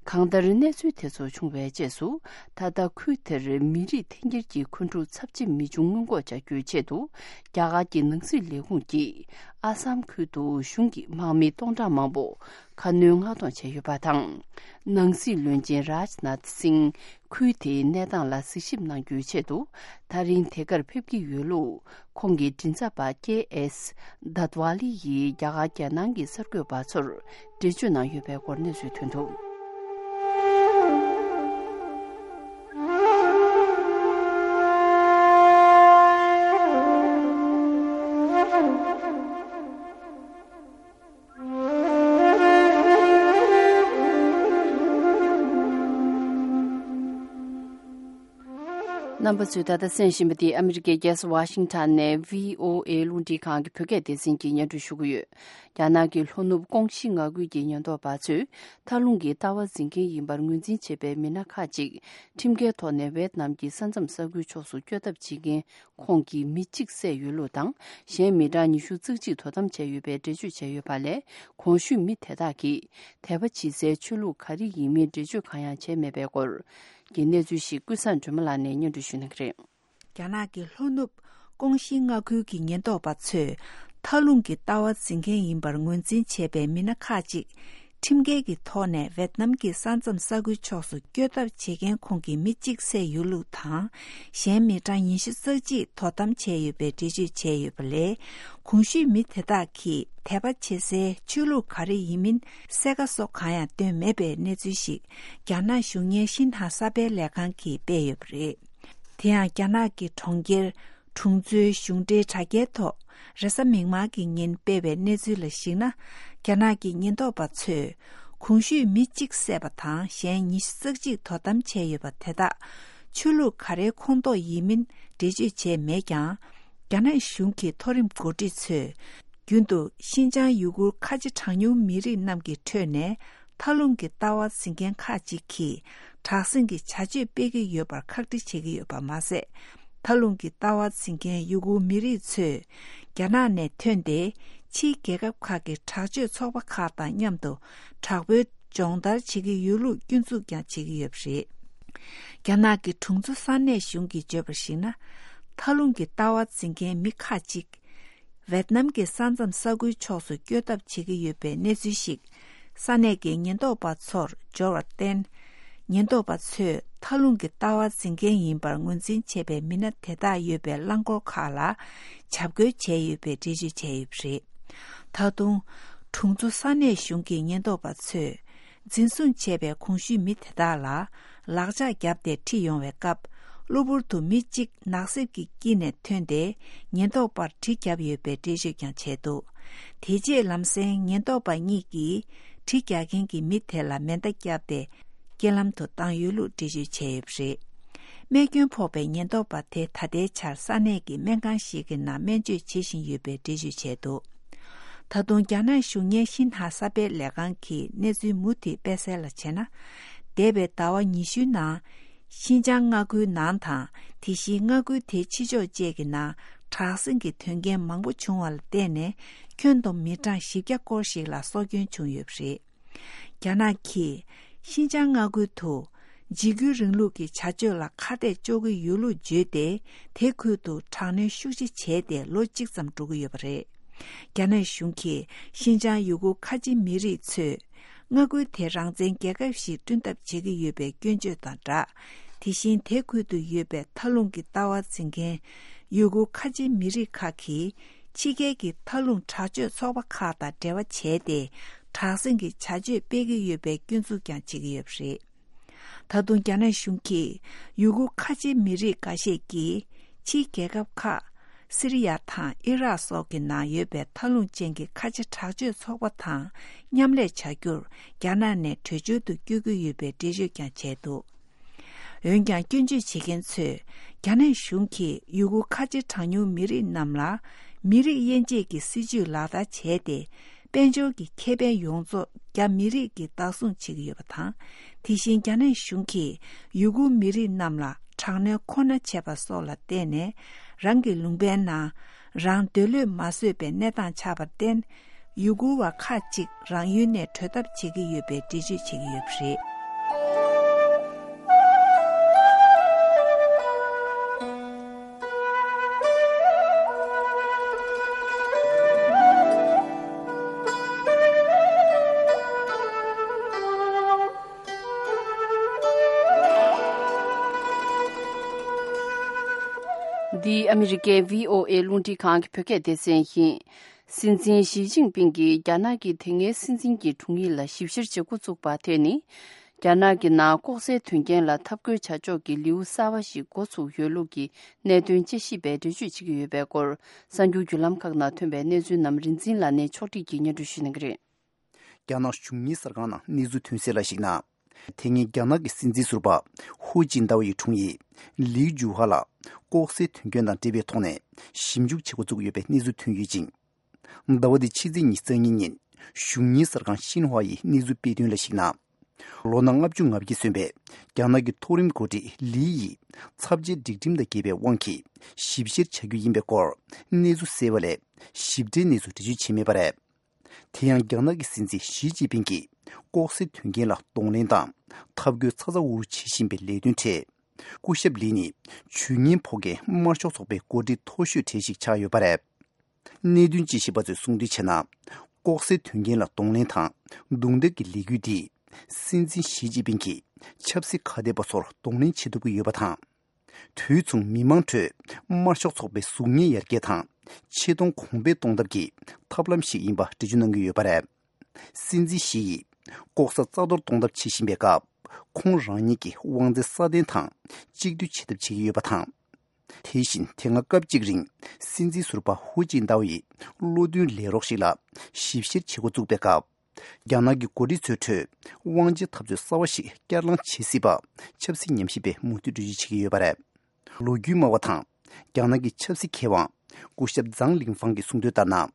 གང་ལྟར། གནས་ཚུལ་དེ་ཚོ་བྱུང་བའི་རྗེས་སུ། ད་ལྟ་ཁུལ་དེར་མི་རིགས་འཐེན་འཁྱེར་གྱི་འཁོན་འཁྲུག་ཚབས་ཆེ་མི་འབྱུང་སྔོན་འགོག་བྱ་རྒྱུའི་ཆེད་དུ། རྒྱ་གར་གྱི་ནང་སྲིད་ལས་ཁུངས་ཀྱིས། ཨ་སམ་ཁུལ་དུ་གཞུང་གི་དམག་མི་སྟོང་ཕྲག་མང་པོ། ཁ་སྣོན་མངགས་གཏོང་བྱས་ཡོད་པ་དང་། ནང་སྲིད་བློན་ཆེན་རཱཇ་ནཱཐ་སིང་ཁུལ་དེའི་གནས་སྟངས་ལ་གཟིགས་ཞིབ་གནང་རྒྱུའི་ཆེད་དུ། ད་རིང་དེ་གར་ཕེབས་ཀྱི་ཡོད་ལུགས། ཁོང་གི་མགྲིན་ཚབ་པ་ཀེ་ཨེས་དཱད་ཝ་ལི་ཡིས་རྒྱ་གར་རྒྱལ་ནང་གི་གསར་འགོད་པ་ཚོར་འགྲེལ་བརྗོད་གནང་ཡོད་པའི་སྐོར་གནས་ཚུལ་ཐོན་འདུག་རྣམ་པ་ཚོས་ད་ལྟ་གསན་བཞིན་པ་འདི་ཨ་མི་རི་ཀའི་རྒྱལ་ས་ཝ་ཤིང་ཊོན་ནས་བྷི་ཨོ་ཨེ་རླུང་འཕྲིན་ཁང་གི་བོད་སྐད་སྡེ་ཚན་གྱིས་སྙན་སྒྲོན་ཞུ་གི་ཡོད། རྒྱ་ནག་གི་ལྷོ་ནུབ་ཀོང་ཞི་མངའ་ཁུལ་གྱི་ཉེན་རྟོག་པ་ཚོས་མཐའ་ལྷུང་གི་ལྟ་བ་འཛིན་མཁན་ཡིན་པར་ངོས་འཛིན་བྱེད་པའི་མི་སྣ་ཁག་ཅིག་ཁྲིམས་འགལ་ཐོག་ནས་ཝེད་ནམ་གྱི་ས་མཚམས་ས་ཁུལ་ཕྱོགས་སུ་བསྐྱོད་ཐབས་བྱེད་མཁན། ཁོང་གིས་མི་གཅིག་བསད་ཡོད་ལུགས་དང་། གཞན་མི་གྲངས་ཉི་ཤུ་རྩ་གཅིག་དོ་དམ་བྱས་ཡོད་པའི་འགྲེལ་བརྗོད་བྱས་ཡོད་པ་ལས། གོང་ཞུས་མི་དེ་དག་གིས་དད་པ་བྱེད་སའི་ཆོས་ལུགས་ག་རེ་ཡིན་མིན་འགྲེལ་བརྗོད་གང་ཡང་བྱས་མེད་པའི་སྐོར་གྱི་གནས་ཚུལ་ཞིག་ཀུན་བཟང་སྒྲོལ་མ་ལགས་ནས་སྙན་སྒྲོན་ཞུ་གནང་གི་རེད། རྒྱ་ནག་གི་ལྷོ་ནུབ་ཀོང་ཞི་མངའ་ཁུལ་གྱི་ཉེན་རྟོག་པ་ཚོས་མཐའ་ལྷུང་གི་ལྟ་བ་འཛིན་མཁན་ཡིན་པར་ངོས་འཛིན་བྱས་པའི་མི་སྣ་ཁག་ཅིག་ཁྲིམས་འགལ་གྱི་ཐོག་ནས་ཝེད་ནམ་གྱི་ས་མཚམས་ས་ཁུལ་ཕྱོགས་སུ་བསྐྱོད་ཐབས་བྱེད་མཁན་ཁོང་གིས་མི་གཅིག་བསད་ཡོད་ལུགས་དང་། གཞན་མི་གྲངས་ཉི་ཤུ་རྩ་གཅིག་དོ་དམ་བྱས་ཡོད་པའི་འགྲེལ་བརྗོད་བྱས་ཡོད་པ་ལས། གོང་ཞུས་མི་དེ་དག་གིས་དད་པ་བྱེད་སའི་ཆོས་ལུགས་ག་རེ་ཡིན་མིན་གསལ་ཁ་སོགས་གང་ཡང་བཏོན་མེད་པའི་གནས་ཚུལ་ཞིག་རྒྱ་ནག་གཞུང་གཉེར་ཤིན་ཧྭ་གསར་སྤེལ་ལས་ཁང་གིས་སྤེལ་ཡོད་པ་རེད། དེ་ཡང་རྒྱ་ནག་གི་གྲོང་ཁྱེར། གྲོང་ཚོའི་གཞུང་འབྲེལ་དྲ་རྒྱའི་ཐོག་རེས་གཟའ་མིག་དམར་གྱི་ཉིན་སྤེལ་བའི་གནས་ཚུལ་ལ་གཞིགས་ན། རྒྱ་ནག་གི་ཉེན་རྟོག་པ་ཚོས་གོང་ཞུས་མི་གཅིག་བསད་པ་དང་གཞན་ཉི་ཤུ་རྩ་གཅིག་དོ་དམ་བྱས་ཡོད་པ་དེ་དག་ཆོས་ལུགས་ག་རེའི་ཁོངས་གཏོགས་ཡིན་མིན་འགྲེལ་བརྗོད་བྱས་མེད་ཀྱང་། རྒྱ་ནག་གཞུང་གི་མཐོ་རིམ་འགོ་ཁྲིད་ཚོས། རྒྱུན་དུ་ཤིན་ཅང་ཡུ་གུར་ཁ་ཆེ་གྲངས་ཉུང་མི་རིགས་རྣམས་ཀྱི་ཁྲོད་ནས། མཐའ་ལྷུང་གི་ལྟ་བ་འཛིན་མཁན་ཁག་ཅིག་གིས་དྲག་ཟིང་གི་བྱ་སྤྱོད་སྤེལ་གྱི་ཡོད་པར་ཁག་དཀྲི་བྱེད་ཀྱི་ཡོད་པ་མ་ཟད། མཐའ་ལྷུང་གི་ལྟ་བ་འཛིན་མཁན་ཡུ་གུར་མི་རིགས་ཚོས་རྒྱ་ནག་ནས་ཐོན་ཏེ། ཕྱིའི་རྒྱལ་ཁབ་ཁག་གི་དྲག་སྤྱོད་ཚོགས་པ་ཁག་དང་མཉམ་དུ་དྲག་པོའི་སྦྱོང་བརྡར་བྱེད་ཀྱི་ཡོད་ལུགས་སྐྱོན་འཛུགས་ཀྱང་བྱེད་ཀྱི་ཡོད་པ་རེད། རྒྱ་ནག་གི་དྲུང་འཚོ་ས་གནས་གཞུང་གིས་བརྗོད་པར་གཞིགས་ན། མཐའ་ལྷུང་གི་ལྟ་བ་འཛིན་མཁན་མི་ཁག་ཅིག་ཝེད་ནམ་གྱི་ས་མཚམས་ས་ཁུལ་ཕྱོགས་སུ་བསྐྱོད་ཐབས་བྱེད་ཀྱི་ཡོད་པའི་གནས་ཚུལ་ཞིག་ས་གནས་ཀྱི་ཉེན་རྟོག་པ་ཚོར་འབྱོར་བར་བརྟེན། ཉེན་རྟོག་པ་ཚོས་མཐའ་ལྷུང་གི་ལྟ་བ་འཛིན་མཁན་ཡིན་པར་ངོས་འཛིན་བྱས་པའི་མི་སྣ་དེ་དག་ཡོད་པའི་རླངས་འཁོར་ཁག་ལ་འཇབ་རྒོལ་བྱས་ཡོད་པའི་འགྲེལ་བརྗོད་བྱས་ཡོད་པ་རེད། ད་དུང་། དྲུང་འཚོ་ས་གནས་གཞུང་གི་ཉེན་རྟོག་པ་ཚོས། འཛིན་བཟུང་བྱས་པའི་གོང་ཞུས་མི་དེ་དག་ལ་ལག་ལྕགས་བརྒྱབ་སྟེ་ཁྲིད་ཡོང་བའི་སྐབས། གློ་བུར་དུ་མི་གཅིག་ནག་གསེབ་ཀྱི་དཀྱིལ་ནས་ཐོན་ཏེ། ཉེན་རྟོག་པར་གྲི་བརྒྱབ་ཡོད་པའི་འགྲེལ་བརྗོད་ཀྱང་བྱས་འདུག་དེ་རྗེས་ལམ་སེང་ཉེན་རྟོག་པ་གཉིས་ཀྱིས་གྲི་རྒྱག་མཁན་གྱི་མི་དེ་ལ་མེ་མདའ་བརྒྱབ་སྟེ། རྐྱེན་ལམ་དུ་བཏང་ཡོད་ལུགས་འགྲེལ་བརྗོད་བྱས་ཡོད་པ་རེད། རྨས་སྐྱོན་ཕོག་པའི་ཉེན་རྟོག་པ་དེ་ད་ལྟའི་ཆར་ས་གནས་ཀྱི་སྨན་ཁང་ཞིག་གི་ནང་སྨན་བཅོས་བྱེད་བཞིན་ཡོད་པའི་འགྲེལ་བརྗོད་བྱས་འདུག་ད་དུང་རྒྱ་ནག་གཞུང་གཉེར་ཤིན་ཧྭ་གསར་སྤེལ་ལས་ཁང་གིས་གནས་ཚུལ་མུ་མཐུད་སྤེལ་གསལ་ལ་བྱས་ན། འདས་པའི་ཟླ་བ་ཉི་ཤུའི་ནང་ ཤིན་ཅང་མངའ་ཁུལ་ནང་དང་དེ་བཞིན་མངའ་ཁུལ་དེའི་ཕྱི་ཕྱོགས་བཅས་ཀྱི་ནང་དྲག་ཟིང་གི་དོན་རྐྱེན་མང་པོ་བྱུང་བ་ལ་བརྟེན་ནས། ཁྱོན་བསྡོམས་མི་གྲངས་བཞི་བརྒྱ་སྐོར་ཞིག་ལ་སྲོག་སྐྱོན་བྱུང་ཡོད་པ་རེད། རྒྱ་ནག་གིས་ཤིན་ཅང་མངའ་ཁུལ་དུ་འཇིགས་སྐུལ་རིང་ལུགས་ཀྱི་བྱ་སྤྱོད་ལ་ཁ་གཏད་གཅོག་གི་ཡོད་ལུགས་བརྗོད་དེ། དེ་ཁུལ་དུ་དྲག་གནོན་ཤུགས་ཆེ་བྱས་ཏེ་ལོ་གཅིག་ཙམ་འགྲོ་གི་ཡོད་པ་རེད། རྒྱ་ནག་གཞུང་གིས་ཤིན་ཅང་ཡུ་གུར་ཁ་ཆེ་མི་རིགས་ཚོས་མངའ་ཁུལ་དེ་རང་བཙན་རྒྱལ་ཁབ་ཞིག་བསྐྲུན་ཐབས་བྱེད་ཀྱི་ཡོད་པའི་སྐྱོན་བརྗོད་དང་སྦྲགས། དེ་བཞིན་དེ་ཁུལ་དུ་ཡོད་པའི་མཐའ་ལྷུང་གི་ལྟ་བ་འཛིན་མཁན་ཡུ་གུར་ཁ་ཆེ་མི་རིགས་ཁག་གིས་ཕྱི་རྒྱལ་གྱི་མཐའ་ལྷུང་དྲག་སྤྱོད་ཚོགས་པ་ཁག་དང་འབྲེལ་བ་བྱས་ཏེ། དྲག་ཟིང་གི་བྱ་སྤྱོད་སྤེལ་གྱི་ཡོད་པའི་སྐྱོན་འཛུགས་ཀྱང་བྱེད་ཀྱི་ཡོད་པ་རེད། ད་དུང་རྒྱ་ནག་གཞུང་གིས་ཡུ་གུར་ཁ་ཆེ་མི་རིགས་འགའ་ཤས་ཀྱིས་ཕྱིའི་རྒྱལ་ཁབ་ཁག་སི་རི་ཡ་དང་ཨི་རག་སོགས་ཀྱི་ནང་ཡོད་པའི་མཐའ་ལྷུང་ཅན་གྱི་ཁ་ཆེ་དྲག་སྤྱོད་ཚོགས་པ་དང་མཉམ་ལས་བྱ་རྒྱུར་རྒྱ་ནག་ནས་བྲོས་བྱོལ་དུ་བསྐྱོད་ཀྱི་ཡོད་པའི་འགྲེལ་བརྗོད་ཀྱང་བྱས་འདུག་འོན་ཀྱང་སྐྱོན་བརྗོད་བྱེད་མཁན་ཚོས་རྒྱ་ནག་གཞུང་གིས་ཡུ་གུར་ཁ་ཆེ་གྲངས་ཉུང་མི་རིགས་རྣམས་ལ་མི་རིགས་དབྱེ་འབྱེད་ཀྱི་སྲིད་བྱུས་ལག་བསྟར་བྱས་ཏེ། དཔལ་འབྱོར་གྱི་ཁེ་ཕན་ཡོངས་རྫོགས་རྒྱ་མི་རིགས་ཀྱིས་བདག་བཟུང་བྱེད་ཀྱི་ཡོད་པ་དང་། དེ་བཞིན་རྒྱ་ནག་གཞུང་གིས་ཡུ་གུར་མི་རིགས་རྣམས་ལ་དྲག་གནོན་ཁོ་ན་བྱས་པ་སོགས་ལ་བརྟེན་ནས། རང་གི་ལུང་པའི་ནང་རང་འདོད་བློས་མ་བཟོད་པའི་གནས་སྟངས་ཆགས་པར་བརྟེན། ཡུ་གུར་བ་ཁག་ཅིག་རང་ཡུལ་ནས་བྲོས་ཐབས་བྱེད་ཀྱི་ཡོད་པའི་འགྲེལ་བརྗོད་བྱེད་ཀྱི་ཡོད་པ་རེད། འདི་ཨ་མི་རི་ཀའི་བྷི་ཨོ་ཨེ་རླུང་འཕྲིན་ཁང་གི་བོད་སྐད་སྡེ་ཚན་ཡིན། སྲིད་འཛིན་ཞི་ཅིན་ཕིང་གིས་རྒྱ་ནག་གི་དེ་སྔའི་སྲིད་འཛིན་གྱི་དྲུང་ཡིག་ལ་ཞིབ་བཤེར་བྱེད་འགོ་བཙུགས་པ་དེ་ནི། རྒྱ་ནག་གི་ནང་ལྐོག་ཟའི་དོན་རྐྱེན་ལ་འཐབ་རྒོལ་བྱ་ཕྱོགས་ཀྱི་ལེའུ་གསར་བ་ཞིག་འགོ་ཚུགས་ཡོད་ལུགས་ཀྱི་གནད་དོན་དཔྱད་ཞིབ་པས་འགྲེལ་བརྗོད་བྱེད་ཀྱི་ཡོད་པའི་སྐོར། གསར་འགྱུར་བརྒྱུད་ལམ་ཁག་ནང་ཐོན་པའི་གནས་ཚུལ་རྣམས་རིན་འཛིན་ལགས་ནས་ཕྱོགས་སྒྲིག་གིས་སྙན་སྒྲོན་ཞུ་གནང་གི་རེད། རྒྱ་ནག་གཞུང་གཉེར་གསར་ཁང་ནང་གནས་ཚུལ་ཐོན་གསལ་ལ་གཞིགས་ན། དེ་སྔའི་རྒྱ་ནག་གི་སྲིད་འཛིན་ཟུར་པ་ཧུའུ་ཅིན་ཏའོ་ཡི་དྲུང་ཡིག་ལི་ཇུ་ཧ་ལ་ལྐོག་ཟའི་དོན་རྐྱེན་དང་འབྲེལ་བའི་ཐོག་ནས་ཞིབ་འཇུག་བྱེད་འགོ་བཙུགས་ཡོད་པའི་གནས་ཚུལ་ཐོན་ཡོད་ཅིང་། ཟླ་བ་འདིའི་ཕྱི་ཚེས་ཉི་ཤུ་རྩ་གཉིས་ཉིན་གཞུང་གཉེར་གསར་ཁང་ཤིན་ཧྭ་ཡིས་གནས་ཚུལ་སྤེལ་དོན་ལ་གཞིགས་ན། ལོ་ན་ལྔ་བཅུ་ང་བརྒྱད་སོན་པའི་རྒྱ་ནག་གི་མཐོ་རིམ་འགོ་ཁྲིད་ལི་ཡིས་ཚབས་ཆེའི་སྒྲིག་ཁྲིམས་དང་འགལ་བའི་དབང་གིས་ཞིབ་བཤེར་བྱ་རྒྱུ་ཡིན་པའི་སྐོར་གནས་ཚུལ་གསལ་བ་ལས། ཞིབ་ཕྲའི་གནས་ཚུལ་འགྲེལ་བརྗོད་བྱས་མེད་པ་རེད། དེ་ཡང་རྒྱ་ནག་གི་སྲིད་འཛིན་ཞི་ཅིན་ཕིང་གིས་ལྐོག་ཟའི་དོན་རྐྱེན་ལ་གདོང་ལེན་དང་འཐབ་རྒོལ་ཚ་ཚ་འུར་འུར་བྱེད་བཞིན་པའི་ལས་དོན་ཁྲོད། སྐུ་ཞབས་ལི་ནི་ཇུས་ངན་ཕོག་མཁན་དམར་ཤོག་ཚོགས་པའི་འགོ་ཁྲིད་མཐོ་ཤོས་གྲས་ཤིག་ཆགས་ཡོད་པ་རེད། གནད་དོན་དཔྱད་ཞིབ་པ་ཚོས་གསུངས་དོན་བྱས་ན། ལྐོག་ཟའི་དོན་རྐྱེན་ལ་གདོང་ལེན་དང་རྡུང་རྡེག་གི་ལས་འགུལ་འདིས་སྲིད་འཛིན་ཞི་ཅིན་ཕིང་གིས་ཆབ་སྲིད་ཁ་གཏད་པ་ཚོར་གདོང་ལེན་བྱེད་ཐུབ་ཀྱི་ཡོད་པ་དང་། དུས་མཚུངས་མི་མང་ཁྲོད་དམར་ཤོག་ཚོགས་པའི་གཟུགས་བརྙན་ཡར་རྒྱས་དང་ཆེ་མཐོང་གོང་འཕེལ་གཏོང་ཐབས་ཀྱི་ཐབས་ལམ་ཞིག་ཡིན་པ་འགྲེལ་བརྗོད་གནང་གི་ཡོད་པ་རེད། སྲིད་འཛིན་ཞི་ཡིས་ལྐོག་ཟ་རྩ་གཏོར་གཏོང་ཐབས་བྱེད་བཞིན་པའི་སྐབས། ཁོང་རང་ཉིད་ཀྱི་དབང་ཚད་སྲ་བརྟན་དང་གཅིག་སྡུད་བྱེད་ཐབས་བྱེད་ཀྱི་ཡོད་པ་དང་། དེ་བཞིན་དེ་སྔ་སྐབས་གཅིག་རིང་སྲིད་འཛིན་ཟུར་པ་ཧུའུ་ཅིན་ཏའོ་ཡི་བློ་མཐུན་ལས་རོགས་ཤིག་ལ་ཞིབ་བཤེར་བྱེད་འགོ་བཙུགས་པའི་སྐབས། རྒྱ་ནག་གི་འགོ་ཁྲིད་ཚོའི་ཁྲོད་དབང་ཆའི་འཐབ་རྩོད་གསར་བ་ཞིག་བསྐྱར་ལངས་བྱེད་སྲིད་པ་ཆབ་སྲིད་ཉམས་ཞིབ་པས་མུ་མཐུད་འགྲེལ་བརྗོད་བྱེད་ཀྱི་ཡོད་པ་རེད། ལོ་རྒྱུས་སྨྲ་བ་དང་རྒྱ་ནག་གི་ཆབ་སྲིད་མཁས་དབང་སྐུ་ཞབས་ཛང་ལིང་ཧྥང་གིས་གསུངས་དོན་ལྟར་ན།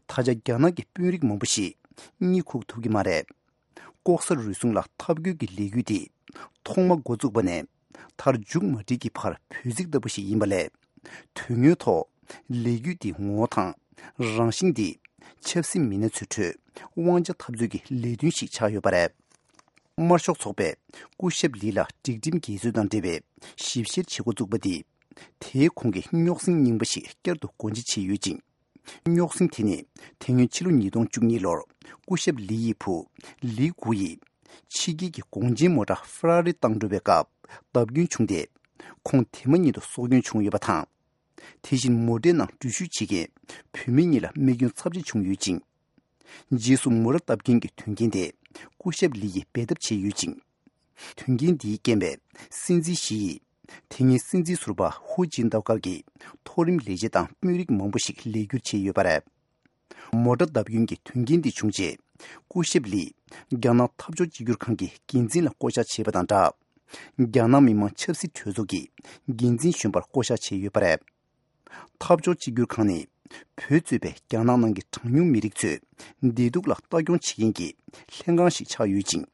ད་ཆ་རྒྱ་ནག་གི་དཔོན་རིགས་མང་པོ་ཞིག་གཉིད་ཁུག་ཐུབ་ཀྱི་མ་རེད། ལྐོག་ཟ་རུལ་སུངས་ལ་འཐབ་རྒོལ་གྱི་ལས་འགུལ་འདི་ཐོག་མ་འགོ་བཙུགས་པ་ནས་མཐར་མཇུག་མ་སྒྲིལ་གྱི་བར་བོད་ཚིག་ལྟ་བུ་ཞིག་ཡིན་པ་ལས། དོན་དངོས་ཐོག་ལས་འགུལ་འདིའི་ངོ་བོ་དང་རང་བཞིན་འདི་ཆབ་སྲིད་མི་སྣ་ཚོའི་ཁྲོད་དབང་ཆ་འཐབ་རྩོད་ཀྱི་ལས་དོན་ཞིག་ཆགས་ཡོད་པ་རེད། དམར་ཤོག་ཚོགས་པས་སྐུ་ཞབས་ལི་ལ་སྒྲིག་ཁྲིམས་འགལ་འཛོལ་དང་འབྲེལ་བའི་ཞིབ་བཤེར་བྱེད་འགོ་བཙུགས་པ་འདིས། དེའི་གོང་གི་རྙོག་ཟིང་རྙིང་པ་ཞིག་བསྐྱར་དུ་སྒོ་འབྱེད་བྱས་ཡོད་ཅིང་། རྙོག་ཟིང་དེ་ནི་དེ་སྔོན་ཕྱི་ལོ་ཉིས་སྟོང་བཅུ་གཉིས་ལོར་སྐུ་ཞབས་ལི་ཡི་བུ་ལི་གུ་ཡིས་ཕྱི་རྒྱལ་གྱི་གོང་ཆེན་མོ་ཊ་ཧྥེ་ར་རི་བཏང་འགྲོ་བའི་སྐབས་བརྡབ་སྐྱོན་བྱུང་སྟེ། ཁོང་དེ་མ་ཉིད་དུ་སྲོག་སྐྱོན་བྱུང་ཡོད་པ་དང་། དེ་བཞིན་མོ་ཊའི་ནང་འགྲུལ་བཞུད་བྱེད་མཁན་བུད་མེད་གཉིས་ལ་རྨས་སྐྱོན་ཚབས་ཆེ་བྱུང་ཡོད་ཅིང་། རྗེས་སུ་མོ་ཊ་བརྡབ་སྐྱོན་གྱི་དོན་རྐྱེན་དེ་སྐུ་ཞབས་ལི་ཡིས་འབད་འཐབ་བྱས་ཡོད་ཅིང་། དོན་རྐྱེན་འདིའི་རྐྱེན་པས་སྲིད་འཛིན་ཞི་ཡིས་དེ་སྔའི་སྲིད་འཛིན་ཟུར་པ་ཧུའུ་ཅིན་ཏའོ་སྒར་གྱི་མཐོ་རིམ་ལས་བྱེད་དང་དཔོན་རིགས་མང་པོ་ཞིག་ལས་བསྒྱུར་བྱས་ཡོད་པ་རེད། མོ་ཊ་བརྡབ་སྐྱོན་གྱི་དོན་རྐྱེན་འདི་བྱུང་རྗེས། སྐུ་ཞབས་ལི་རྒྱ་ནག་འཐབ་ཕྱོགས་གཅིག་གྱུར་ཁང་གི་འགན་འཛིན་ལ་བསྐོ་གཞག་བྱས་པ་དང་སྦྲགས། རྒྱ་ནག་མི་དམངས་ཆབ་སྲིད་གྲོས་ཚོགས་ཀྱི་འགན་འཛིན་གཞོན་པར་བསྐོ་གཞག་བྱས་ཡོད་པ་རེད། འཐབ་ཕྱོགས་གཅིག་གྱུར་ཁང་ནི་བོད་གཙོས་པའི་རྒྱ་ནག་ནང་གི་གྲངས་ཉུང་མི་རིགས་ཚོའི་བདེ་སྡུག་ལ་ལྟ་སྐྱོང་བྱེད་མཁན་གྱི་ལྷན་ཁང་ཞིག་ཆགས་ཡོད་ཅིང་།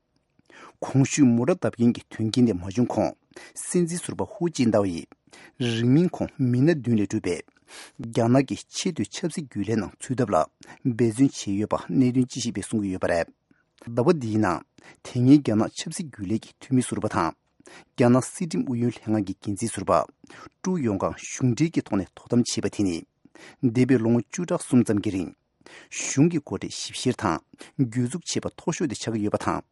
གོང་ཞུས་མོ་ཊ་བརྡབ་སྐྱོན་གྱི་དོན་རྐྱེན་དེ་མ་བྱུང་གོང་ སྲིད་འཛིན་ཟུར་པ་ཧུ་ཅིན་ཏའོ་ཡིས་རིང་མིན་ཁོང་མི་སྣ་བདུན་ལས་གྲུབ་པའི་རྒྱ་ནག་གི་ཆེས་མཐོའི་ཆབ་སྲིད་རྒྱུན་ལས་ནང་ཚུད་ཐབས་ལ་འབད་བརྩོན་བྱས་ཡོད་པ་གནད་དོན་དཔྱད་ཞིབ་པས་གསུང་གི་ཡོད་པ་རེད། ཟླ་བ་འདིའི་ནང་དེ་སྔའི་རྒྱ་ནག་ཆབ་སྲིད་རྒྱུན་ལས་ཀྱི་འཐུས་མི་ཟུར་པ་དང་། རྒྱ་ནག་སྲིད་ཁྲིམས་ཨུ་ཡོན་ལྷན་ཁང་གི་འགན་འཛིན་ཟུར་པ་ཀྲུའུ་ཡོང་ཀང་གཞུང་འབྲེལ་གྱི་ཐོག་ནས་དོ་དམ་བྱས་པ་དེ་ནི། འདས་པའི་ལོ་ངོ་བཅུ་ཕྲག་གསུམ་ཙམ་གྱི་རིང་། གཞུང་གི་འགོ་ཁྲིད་ཞིབ་བཤེར་དང་གྱོད་འཛུགས་བྱས་པ་མཐོ་ཤོས་དེ་ཆགས་ཀྱི་ཡོད་པ་དང་།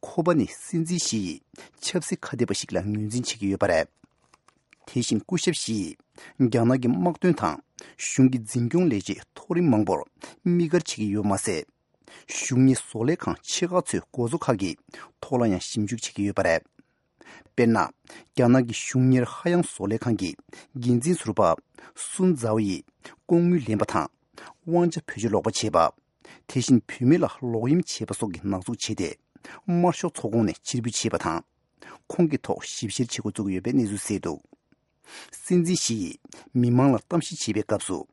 ཁོ་པ་ནི་སྲིད་འཛིན་ཞི་ཡི་ཆབ་སྲིད་ཁ་གཏད་པ་ཞིག་ལ་ངོས་འཛིན་བྱེད་ཀྱི་ཡོད་པ་རེད། དེ་བཞིན་སྐུ་ཞབས་ཞི་ཡིས་རྒྱ་ནག་གི་དམག་དོན་དང་གཞུང་གི་འཛིན་སྐྱོང་ལས་བྱེད་མཐོ་རིམ་མང་པོར་དམིགས་བཀར་བྱེད་ཀྱི་ཡོད་པ་མ་ཟད། གཞུང་གཉེར་བཟོ་ལས་ཁང་ཆེ་ཁག་ཚོའི་འགོ་གཙོ་ཁག་གི་ཐོག་ལ་ཡང་ཞིབ་འཇུག་བྱེད་ཀྱི་ཡོད་པ་རེད། དཔེར་ན། རྒྱ་ནག་གི་གཞུང་གཉེར་ཧ་ཡང་བཟོ་ལས་ཁང་གི་འགན་འཛིན་ཟུར་པ་སུན་ཛའོ་ཡིས་ལྐོག་དངུལ་ལེན་པ་དང་། དབང་ཆ་བེད་སྤྱོད་ལོག་པ་བྱས་པ། དེ་བཞིན་བུད་མེད་ལ་ལོག་གཡེམ་བྱས་པ་སོགས་ཀྱི་ནག་འཛུགས་བྱས་ཏེ། དམར་ཤོག་ཚོགས་ཁོངས་ནས་ཕྱིར་འབུད་བྱས་པ་དང་། ཁོང་གི་ཐོག་ཞིབ་བཤེར་བྱེད་འགོ་བཙུགས་ཡོད་པའི་གནས་ཚུལ་གསལ་འདུག། སྲིད་འཛིན་ཞི་ཡིས་མི་མང་ལ་གཏམ་བཤད་བྱེད་པའི་སྐབས་སུ།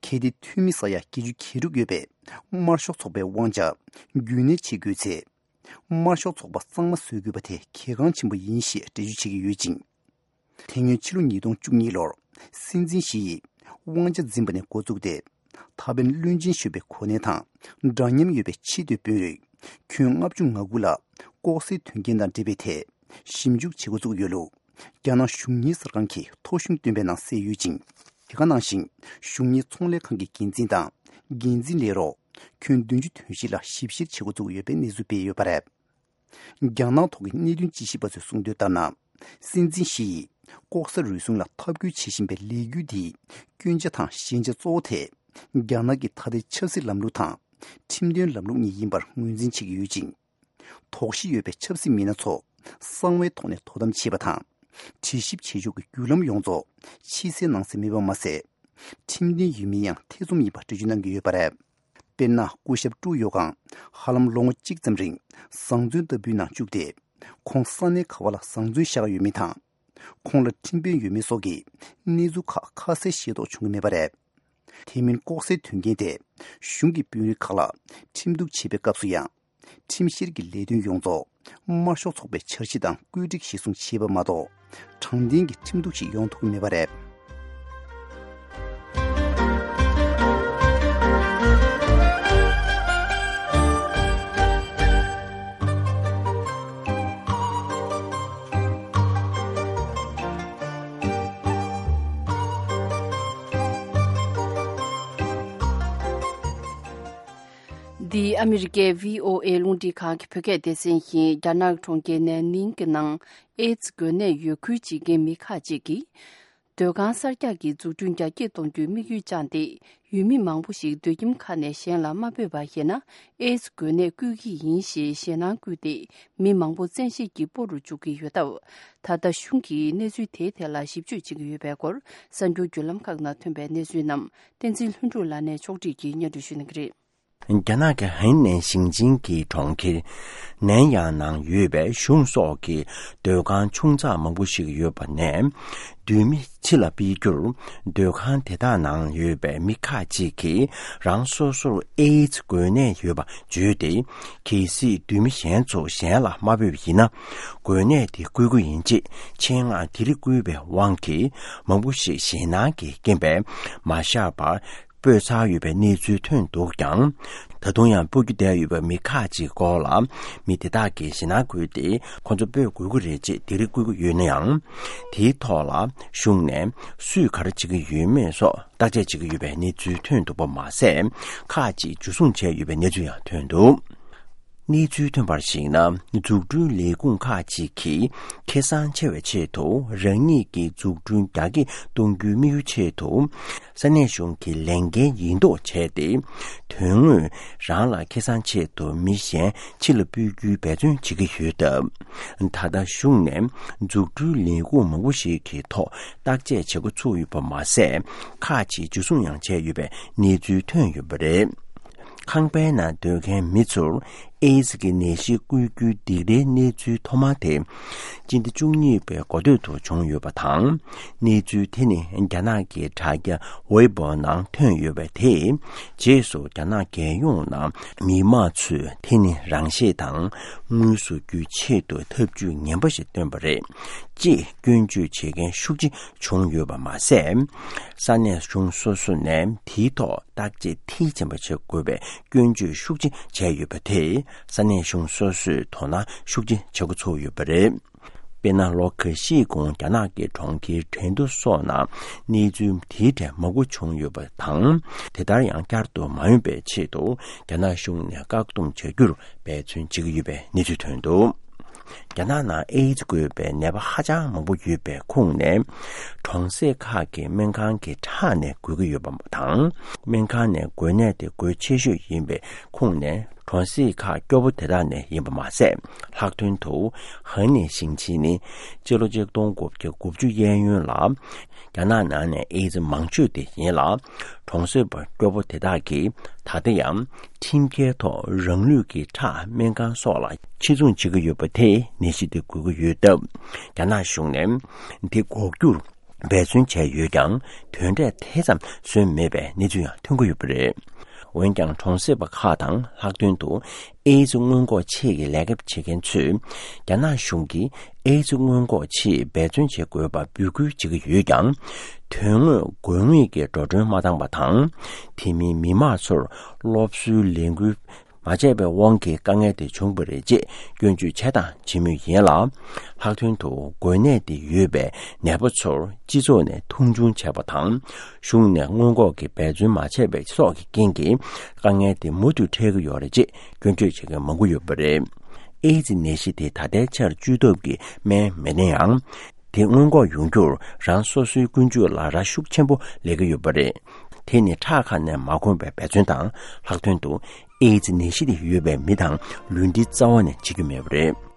གལ་ཏེ་འཐུས་མི་ས་ཡ་བརྒྱད་ཅུ་གྱ་དྲུག་ཡོད་པའི་དམར་ཤོག་ཚོགས་པའི་དབང་ཆ་རྒྱུན་གནས་བྱེད་དགོས་ཚེ། དམར་ཤོག་ཚོགས་པ་གཙང་མ་བཟོ་དགོས་པ་དེ་གལ་འགངས་ཆེན་པོ་ཡིན་ཞེས་འགྲེལ་བརྗོད་བྱེད་ཀྱི་ཡོད་ཅིང་། དེ་སྔོན་ཕྱི་ལོ་ཉིས་སྟོང་བཅུ་གཉིས་ལོར་སྲིད་འཛིན་ཞི་ཡིས་དབང་ཆ་འཛིན་པ་ནས་འགོ་བཙུགས་ཏེ། ད་ཕན་བློན་ཆེན་གཞོན་པའི་གོ་གནས་དང་འདྲ་མཉམ་ཡོད་པའི་ཆེས་མཐོའི་དཔོན་རིགས་ཁྱོན་ལྔ་བཅུ་ང་དགུ་ལ་ལྐོག་ཟའི་དོན་རྐྱེན་དང་འབྲེལ་བའི་ཐད་ཞིབ་འཇུག་བྱེད་འགོ་བཙུགས་ཡོད་ལུགས། རྒྱ་ནག་གཞུང་གཉེར་གསར་ཁང་གིས་ཐོ་གཞུང་བཏོན་པའི་ནང་གསལ་ཡོད་ཅིང་། དེ་ག་ནང་བཞིན་གཞུང་གཉེར་ཚོང་ལས་ཁང་གི་འགན་འཛིན་དང་འགན་འཛིན་ལས་རོགས་ཁྱོན་བདུན་ཅུ་དོན་བཞི་ལ་ཞིབ་བཤེར་བྱེད་འགོ་བཙུགས་ཡོད་པའི་གནས་ཚུལ་སྤེལ་ཡོད་པ་རེད། རྒྱ་ནག་ཐོག་གི་གནད་དོན་དཔྱད་ཞིབ་པ་ཚོས་གསུངས་དོན་ལྟར་ན། སྲིད་འཛིན་ཞི་ཡིས་ལྐོག་ཟ་རུལ་སུངས་ལ་འཐབ་རྒོལ་བྱེད་བཞིན་པའི་ལས་འགུལ་འདིའི་སྐྱོན་ཆ་དང་ཞན་ཆ་གཙོ་བོ་དེ་རྒྱ་ནག་གི་ད་ལྟའི་ཆབ་སྲིད་ལམ་ལུགས་དང་ཁྲིམས་དོན་ལམ་ལུགས་གཉིས་ཡིན་པར་ངོས་འཛིན་བྱེད་ཀྱི་ཡོད་ཅིང་། དོགས་གཞི་ཡོད་པའི་ཆབ་སྲིད་མི་སྣ་ཚོ་གསང་བའི་ཐོག་ནས་དོ་དམ་བྱེད་པ་དང་། དྲི་ཞིབ་བྱེད་ཕྱོགས་ཀྱི་བརྒྱུད་ལམ་ཡོངས་རྫོགས་ཕྱི་གསལ་ནང་གསལ་མེད་པ་མ་ཟད། ཁྲིམས་མཐུན་ཡིན་མིན་ཡང་ཐེ་ཚོམ་ཡིན་པ་འགྲེལ་བརྗོད་གནང་གི་ཡོད་པ་རེད། དཔེར་ན། སྐུ་ཞབས་ཀྲུའུ་ཡོ་ཀང་ཧ་ལམ་ལོ་ངོ་གཅིག་ཙམ་རིང་བཟང་བཙོན་ལྟ་བུའི་ནང་བཅུག་སྟེ། ཁོང་ས་གནས་ག་བ་ལ་བཟང་བཙོན་བཞག་ཡོད་མིན་དང་། ཁོང་ལ་ཁྲིམས་དཔོན་ཡོད་མེད་སོགས་ཀྱི་གནས་ཚུལ་ཁག་ཁ་གསལ་ཤེས་རྟོགས་བྱུང་གི་མེད་པ་རེད། དེ་མིན་ལྐོག་ཟའི་དོན་རྐྱེན་དེ་གཞུང་གི་དཔོན་རིགས་ཁག་ལ་ཁྲིམས་གཏུག་བྱེད་པའི་སྐབས་སུ་ཡང་། ཁྲིམས་བཤེར་གྱི་ལས་དོན་ཡོངས་རྫོགས་དམར་ཤོག་ཚོགས་པའི་འཆར་གཞི་དང་བཀོད་སྒྲིག་གཞིར་བཟུང་བྱས་པ་མ་གཏོགས། དྲང་བདེན་གྱི་ཁྲིམས་གཏུག་ཞིག་ཡོང་ཐུབ་ཀྱི་མེད་པ་རེད། འདི་ཨ་མི་རི་ཀའི་བྷི་ཨོ་ཨེ་རླུང་འཕྲིན་ཁང་གི་བོད་སྐད་སྡེ་ཚན་ཡིན། རྒྱ་ནག་གྲོང་ཁྱེར་ནན་ནིང་གི་ནང་ཨེ་ཙི་འགོས་ནད་ཡོད་ཁུལ་བྱེད་མཁན་མི་ཁག་ཅིག་གིས། སྡོད་ཁང་གསར་རྒྱག་གི་འཛུགས་སྐྲུན་རྒྱ་སྐྱེད་གཏོང་རྒྱུའི་དམིགས་ཡུལ་བཅངས་ཏེ། ཡུལ་མི་མང་པོ་ཞིག་སྡོད་ཁྱིམ་ཁག་ནས་གཞན་ལ་མ་སྤོས་པ་ཡིན་ན། ཨེ་ཙི་འགོས་ནད་བསྐུལ་གྱི་ཡིན་ཞེས་ཞེད་སྣང་བསྐུལ་ཏེ། མི་མང་པོ་བཙན་ཤེད་ཀྱིས་སྤོ་རུ་འཇུག་གི་ཡོད་སྟབས། ད་ལྟ་གཞུང་གིས་གནས་ཚུལ་དེའི་ཐད་ལ་ཞིབ་དཔྱོད་བྱེད་ཀྱི་ཡོད་པའི་སྐོར། གསར་འགྱུར་བརྒྱུད་ལམ་ཁག་ནང་ཐོན་པའི་གནས་ཚུལ་རྣམས་བསྟན་འཛིན་ལྷུན་གྲུབ་ལགས་ནས་ཕྱོགས་སྒྲིག་གིས་སྙན་སྒྲོན་ཞུ་གནང་གི་རེད། རྒྱ་ནག་གི་ཧན་ནན་ཞིང་ཆེན་གྱི་གྲོང་ཁྱེར་ནན་ཡང་ནང་ཡོད་པའི་གཞུང་སོགས་ཀྱི་སྡོད་ཁང་ཆུང་ཙག་མང་པོ་ཞིག་ཡོད་པ་ནས། སྡོད་མི་ཕྱི་ལ་སྤེལ་རྒྱུར། སྡོད་ཁང་དེ་དག་ནང་ཡོད་པའི་མི་ཁག་ཅིག་གིས་རང་སོ་སོར་ཨེ་ཙི་འགོས་ནད་ཡོད་པ་བརྗོད་དེ། གལ་སྲིད་སྡོད་མི་གཞན་ཚོ་གཞན་ལ་མ་སྤོས་པ་ཡིན་ན། འགོས་ནད་དེ་འགོས་ཀྱི་ཡིན་ཅེས་ཆེད་མངགས་དེ་རིགས་བསྐུལ་བའི་དབང་གིས། མང་པོ་ཞིག་ཞེད་སྣང་གིས་རྐྱེན་པས་མ་བཞག་པར། སྤོས་ཚར་ཡོད་པའི་གནས་ཚུལ་ཐོན་འདུག་ཀྱང་། ད་དུང་ཡང་སྤོ་རྒྱུ་བསྡད་ཡོད་པའི་མི་ཁག་ཅིག་སྐོར་ལ། མི་དེ་དག་གིས་ཞེད་སྣང་འཁོལ་ཏེ། ཁོ་ཚོ་སྤོ་དགོས་ཀྱི་རེད་ཅེས་དེ་རིགས་བསྐུལ་གྱི་ཡོད་ན་ཡང་། དེའི་ཐོག་ལ་གཞུང་ནས་སུས་ག་རེ་བྱེད་ཀྱི་ཡོད་མེད་སོགས་བརྟག་དཔྱད་བྱེད་ཀྱི་ཡོད་པའི་གནས་ཚུལ་ཐོན་འདུག་པ་མ་ཟད། ཁག་ཅིག་འཇུ་བཟུང་བྱས་ཡོད་པའི་གནས་ཚུལ་ཡང་ཐོན་འདུག། གནས་ཚུལ་ཐོན་པར་གཞིགས་ན། འཛུགས་སྐྲུན་ལས་ཁུངས་ཁག་ཅིག་གིས་ཁེ་བཟང་ཆེ་བའི་ཆེད་དུ། རང་ཉིད་ཀྱི་འཛུགས་སྐྲུན་རྒྱ་སྐྱེད་གཏོང་རྒྱུའི་དམིགས་ཡུལ་ཆེད་དུ། ས་གནས་གཞུང་གི་ལས་འགན་ཡིན་མདོག་བྱས་ཏེ། དོན་དངོས་རང་ལ་ཁེ་བཟང་ཆེད་དུ་མི་གཞན་ཕྱི་ལ་སྤོ་རྒྱུའི་འབད་བརྩོན་བྱེད་ཀྱི་ཡོད་སྟབས། ད་ལྟ་གཞུང་ནས་འཛུགས་སྐྲུན་ལས་ཁུངས་མང་པོ་ཞིག་གི་ཐོག་བརྟག་དཔྱད་བྱེད་འགོ་ཚུགས་ཡོད་པ་མ་ཟད། ཁག་ཅིག་འཇུ་བཟུང་ཡང་བྱས་ཡོད་པའི་གནས་ཚུལ་ཐོན་ཡོད་པ་རེད། ཁང་པའི་ནང་སྡོད་མཁན་མི་ཚོར་ ཨེ་ཛི་ཀྱི་ནད་གཞི་འགོས་རྒྱུའི་སྡིག་རའི་གནས་ཚུལ་ཐོག་མ་དེ། སྤྱི་ཟླ་བཅུ་གཉིས་པའི་འགོ་སྟོད་དུ་བྱུང་ཡོད་པ་དང་། གནས་ཚུལ་དེ་ནི་རྒྱ་ནག་གི་དྲ་རྒྱ་ཝེ་པོ་ནང་ཐོན་ཡོད་པ་དེས། རྗེས་སུ་རྒྱ་ནག་རྒྱལ་ཡོངས་ནང་མི་མང་ཚོས་དེ་ནི་རང་ཤེད་དང་དངོས་སུ་རྒྱུའི་ཆེད་དུ་ཐབས་ཇུས་ངན་པ་ཞིག་བཏོན་པ་རེད། ཅེས་སྐྱོན་བརྗོད་བྱེད་མཁན་ཤུགས་ཆེ་བྱུང་ཡོད་པ་མ་ཟད། ས་གནས་གཞུང་སོ་སོ་ནས་དེའི་ཐོག་བརྟག་དཔྱད་མཐིལ་ཕྱིན་པ་བྱེད་དགོས་པའི་སྐྱོན་བརྗོད་ཤུགས་ཆེ་བྱས་ཡོད་པ་དེས། ས་གནས་གཞུང་སོ་སོས་དོ་སྣང་ཤུགས་ཆེ་བྱེད་འགོ་ཚུགས་ཡོད་པ་རེད། དཔེར་ན། ལོ་འགའ་ཤས་གོང་རྒྱ་ནག་གི་གྲོང་ཁྱེར་ཁྲེང་ཏུའུ་སོགས་ནང་གནས་ཚུལ་དེའི་གྲས་མང་པོ་བྱུང་ཡོད་པ་དང་། དེ་ལྟར་ཡང་བསྐྱར་དུ་མ་ཡོང་པའི་ཆེད་དུ། རྒྱ་ནག་གཞུང་ནས་བཀག་སྡོམ་བྱ་རྒྱུར་འབད་བརྩོན་བྱེད་ཀྱི་ཡོད་པའི་གནས་ཚུལ་ཐོན་འདུག་རྒྱ་ནག་ནང་ཨེ་ཛི་འགོས་པའི་ནད་པ་ཧ་ཅང་མང་པོ་ཡོད་པའི་ཁོངས་ནས། གྲོང་གསེབ་ཁག་གི་སྨན་ཁང་གི་ཁྲག་ནས་འགོས་ཀྱི་ཡོད་པ་དང་། སྨན་ཁང་ནས་འགོས་ནད་དེ་འགོས་ཆེ་ཤོས་ཡིན་པའི་ཁོངས་ནས། གྲོང་གསེབ་ཁག་སྐྱོ་པོ་དེ་དག་ནས་ཡིན་པ་མ་ཟད། ལྷག་དོན་དུ། ཧ་ནེ་ཞིང་ཆེན་ནི་སྤྱི་ལོ་ཆིག་སྟོང་དགུ་བརྒྱ་དགུ་བཅུ་གཡས་གཡོན་ལ། རྒྱ་ནག་ནང་ནས་ཨེ་ཛི་མང་ཤོས་དེ་ཡིན་ལ། གྲོང་གསེབ་པ་སྐྱོ་པོ་དེ་དག་གིས་ད་ལྟ་ཡང་ཁྲིམས་འགལ་ཐོག་རང་ལུས་ཀྱི་ཁྲག་སྨན་ཁང་སོགས་ལ་ཕྱིར་ཚོང་བྱེད་ཀྱི་ཡོད་པ་དེས་ནད་གཞི་དེ་འགོས་ཀྱི་ཡོད་སྟབས། རྒྱ་ནག་གཞུང་ནས་དེ་འགོག་རྒྱུར་འབད་བརྩོན་བྱས་ཡོད་ཀྱང་། དོན་འབྲས་དེ་ཙམ་བཟོས་མེད་པའི་གནས་ཚུལ་ཡང་ཐོན་གྱི་ཡོད་པ་རེད། འོན་ཀྱང་། གྲོང་གསེབ་པ་ཁག་དང་། ལྷག་དོན་དུ་ཨེ་ཛི་སྔོན་འགོག་ཆེད་ཀྱི་ལས་ཀ་བྱེད་མཁན་ཚོས། རྒྱ་ནག་གཞུང་གིས་ཨེ་ཛི་སྔོན་འགོག་ཆེད་འབད་བརྩོན་བྱེད་དགོས་པར་འབོད་སྐུལ་བྱེད་ཀྱི་ཡོད་ཀྱང་། དོན་དངོས་དགོས་ངེས་ཀྱི་འགྲོ་གྲོན་མ་འདང་པ་དང་། དེ་མིན་མི་མང་ཚོར་སློབ་གསོའི་ལས་འགུལ་མ་བྱས་པའི་དབང་གིས་དཀའ་ངལ་དེ་བྱུང་བ་རེད་ཅེས་སྐྱོན་བརྗོད་བྱས་དང་བྱེད་མུས་ཡིན་ལ། ལྷག་དོན་དུ་འགོས་ནད་དེ་ཡོད་པའི་ནད་པ་ཚོར་སྤྱི་ཚོགས་ནས་མཐོང་ཆུང་བྱས་པ་དང་། གཞུང་ནས་སྔོན་འགོག་གི་འབད་བརྩོན་མ་བྱས་པའི་སོགས་ཀྱི་རྐྱེན་གྱིས་དཀའ་ངལ་དེ་མུ་མཐུད་འཕྲད་ཀྱི་ཡོད་རེད་ཅེས་སྐྱོན་བརྗོད་བྱེད་མཁན་མང་པོ་ཡོད་པ་རེད། ཨེ་ཛི་ནད་གཞི་དེ་ད་ལྟའི་ཆར་བཅོས་ཐབས་ཀྱི་སྨན་མེད་ན་ཡང་། དེ་སྔོན་འགོག་ཡོང་རྒྱུར་རང་སོ་སོའི་ཀུན་སྤྱོད་ལ་རག་ཤུགས་ཆེན་པོ་ལས་ཀྱི་ཡོད་པ་རེད། དེ་ནི་ཁྲག་ཁ་ནས་མ་འགོས་པའི་འབད་བརྩོན་དང་། ལྷག་དོན་དུ་ཨེ་ཛི་ནད་གཞི་དེ་ཡོད་པའི་མི་དང་ལུས་འབྲེལ་རྩ་བ་ནས་བྱེད་རྒྱུ་མེད་པ་རེད།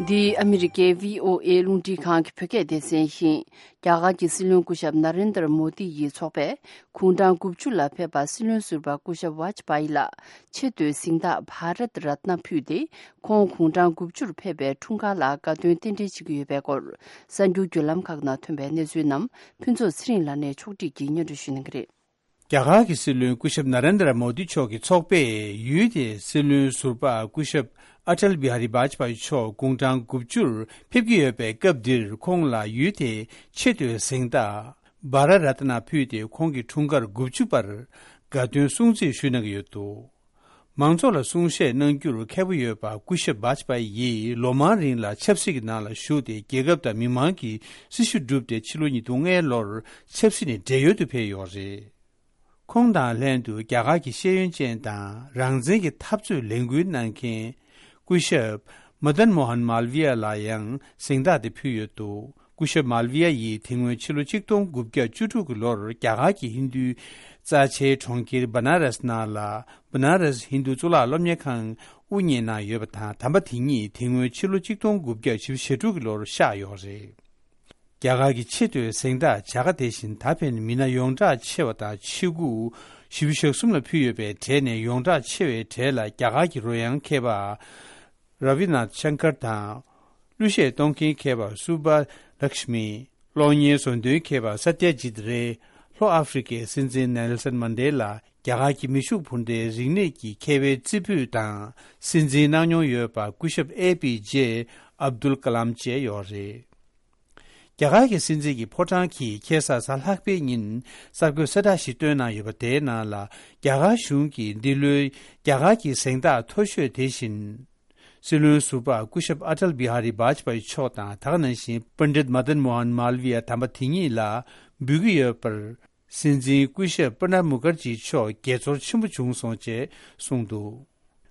འདི་ཨ་མི་རི་ཀའི་བྷི་ཨོ་ཨེ་རླུང་འཕྲིན་ཁང་གི་བོད་སྐད་སྡེ་ཚན་ཡིན། རྒྱ་གར་གྱི་སྲིད་བློན་སྐུ་ཞབས་ན་རེན་དར་མོ་དི་ཡི་ཚོགས་པས་དགུང་གྲངས་དགུ་བཅུ་ལ་ཕེབས་པ་སྲིད་བློན་ཟུར་པ་སྐུ་ཞབས་ཝཱཇ་པཱ་ཡི་ལ་ཆེ་བསྟོད་གཟེངས་རྟགས་བྷ་རད་རཏ་ན་ཕུལ་ཏེ། ཁོང་དགུང་གྲངས་དགུ་བཅུར་ཕེབས་པའི་འཁྲུངས་སྐར་ལ་དགའ་སྟོན་རྟེན་འབྲེལ་བྱེད་ཀྱི་ཡོད་པའི་སྐོར། གསར་འགྱུར་བརྒྱུད་ལམ་ཁག་ནང་ཐོན་པའི་གནས་ཚུལ་རྣམས་ཕུན་ཚོགས་ཚེ་རིང་ལགས་ནས་ཕྱོགས་སྒྲིག་གིས་སྙན་སྒྲོན་ཞུ་གནང་གི་རེད། རྒྱ་གར་གྱི་སྲིད་བློན་སྐུ་ཞབས་ན་རེན་དར་མོ་དི་མཆོག་གི་ཚོགས་པས་ཡུལ་དེའི་སྲིད་བློན་ཟུར་པ་སྐུ་ཞབས་ཨ་ཊལ་བི་ཧ་རི་བཱཇ་པཱ་ཡི་མཆོག་དགུང་གྲངས་དགུ་བཅུར་ཕེབས་ཀྱི་ཡོད་པའི་སྐབས་འདིར། ཁོང་ལ་ཡུལ་དེའི་ཆེ་བསྟོད་གཟེངས་རྟགས་བྷ་ར་རཏ་ན་ཕུལ་ཏེ། ཁོང་གི་འཁྲུངས་སྐར་དགུ་བཅུ་པར་དགའ་སྟོན་སྲུང་བརྩི་ཞུས་གནང་གི་ཡོད་འདུག། མང་ཚོགས་ལ་གསུང་བཤད་གནང་རྒྱུར་མཁས་པོ་ཡོད་པ་སྐུ་ཞབས་བཱཇ་པཱ་ཡིས་ལོ་མང་རིང་ལ་ཆབ་སྲིད་ཀྱི་ནང་ལ་ཞུགས་ཏེ། རྒྱལ་ཁབ་དང་མི་མང་གི་སྲི་ཞུ་བསྒྲུབས་ཏེ། ཕྱི་ལོ་ཉིས་སྟོང་ལྔའི་ལོར་ཆབ་སྲིད་ནས་བགྲེས་ཡོལ་དུ་ཕེབས་ཡོད་རེད། ཁོང་དང་ལྷན་དུ་རྒྱ་གར་གྱི་ཤེས་ཡོན་ཅན་དང་རང་བཙན་གྱི་འཐབ་རྩོད་ལས་འགུལ་གནང་མཁན་སྐུ་ཞབས་མ་དན་མོ་ཧན་མལ་བི་ཡ་ལ་ཡང་གཟེངས་རྟགས་དེ་ཕུལ་ཡོད་འདུག། སྐུ་ཞབས་མལ་བི་ཡ་ཡིས་དེ་སྔོན་ཕྱི་ལོ་ཆིག་སྟོང་དགུ་བརྒྱ་བཅུ་དྲུག་གི་ལོར་རྒྱ་གར་གྱི་ཧིན་རྡུའི་རྩ་ཆེའི་གྲོང་ཁྱེར་བ་ན་ར་སི་ནང་ལ་བ་ན་ར་སི་ཧིན་རྡུ་གཙུག་ལག་སློབ་གཉེར་ཁང་དབུ་བརྙེས་གནང་ཡོད་པ་དང་། དམ་པ་དེ་ཉིད་དེ་སྔོན་ཕྱི་ལོ་ཆིག་སྟོང་དགུ་བརྒྱ་བཞི་བཅུ་ཞེ་དྲུག་གི་ལོར་གཤེགས་ཡོད་རེད། རྒྱ་གར་གྱི་ཆེ་བསྟོད་གཟེངས་རྟགས་བྱ་དགའ་དེ་བཞིན་ད་ཕན་མི་སྣ་ཡོངས་གྲགས་ཆེ་བ་དང་། ཆེ་དགུ་བཞི་བཅུ་ཞེ་གསུམ་ལ་ཕུལ་ཡོད་པའི་གྲས་ནས་ཡོངས་གྲགས་ཆེ་བའི་གྲས་ལ་རྒྱ་གར་གྱི་རོལ་དབྱངས་མཁས་པ་ར་བི་ནཱཐ་ཤང་ཀར་དང་། གླུ་གཞས་གཏོང་མཁན་མཁས་པ་སུ་བྷ་ལཀྵ་མི། གློག་བརྙན་བཟོ་འདོན་མཁས་པ་ས་ཏྱ་ཇིད་རེ། ལྷོ་ཨ་ཧྥེ་རི་ཁའི་སྲིད་འཛིན་ནེལ་སན་མན་ཌེ་ལ། རྒྱ་གར་གྱི་མི་ཤུགས་འཕུར་མདེལ་རིག་གནས་ཀྱི་མཁས་པའི་རྩེ་ཕུད་དང་། སྲིད་འཛིན་གནང་མྱོང་ཡོད་པ་སྐུ་ཞབས་ཨེ་པི་ཇེ་ཨབ་དུལ་ཀ་ལམ་བཅས་ཡོད་རེད། རྒྱ་གར་གྱི་སྲིད་འཛིན་གྱི་ཕོ་བྲང་གིས་ཁ་སང་གཟའ་ལྷག་པའི་ཉིན་གསར་འགོད་གསལ་བསྒྲགས་ཤིག་བཏོན་གནང་ཡོད་པ། དེའི་ནང་ལ་རྒྱ་གར་གཞུང་གིས་འདི་ལོའི་རྒྱ་གར་གྱི་གཟེངས་རྟགས་མཐོ་ཤོས་དེ་བཞིན། སྲིད་བློན་ཟུར་པ་སྐུ་ཞབས་ཨ་ཊལ་བི་ཧ་རི་བཱཇ་པཱ་ཡི་མཆོག་དང་། ད་ག་ནང་བཞིན་པཎ་ཌིད་མ་དན་མོ་ཧན་མལ་བི་ཡ་དམ་པ་དེ་ཉིད་ལ་འབུལ་གྱི་ཡོད་པར། སྲིད་འཛིན་སྐུ་ཞབས་པྲ་ནབ་མུ་ཁར་ཇི་མཆོག་དགྱེས་ཚོར་ཆེན་པོ་བྱུང་སོང་ཅེས་གསུངས་འདུག།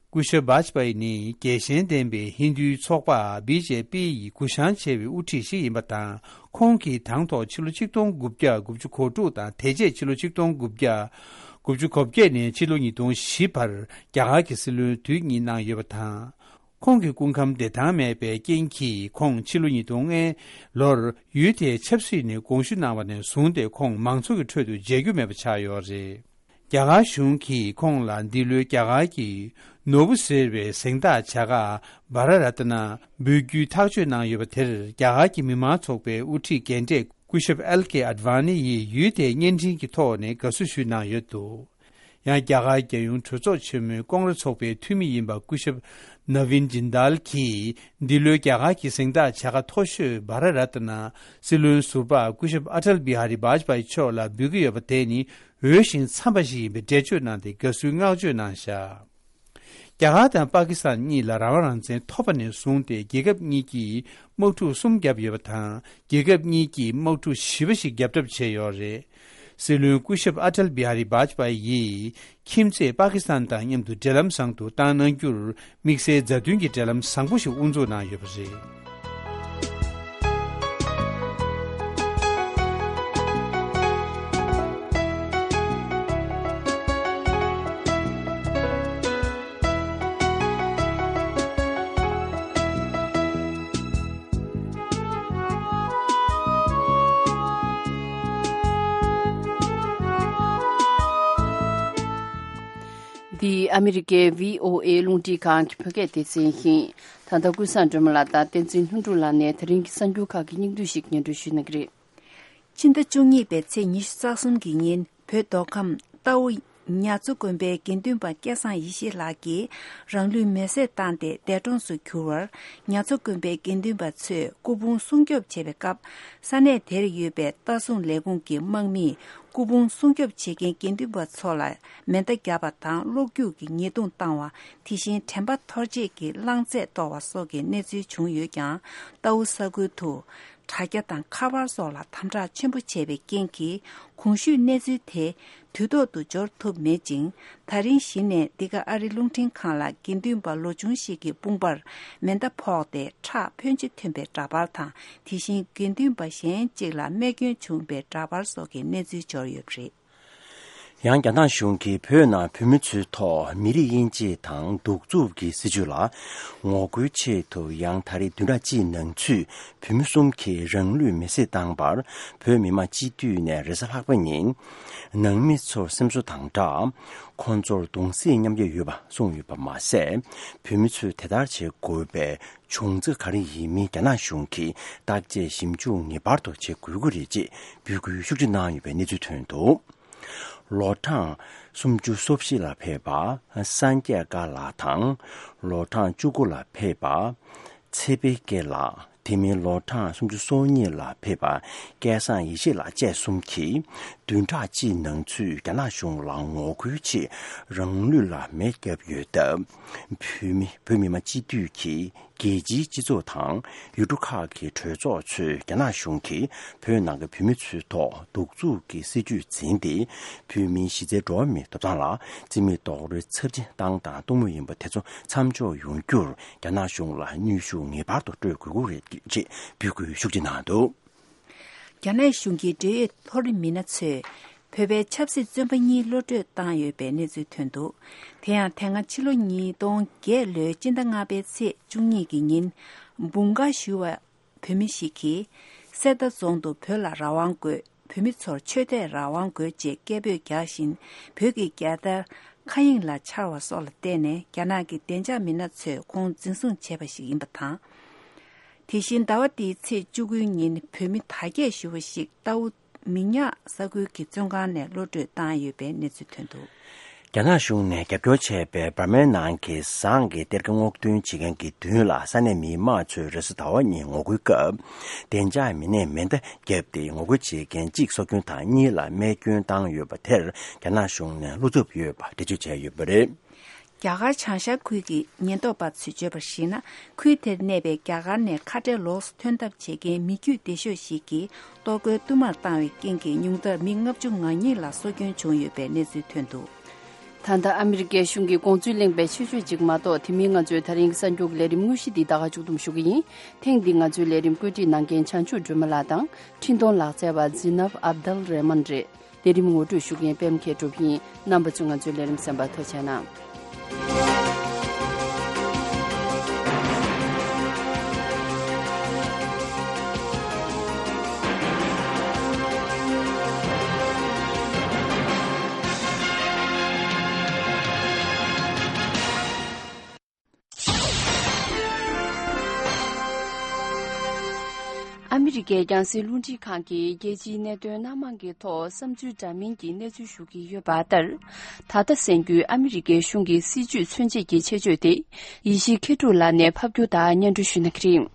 སྐུ་ཞབས་བཱཇ་པཱ་ཡི་ནི་རྒྱལ་ཞེན་ལྡན་པའི་ཧིན་རྡུའི་ཚོགས་པ་བི་ཇེ་པི་ཡི་གུ་བཤངས་ཆེ་བའི་དབུ་ཁྲིད་ཞིག་ཡིན་པ་དང་། ཁོང་གིས་དང་ཐོག་ཕྱི་ལོ་ཆིག་སྟོང་དགུ་བརྒྱ་དགུ་བཅུ་གོ་དྲུག་དང་། དེ་རྗེས་ཕྱི་ལོ་ཆིག་སྟོང་དགུ་བརྒྱ་ དགུ་བཅུ་གོ་བརྒྱད་ནས་ཕྱི་ལོ་ཉིས་སྟོང་བཞི་བར་རྒྱ་གར་གྱི་སྲིད་བློན་དུས་གཉིས་གནང་ཡོད་པ་དང་། ཁོང་གི་སྐུ་ཁམས་བདེ་ཐང་མེད་པའི་རྐྱེན་གྱིས་ཁོང་ཕྱི་ལོ་ཉིས་སྟོང་ལྔའི་ལོར་ཡུལ་དེའི་ཆབ་སྲིད་ནས་དགོངས་ཞུ་གནང་བ་ནས་བཟུང་སྟེ་ཁོང་མང་ཚོགས་ཀྱི་ཁྲོད་དུ་མཇལ་རྒྱུ་མེད་པ་ཆགས་ཡོད་རེད། རྒྱ་གར་གཞུང་གིས་ཁོང་ལ་འདི་ལོའི་རྒྱ་གར་གྱི་ནོར་བུ་ཟེར་བའི་གཟེངས་རྟགས་བྱ་དགའ་བྷ་ར་རཏ་ན་འབུལ་རྒྱུའི་ཐག་གཅོད་གནང་ཡོད་པ་དེར་རྒྱ་གར་གྱི་མི་མང་ཚོགས་པའི་དབུ་ཁྲིད་རྒན་གྲས་སྐུ་ཞབས་ཨེལ་ཀེ་ཨ་ཌི་ཝ་ནི་ཡིས་ཡུལ་དེའི་བརྙན་འཕྲིན་གྱི་ཐོག་ནས་དགའ་བསུ་ཞུས་གནང་ཡོད་འདུག། ཡང་རྒྱ་གར་རྒྱལ་ཡོངས་གྲོས་ཚོགས་ཆེན་མོའི་ཀོང་རེ་ཚོགས་པའི་འཐུས་མི་ཡིན་པ་སྐུ་ཞབས་ནཱ་ཝིན་ཇིན་དཱལ་གྱིས་འདི་ལོའི་རྒྱ་གར་གྱི་གཟེངས་རྟགས་བྱ་དགའ་མཐོ་ཤོས་བྷ་ར་རཏ་ན་སྲིད་བློན་ཟུར་པ་སྐུ་ཞབས་ཨ་ཊལ་བི་ཧ་རི་བཱཇ་པ་ཡི་མཆོག་ལ་འབུལ་གྱི་ཡོད་པ་དེ་ནི་འོས་ཤིང་འཚམས་པ་ཞིག་ཡིན་པའི་འགྲེལ་བརྗོད་གནང་སྟེ་དགའ་བསུའི་བསྔགས་བརྗོད་གནང་བཞག། རྒྱ་གར་དང་པ་ཀི་སི་ཐན་གཉིས་ལ་རང་དབང་རང་བཙན་ཐོབ་པ་ནས་བཟུང་སྟེ་རྒྱལ་ཁབ་གཉིས་ཀྱིས་དམག་འཁྲུག་གསུམ་བརྒྱབ་ཡོད་པ་དང་། རྒྱལ་ཁབ་གཉིས་ཀྱིས་དམག་འཁྲུག་བཞི་པ་ཞིག་བརྒྱབ་གྲབས་བྱས་ཡོད་རེད། སྲིད་བློན་སྐུ་ཞབས་ཨ་ཊལ་བི་ཧ་རི་བཱཇ་པ་ཡིས་ཁྱིམ་མཚེས་པ་ཀི་སི་ཐན་དང་མཉམ་དུ་འབྲེལ་ལམ་བཟང་དུ་བཏང་གནང་རྒྱུར་དམིགས་བསལ་མཛའ་མཐུན་གྱི་འབྲེལ་ལམ་བཟང་པོ་ཞིག་དབུ་འཛུགས་གནང་ཡོད་པ་རེད། འདི་ཨ་མི་རི་ཀའི་བྷི་ཨོ་ཨེ་རླུང་འཕྲིན་ཁང་གི་བོད་སྐད་སྡེ་ཚན་ཡིན། ད་ལྟ་ཀུན་བཟང་སྒྲོལ་མ་ལགས་དང་བསྟན་འཛིན་ལྷུན་གྲུབ་ལགས་ནས་ད་རིང་གི་གསར་འགྱུར་ཁག་གི་སྙིང་བསྡུས་ཤིག་སྙན་སྒྲོན་ཞུ་གནང་གི་རེད། ཕྱི་ཟླ་བཅུ་གཉིས་པའི་ཚེས་ཉི་ཤུ་རྩ་གསུམ་གྱི་ཉིན་བོད་མདོ་ཁམས་རྟའུ་ཉ་མཚོ་དགོན་པའི་དགེ་འདུན་པ་སྐལ་བཟང་ཡེ་ཤེས་ལགས་ཀྱིས་རང་ལུས་མེར་སྲེག་བཏང་སྟེ་འདས་གྲོངས་སུ་གྱུར་བར། ཉ་མཚོ་དགོན་པའི་དགེ་འདུན་པ་ཚོས་སྐུ་ཕུང་སྲུང་སྐྱོབ་བྱེད་པའི་སྐབས། ས་གནས་དེར་ཡོད་པའི་ལྟ་སྲུང་ལས་ཁུངས་ཀྱི་དམག་མིས་སྐུ་ཕུང་སྲུང་སྐྱོབ་བྱེད་མཁན་དགེ་འདུན་པ་ཚོ་ལ་མེ་མདའ་བརྒྱབ་པ་དང་གློག་རྒྱུག་གི་ཉེས་རྡུང་བཏང་བ། དེ་བཞིན་དྲན་པ་འཐོར་བྱེད་ཀྱི་རླངས་རྫས་གཏོར་བ་སོགས་ཀྱི་གནས་ཚུལ་བྱུང་ཡོད་ཀྱང་། རྟའུ་ས་ཁུལ་དུ་དྲ་རྒྱ་དང་ཁ་པར་སོགས་ལ་དམ་དྲག་ཆེན་པོ་བྱས་པའི་རྐྱེན་གྱིས། གོང་ཞུས་གནས་ཚུལ་དེ་དུས་ཐོག་ཏུ་འབྱོར་ཐུབ་མེད་ཅིང་། ད་རིང་གཞི་ནས་འདི་ག་ཨ་རི་རླུང་འཕྲིན་ཁང་ལ་དགེ་འདུན་པ་ལོ་ཆུང་ཞིག་གི་དཔུང་པར་མེ་མདའ་ཕོག་སྟེ་ཁྲག་ཕོན་ཆེ་ཐོན་པའི་འདྲ་པར་དང་། དེ་བཞིན་དགེ་འདུན་པ་གཞན་གཅིག་ལ་རྨས་སྐྱོན་བྱུང་བའི་འདྲ་པར་སོགས་ཀྱི་གནས་ཚུལ་འབྱོར་ཡོད་པ་རེད། ཡང་རྒྱ་ནག་གཞུང་གིས་བོད་ནང་བོད་མི་ཚོའི་ཐོག་མི་རིགས་དབྱེ་འབྱེད་དང་གདུག་རྩུབ་ཀྱི་སྲིད་བྱུས་ལ་ངོ་རྒོལ་ཆེད་དུ། ཡང་ད་རེས་བདུན་ཕྲག་གཅིག་ནང་ཚུད་བོད་མི་གསུམ་གྱིས་རང་ལུས་མེར་སྲེག་བཏང་བར། བོད་མི་མང་སྤྱི་འཐུས་ནས་རེས་གཟའ་ལྷག་པ་ཉིན་ནང་མི་ཚོར་སེམས་གསོ་དང་སྦྲགས། ཁོང་ཚོར་གདུང་སེམས་མཉམ་སྐྱེད་ཡོད་པ་གསུངས་ཡོད་པ་མ་ཟད། བོད་མི་ཚོས་དེ་ལྟར་བྱེད་དགོས་པའི་བྱུང་རྩ་ག་རེ་ཡིན་མིན་རྒྱ་ནག་གཞུང་གིས་བརྟག་དཔྱད་ཞིབ་འཇུག་ངེས་པར་དུ་བྱེད་དགོས་ཀྱི་རེད་ཅེས་འབོད་སྐུལ་ཤུགས་ཆེ་གནང་ཡོད་པའི་གནས་ཚུལ་ཐོན་འདུག། ལོ་གྲངས་སུམ་ཅུ་སོ་བཞི་ལ་ཕེབས་པ་སངས་རྒྱས་དགའ་ལགས་དང་། ལོ་གྲངས་བཅུ་དགུ་ལ་ཕེབས་པ་ཚེ་དཔལ་སྐྱེས་ལགས། དེ་མིན་ལོ་གྲངས་སུམ་ཅུ་སོ་གཉིས་ལ་ཕེབས་པ་སྐལ་བཟང་ཡེ་ཤེས་ལགས་བཅས་གསུམ་གྱིས་བདུན་ཕྲག་གཅིག་ནང་ཚུད་རྒྱ་ནག་གཞུང་ལ་ངོ་རྒོལ་ཆེད་རང་ལུས་ལ་མེ་བརྒྱབ་ཡོད་སྟབས། བོད་མི་བོད་མི་མང་སྤྱི་འཐུས་ཀྱིས། རྒྱལ་སྤྱིའི་སྤྱི་ཚོགས་དང་ཡུལ་གྲུ་ཁག་གི་གྲོས་ཚོགས་ཚོས་རྒྱ་ནག་གཞུང་གིས་བོད་ནང་གི་བོད་མི་ཚོའི་ཐོག་གདུག་རྩུབ་ཀྱི་སྲིད་བྱུས་འཛིན་ཏེ། བོད་མིའི་གཞི་རྩའི་འགྲོ་བ་མིའི་ཐོབ་ཐང་ལ་རྩིས་མེད་རྡོག་རོལ་ཚབས་ཆེན་བཏང་དང་གཏོང་མུས་ཡིན་པ་དེ་ཚོ་མཚམས་འཇོག་ཡོང་རྒྱུར་རྒྱ་ནག་གཞུང་ལ་གནོན་ཤུགས་ངེས་པར་དུ་སྤྲོད་དགོས་ཀྱི་རེད་ཅེས་འབོད་སྐུལ་ཤུགས་ཆེ་གནང་འདུག། རྒྱ་ནག་གཞུང་གི་འབྲེལ་ཡོད་མཐོ་རིམ་མི་སྣ་ཚོས་བོད་པའི་ཆབ་སྲིད་བཙོན་པ་གཉིས་གློད་གྲོལ་བཏང་ཡོད་པའི་གནས་ཚུལ་ཐོན་འདུག། དེ་ཡང་དེ་སྔ་ཕྱི་ལོ་ཉིས་སྟོང་བརྒྱད་ལོའི་སྤྱི་ཟླ་ལྔ་པའི་ཚེས་བཅུ་གཉིས་ཀྱི་ཉིན་འབུམ་དཀར་ཞུ་བ་བོད་མི་ཞིག་གིས་གསེར་རྟ་རྫོང་དུ་བོད་ལ་རང་དབང་དགོས། བོད་མི་ཚོར་ཆོས་དད་རང་དབང་དགོས་ཅེས་སྐད་འབོད་རྒྱག་བཞིན། བོད་ཀྱི་རྒྱལ་དར་མཁའ་དབྱིངས་ལ་འཕྱར་བ་སོགས་ལ་བརྟེན་ནས་རྒྱ་ནག་གི་བདེ་འཇགས་མི་སྣ་ཚོས་ཁོང་འཛིན་བཟུང་བྱས་པ་ཞིག་ཡིན་པ་དང་། དེ་བཞིན་ཟླ་བ་འདིའི་ཚེས་བཅུ་དགུའི་ཉིན་བོད་མི་དར་རྒྱས་ཞུ་བ་ཞིག་རྟའུ་མི་ཉག་ས་ཁུལ་གྱི་བཙོན་ཁང་ནས་གློད་གྲོལ་བཏང་ཡོད་པའི་གནས་ཚུལ་ཐོན་འདུག། རྒྱ་ནག་གཞུང་ནས་རྒྱབ་སྐྱོར་བྱས་པའི་འབར་མའི་ནང་གི་ཟངས་ཀྱི་གཏེར་ཁ་སྔོག་འདོན་བྱེད་མཁན་གྱི་མདུན་ལ་ས་གནས་མི་མང་ཚོས་རེས་གཟའ་ཟླ་བ་ཉིན་ངོ་རྒོལ་སྐབས། བདེ་འཇགས་མི་སྣས་མེ་མདའ་བརྒྱབ་སྟེ་ངོ་རྒོལ་བྱེད་མཁན་གཅིག་སྲོག་སྐྱོན་དང་གཉིས་ལ་རྨས་སྐྱོན་བཏང་ཡོད་པ་དེར་རྒྱ་ནག་གཞུང་ནས་བློ་འཚབ་ཡོད་པ་འགྲེལ་བརྗོད་བྱས་ཡོད་པ་རེད། རྒྱ་གར་བྱང་ཤར་ཁུལ་གྱི་ཉེན་རྟོག་པ་ཚོས་བརྗོད་པར་གཞིགས་ན། ཁུལ་དེར་གནས་པའི་རྒྱ་གར་ནས་ཁ་བྲལ་ལོགས་སུ་ཐོན་ཐབས་བྱེད་མཁན་མི་རྒྱུད་བདེ་ཤོས་ཤིག་གིས་གཏོར་རྒོལ་བསྟུད་མར་བཏང་བའི་རྐྱེན་གྱིས་ཉུང་མཐར་མི་ལྔ་བཅུ་ང་གཉིས་ལ་སྲོག་སྐྱོན་བྱུང་ཡོད་པའི་གནས་ཚུལ་ཐོན་འདུག། ད་ལྟ་ཨ་མི་རི་ཀའི་གཞུང་གི་དགོངས་ཚུལ་གླེང་བའི་ཆེད་བརྗོད་ཅིག་མ་གཏོགས། དེ་མིན་ང་ཚོའི་ད་རིང་གི་གསར་འགྱུར་གྱི་ལས་རིམ་དངོས་གཞི་འདི་ད་ག་མཇུག་བསྡོམས་ཞུ་གི་ཡིན། ཐེངས་འདིའི་ང་ཚོའི་ལས་རིམ་བཀོད་སྒྲིག་གནང་མཁན་བྱང་ཆུབ་སྒྲོལ་མ་ལགས་དང་། འཕྲིན་གཏོང་ལག་རྩལ་བ་ཛི་ནབ་ཨབ་དལ་རེ་མན་རེད། ལས་རིམ་ངོ་སྤྲོད་ཞུ་མཁན་པད་མ་མཁས་གྲུབ་ཡིན། རྣམ་པ་ཚོས་ང་ཚོའི་ལས་རིམ་གསན་པར་ཐུགས་རྗེ་གནང་། ཨ་མི་རི་ཀའི་རྒྱང་སྲིང་རླུང་འཕྲིན་ཁང་གིས་རྒྱལ་སྤྱིའི་གནད་དོན་སྣ་མང་གི་ཐོག་བསམ་ཚུལ་འདྲ་མིན་གྱི་གནས་ཚུལ་ཞུ་གི་ཡོད་པ་ལྟར། ད་ལྟ་གསན་རྒྱུའི་ཨ་མི་རི་ཀའི་གཞུང་གི་སྲིད་བྱུས་མཚོན་བྱེད་ཀྱི་ཆེད་བརྗོད་དེ། ཡེ་ཤེས་མཁས་གྲུབ་ལགས་ནས་ཕབ་སྒྱུར་དང་སྙན་སྒྲོན་ཞུ་གནང་གི་རེད།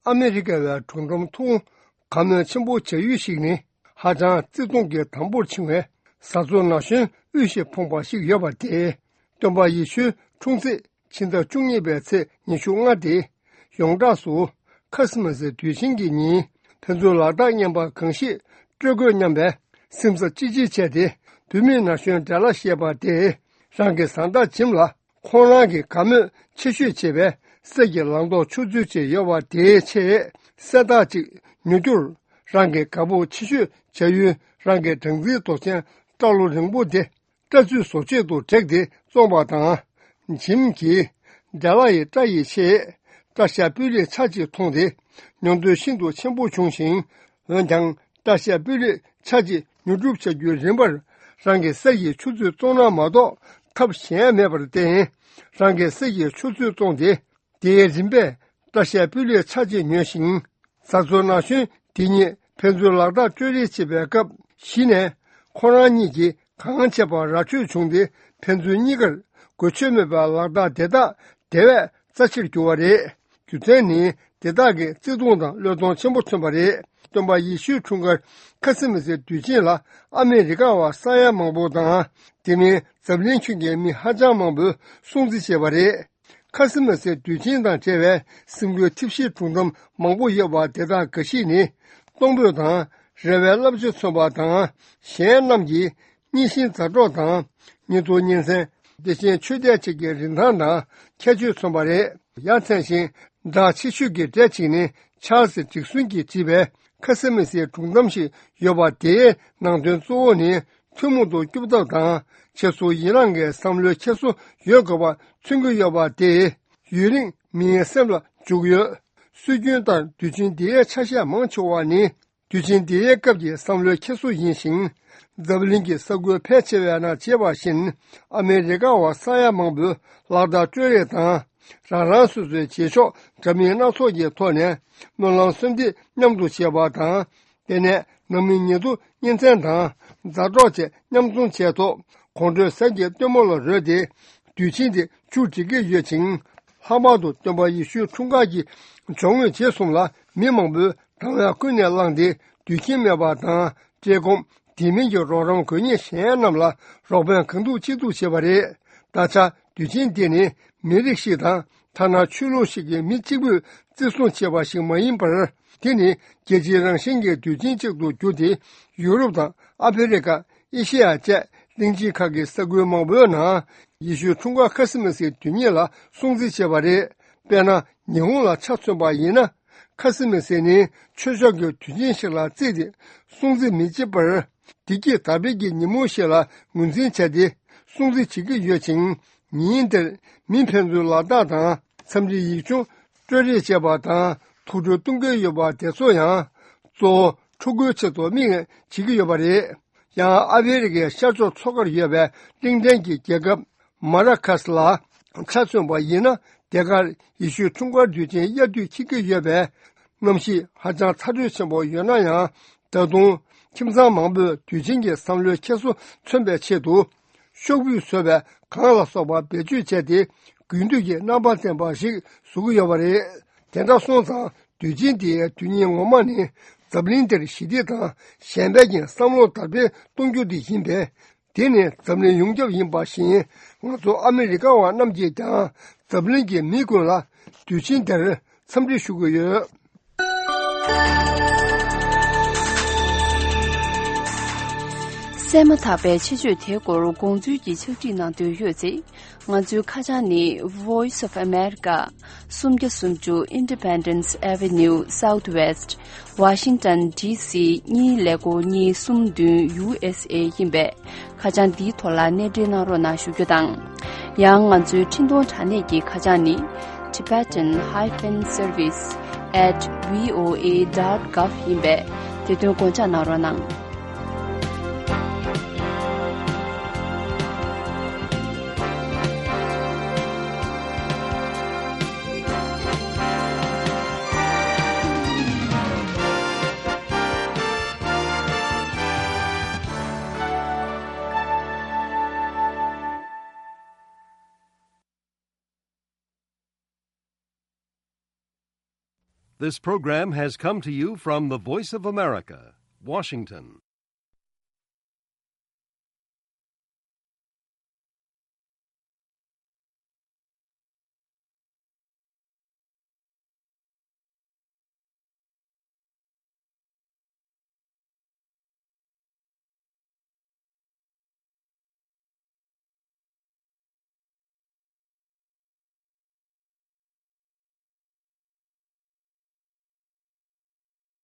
ཨ་མི་རི་ཀ་བའི་སྒྲུང་གཏམ་ཐུང་། བཀའ་མོལ་ཆེན་པོ་བྱ་ཡུལ་ཞིག་ནི། ཧ་ཅང་བརྩེ་དུང་གི་དམ་པོར་འཆིང་བའི་བཟའ་ཚོ་ན་གཞོན་དབུས་ཤིག་ཕོངས་པ་ཞིག་ཡོད་པ་དེ། སྟོན་པ་ཡེ་ཤུའི་འཁྲུངས་ཚེས་ཕྱི་ཟླ་བཅུ་གཉིས་པའི་ཚེས་ཉི་ཤུ་ལྔ་སྟེ། ཡོངས་གྲགས་སུ་ཁ་སི་མ་སི་དུས་ཆེན་གྱི་ཉིན། ཕན་ཚུན་ལག་རྟགས་རྔན་པ་གང་ཞིག་སྤྲོད་དགོས་སྙམ་པའི་སེམས་འཚབ་ཅི་ཆེ་བྱས་ཏེ། བུད་མེད་ན་གཞོན་འདྲེ་ལ་ཞེས་པ་དེས་རང་གི་བཟའ་ཟླ་ཇིམ་ལ། ཁོང་རང་གི་དགའ་མོས་ཆེ་ཤོས་བྱེད་པའི་གསེར་གྱི་ལག་འདོགས་ཆུ་ཚོད་ཅིག་ཡོད་པ་དེའི་ཆེད་གསལ་རྟགས་ཅིག་ཉོ་རྒྱུར། རང་གི་དགའ་པོ་ཆེ་ཤོས་བྱ་ཡུལ་རང་གི་སྦྲང་རྩིའི་རྡོ་ཆེན་སྐྲ་ལོ་རིང་པོ་དེ་སྐྲ་ཚོས་བཟོ་ཆེད་དུ་བྲེགས་ཏེ་བཙོངས་པ་དང་། ཇིམ་གྱིས་འདྲེ་ལ་ཡི་སྐྲ་ཡི་ཆེད་སྐྲ་ཤད་སྤུས་ལེགས་ཆ་གཅིག་མཐོང་སྟེ་ཉོ་འདོད་ཤིན་ཏུ་ཆེན་པོ་བྱུང་ཞིང་། འོན་ཀྱང་། བཀྲ་ཤིས་པུ་ལེ་ཆ་གཅིག་ཉོ་སྒྲུབ་བྱ་རྒྱུའི་རིན་པར་རང་གི་གསེར་གྱི་ཆུ་ཚོད་བཙོང་ན་མ་གཏོགས་ཐབས་གཞན་མེད་པར་བརྟེན། རང་གི་གསེར་གྱི་ཆུ་ཚོད་བཙོངས་ཏེ། དེའི་རིན་པས་བཀྲ་ཤིས་པུ་ལེ་ཆ་གཅིག་ཉོས་ཤིང་། བཟའ་ཚོ་ན་གཞོན་དེ་གཉིས་ཕན་ཚུན་ལག་རྟགས་སྤྲོད་རེས་བྱེད་པའི་སྐབས་གཞི་ནས་ཁོ་རང་གཉིས་ཀྱིས་གང་བྱས་པ་ར་འཕྲོད་བྱུང་སྟེ་ཕན་ཚུན་གཉིས་ཀར་གོ་ཆོད་མེད་པའི་ལག་རྟགས་དེ་དག་དེ་བས་རྩ་ཆེར་གྱུར་བ་རེད། རྒྱུ་མཚན་ནི་དེ་དག་གིས་བརྩེ་དུང་དང་བློས་གཏོང་ཆེན་པོ་མཚོན་པ་རེད། སྟོན་པ་ཡེ་ཤུའི་འཁྲུངས་སྐར་ཁ་སི་མ་སི་དུས་ཆེན་ལ་ཨ་མི་རི་ཀ་བ་ས་ཡ་མང་པོ་དང་དེ་མིན་འཛམ་གླིང་ཁྱོན་གྱི་མི་ཧ་ཅང་མང་པོས་སྲུང་བརྩི་བྱས་པ་རེད། ཁ་སི་མ་སི་དུས་ཆེན་དང་འབྲེལ་བའི་སེམས་འགུལ་ཐེབས་གཞིའི་སྒྲུང་གཏམ་མང་པོ་ཡོད་པ་དེ་དག་འགའ་ཞིག་ནི་གཏོང་ཕོད་དང་རེ་བའི་བསླབ་བྱ་མཚོན་པ་དང་གཞན་རྣམས་ཀྱིས། གཉིས་ཤིང་མཛའ་གྲོགས་དང་། གཉིས་ཐོག་གཉིས་མཚན། བདེ་ཆེན་ཆོས་དད་ཅིག་གི་རིན་ཐང་དང་ཁྱད་ཆོས་མཚོན་པ་རེད། ཡ་མཚན་ཞིང་སྒྲ་ཆེ་ཤོས་ཀྱི་གྲས་གཅིག་ནི་ཆཱལ་སི་ཌིག་སོན་གྱིས་བྲིས་པའི་ཁ་སི་མ་སིའི་སྒྲུང་གཏམ་ཞིག་ཡོད་པ་དེའི་ནང་དོན་གཙོ་བོ་ནི་ཐུན་མོང་དུ་སྐྱོབ་ཐབས་དང་ཆེད་སོར་ཡི་རངས་ཀྱི་བསམ་བློའི་འཁྱེར་སོ་ཡོད་དགོས་པ་མཚོན་གྱི་ཡོད་པ་དེས་ཡུན་རིང་མིའི་སེམས་ལ་འཇུག་ཡོད། སྲོལ་རྒྱུན་ལྟར་དུས་ཆེན་འདིའི་ཆ་ཤས་མང་ཆེ་བ་ནི། དུས་ཆེན་འདིའི་སྐབས་ཀྱི་བསམ་བློའི་འཁྱེར་སོ་ཡིན་ཞིང་། འཛམ་གླིང་གི་ས་ཁུལ་ཕལ་ཆེ་བའི་ནང་བྱེད་པ་བཞིན། ཨ་མེ་རི་ཀ་བ་ས་ཡ་མང་པོས་ལག་བརྡ་སྤྲོད་རེས་དང་། རང་རང་སོ་སོའི་རྗེས་ཕྱོགས་འདྲ་མིན་སྣ་ཚོགས་ཀྱི་ཐོག་ནས་སྨོན་ལམ་གསོལ་འདེབས་མཉམ་དུ་བྱེད་པ་དང་། དེ་ནས་ནང་མི་ཉེ་དུ་གཉེན་ཚན་དང་མཛའ་གྲོགས་བཅས་མཉམ་འཛོམས་བྱས་ཐོག་དགོང་དྲོའི་གཟའ་གི་སྟོན་མོ་ལ་རོལ་ཏེ་དུས་ཆེན་དེ་མཇུག་སྒྲིལ་གྱི་ཡོད་ཅིང་། ལྷག་པར་དུ་སྟོན་པ་ཡེ་ཤུའི་འཁྲུངས་སྐར་གྱི་སྦྱོར་དངོས་རྗེས་གསུམ་ལ་མི་མང་པོས་དང་བས་ཀུན་ནས་བསླངས་ཏེ་དུས་ཆེན་སྨད་པ་དང་བཀྲེས་སྐོམ། དེ་མིན་གྱི་རོགས་རམ་དགོས་ངེས་གཞན་རྣམས་ལ་རོགས་ཕན་གང་ཐུབ་ཅི་ཐུབ་བྱེད་པ་རེད། ད་ཆ་དུས་ཆེན་འདི་ནི་མི་རིགས་ཤིག་དང་ཐ་ན་ཆོས་ལུགས་ཤིག་གི་མི་གཅིག་པུས་བརྩི་སྲུང་བྱེད་པ་ཞིག་མ་ཡིན་པར། དེ་ནི་རྒྱལ་སྤྱིའི་རང་བཞིན་གྱི་དུས་ཆེན་གཅིག་ཏུ་གྱུར་ཏེ་ཡུ་རོབ་དང་ཨ་ཕི་རི་ཀ། ཨེ་ཤེ་ཡ་བཅས་གླིང་ཆེན་ཁག་གི་ས་ཁུལ་མང་པོའི་ནང་ཡེ་ཤུའི་འཁྲུངས་སྐར་ཁ་སི་མ་སིའི་དུས་ཉིན་ལ་སྲུང་བརྩི་བྱེད་པ་རེད། དཔེར་ན་ཉི་ཧོང་ལ་ཆ་མཚོན་པ་ཡིན་ན། ཁ་སི་མ་སི་ནི་ཆོས་ཕྱོགས་ཀྱི་དུས་ཆེན་ཞིག་ལ་བརྩིས་ཏེ་སྲུང་བརྩི་མི་བྱེད་པར། བདེ་སྐྱིད་དར་སྤེལ་གྱི་ཉིན་མོ་ཞིག་ལ་ངོས་འཛིན་བྱས་ཏེ་སྲུང་བརྩི་བྱེད་ཀྱི་ཡོད་ཅིང་། ཉིན་དེར་མི་ཕན་ཚུན་ལག་རྟགས་དང་འཚམས་འདྲི་ཡིག་ཆུང་སྤྲོད་རེས་བྱེད་པ་དང་ཐུགས་སྤྲོ་གཏོང་གི་ཡོད་པ་དེ་ཚོ་ཡང་གཙོ་བོ་ཕྲུ་གུའི་ཆེད་དུ་དམིགས་ནས་བྱེད་ཀྱི་ཡོད་པ་རེད། ཡང་ཨ་ཕི་རི་ཀའི་ཤར་ཕྱོགས་མཚོ་ཁར་ཡོད་པའི་གླིང་ཕྲན་གྱི་རྒྱལ་ཁབ་མ་ར་ཁ་སི་ལ་ཆ་མཚོན་པ་ཡིན་ན། དེ་གར་ཡེ་ཤུའི་འཁྲུངས་སྐར་དུས་ཆེན་དབྱར་དུས་འཁེལ་གྱི་ཡོད་པས། གནམ་གཤིས་ཧ་ཅང་ཚ་དྲོད་ཆེན་པོ་ཡོད་ན་ཡང་། ད་དུང་ཁྱིམ་ཚང་མང་པོས་དུས་ཆེན་གྱི་བསམ་བློའི་འཁྱེར་སོ་མཚོན་པའི་ཆེད་དུ། ཤོག་བུས་བཟོས་པའི་གང་ལ་སོགས་པ་བེད་སྤྱོད་བྱས་ཏེ། དགུན་དུས་ཀྱི་རྣམ་པ་ལྡན་པ་ཞིག་བཟོ་གི་ཡོད་པ་རེད། དེ་འདྲ་སོང་ཙང་དུས་ཆེན་འདིའི་དུས་ཉིན་ངོ་མ་ནི་འཛམ་གླིང་འདིར་ཞི་བདེ་དང་གཞན་ཕན་གྱི་བསམ་བློ་དར་སྤེལ་གཏོང་རྒྱུ་དེ་ཡིན་པས། དེ་ནི་འཛམ་གླིང་ཡོངས་ཁྱབ་ཡིན་པ་བཞིན། ང་ཚོ་ཨ་མི་རི་ཀ་བ་རྣམས་ཀྱིས་ཀྱང་འཛམ་གླིང་གི་མི་ཀུན་ལ་དུས་ཆེན་འདིར་འཚམས་འདྲི་ཞུ་གི་ཡོད། བཙས་མ་ཐག་པའི་ཆེད་བརྗོད་དེའི་སྐོར་དགོངས་ཚུལ་གྱི་ཕྱག་བྲིས་གནང་འདོད་ཡོད་ཚེ། ང་ཚོའི་ཁ་བྱང་ནི། Voice of America། སུམ་བརྒྱ་སུམ་ཅུ་Independence Avenue Southwest། Washington D C གཉིས་ཀླད་ཀོར་གཉིས་གསུམ་བདུན། U S A ཡིན་པས། ཁ་བྱང་འདིའི་ཐོག་ལ་གནས་འབྲེལ་གནང་རོགས་གནང་ཞུ་རྒྱུ་དང་། ཡང་ང་ཚོའི་འཕྲིན་གཏོང་དྲ་གནས་ཀྱི་ཁ་བྱང་ནི། Tibetan hyphen service at V O A dot gov ཡིན་པས། དེ་དོན་དགོངས་འཇགས་གནང་རོགས་གནང་། This program has come to you from the Voice of America, Washington.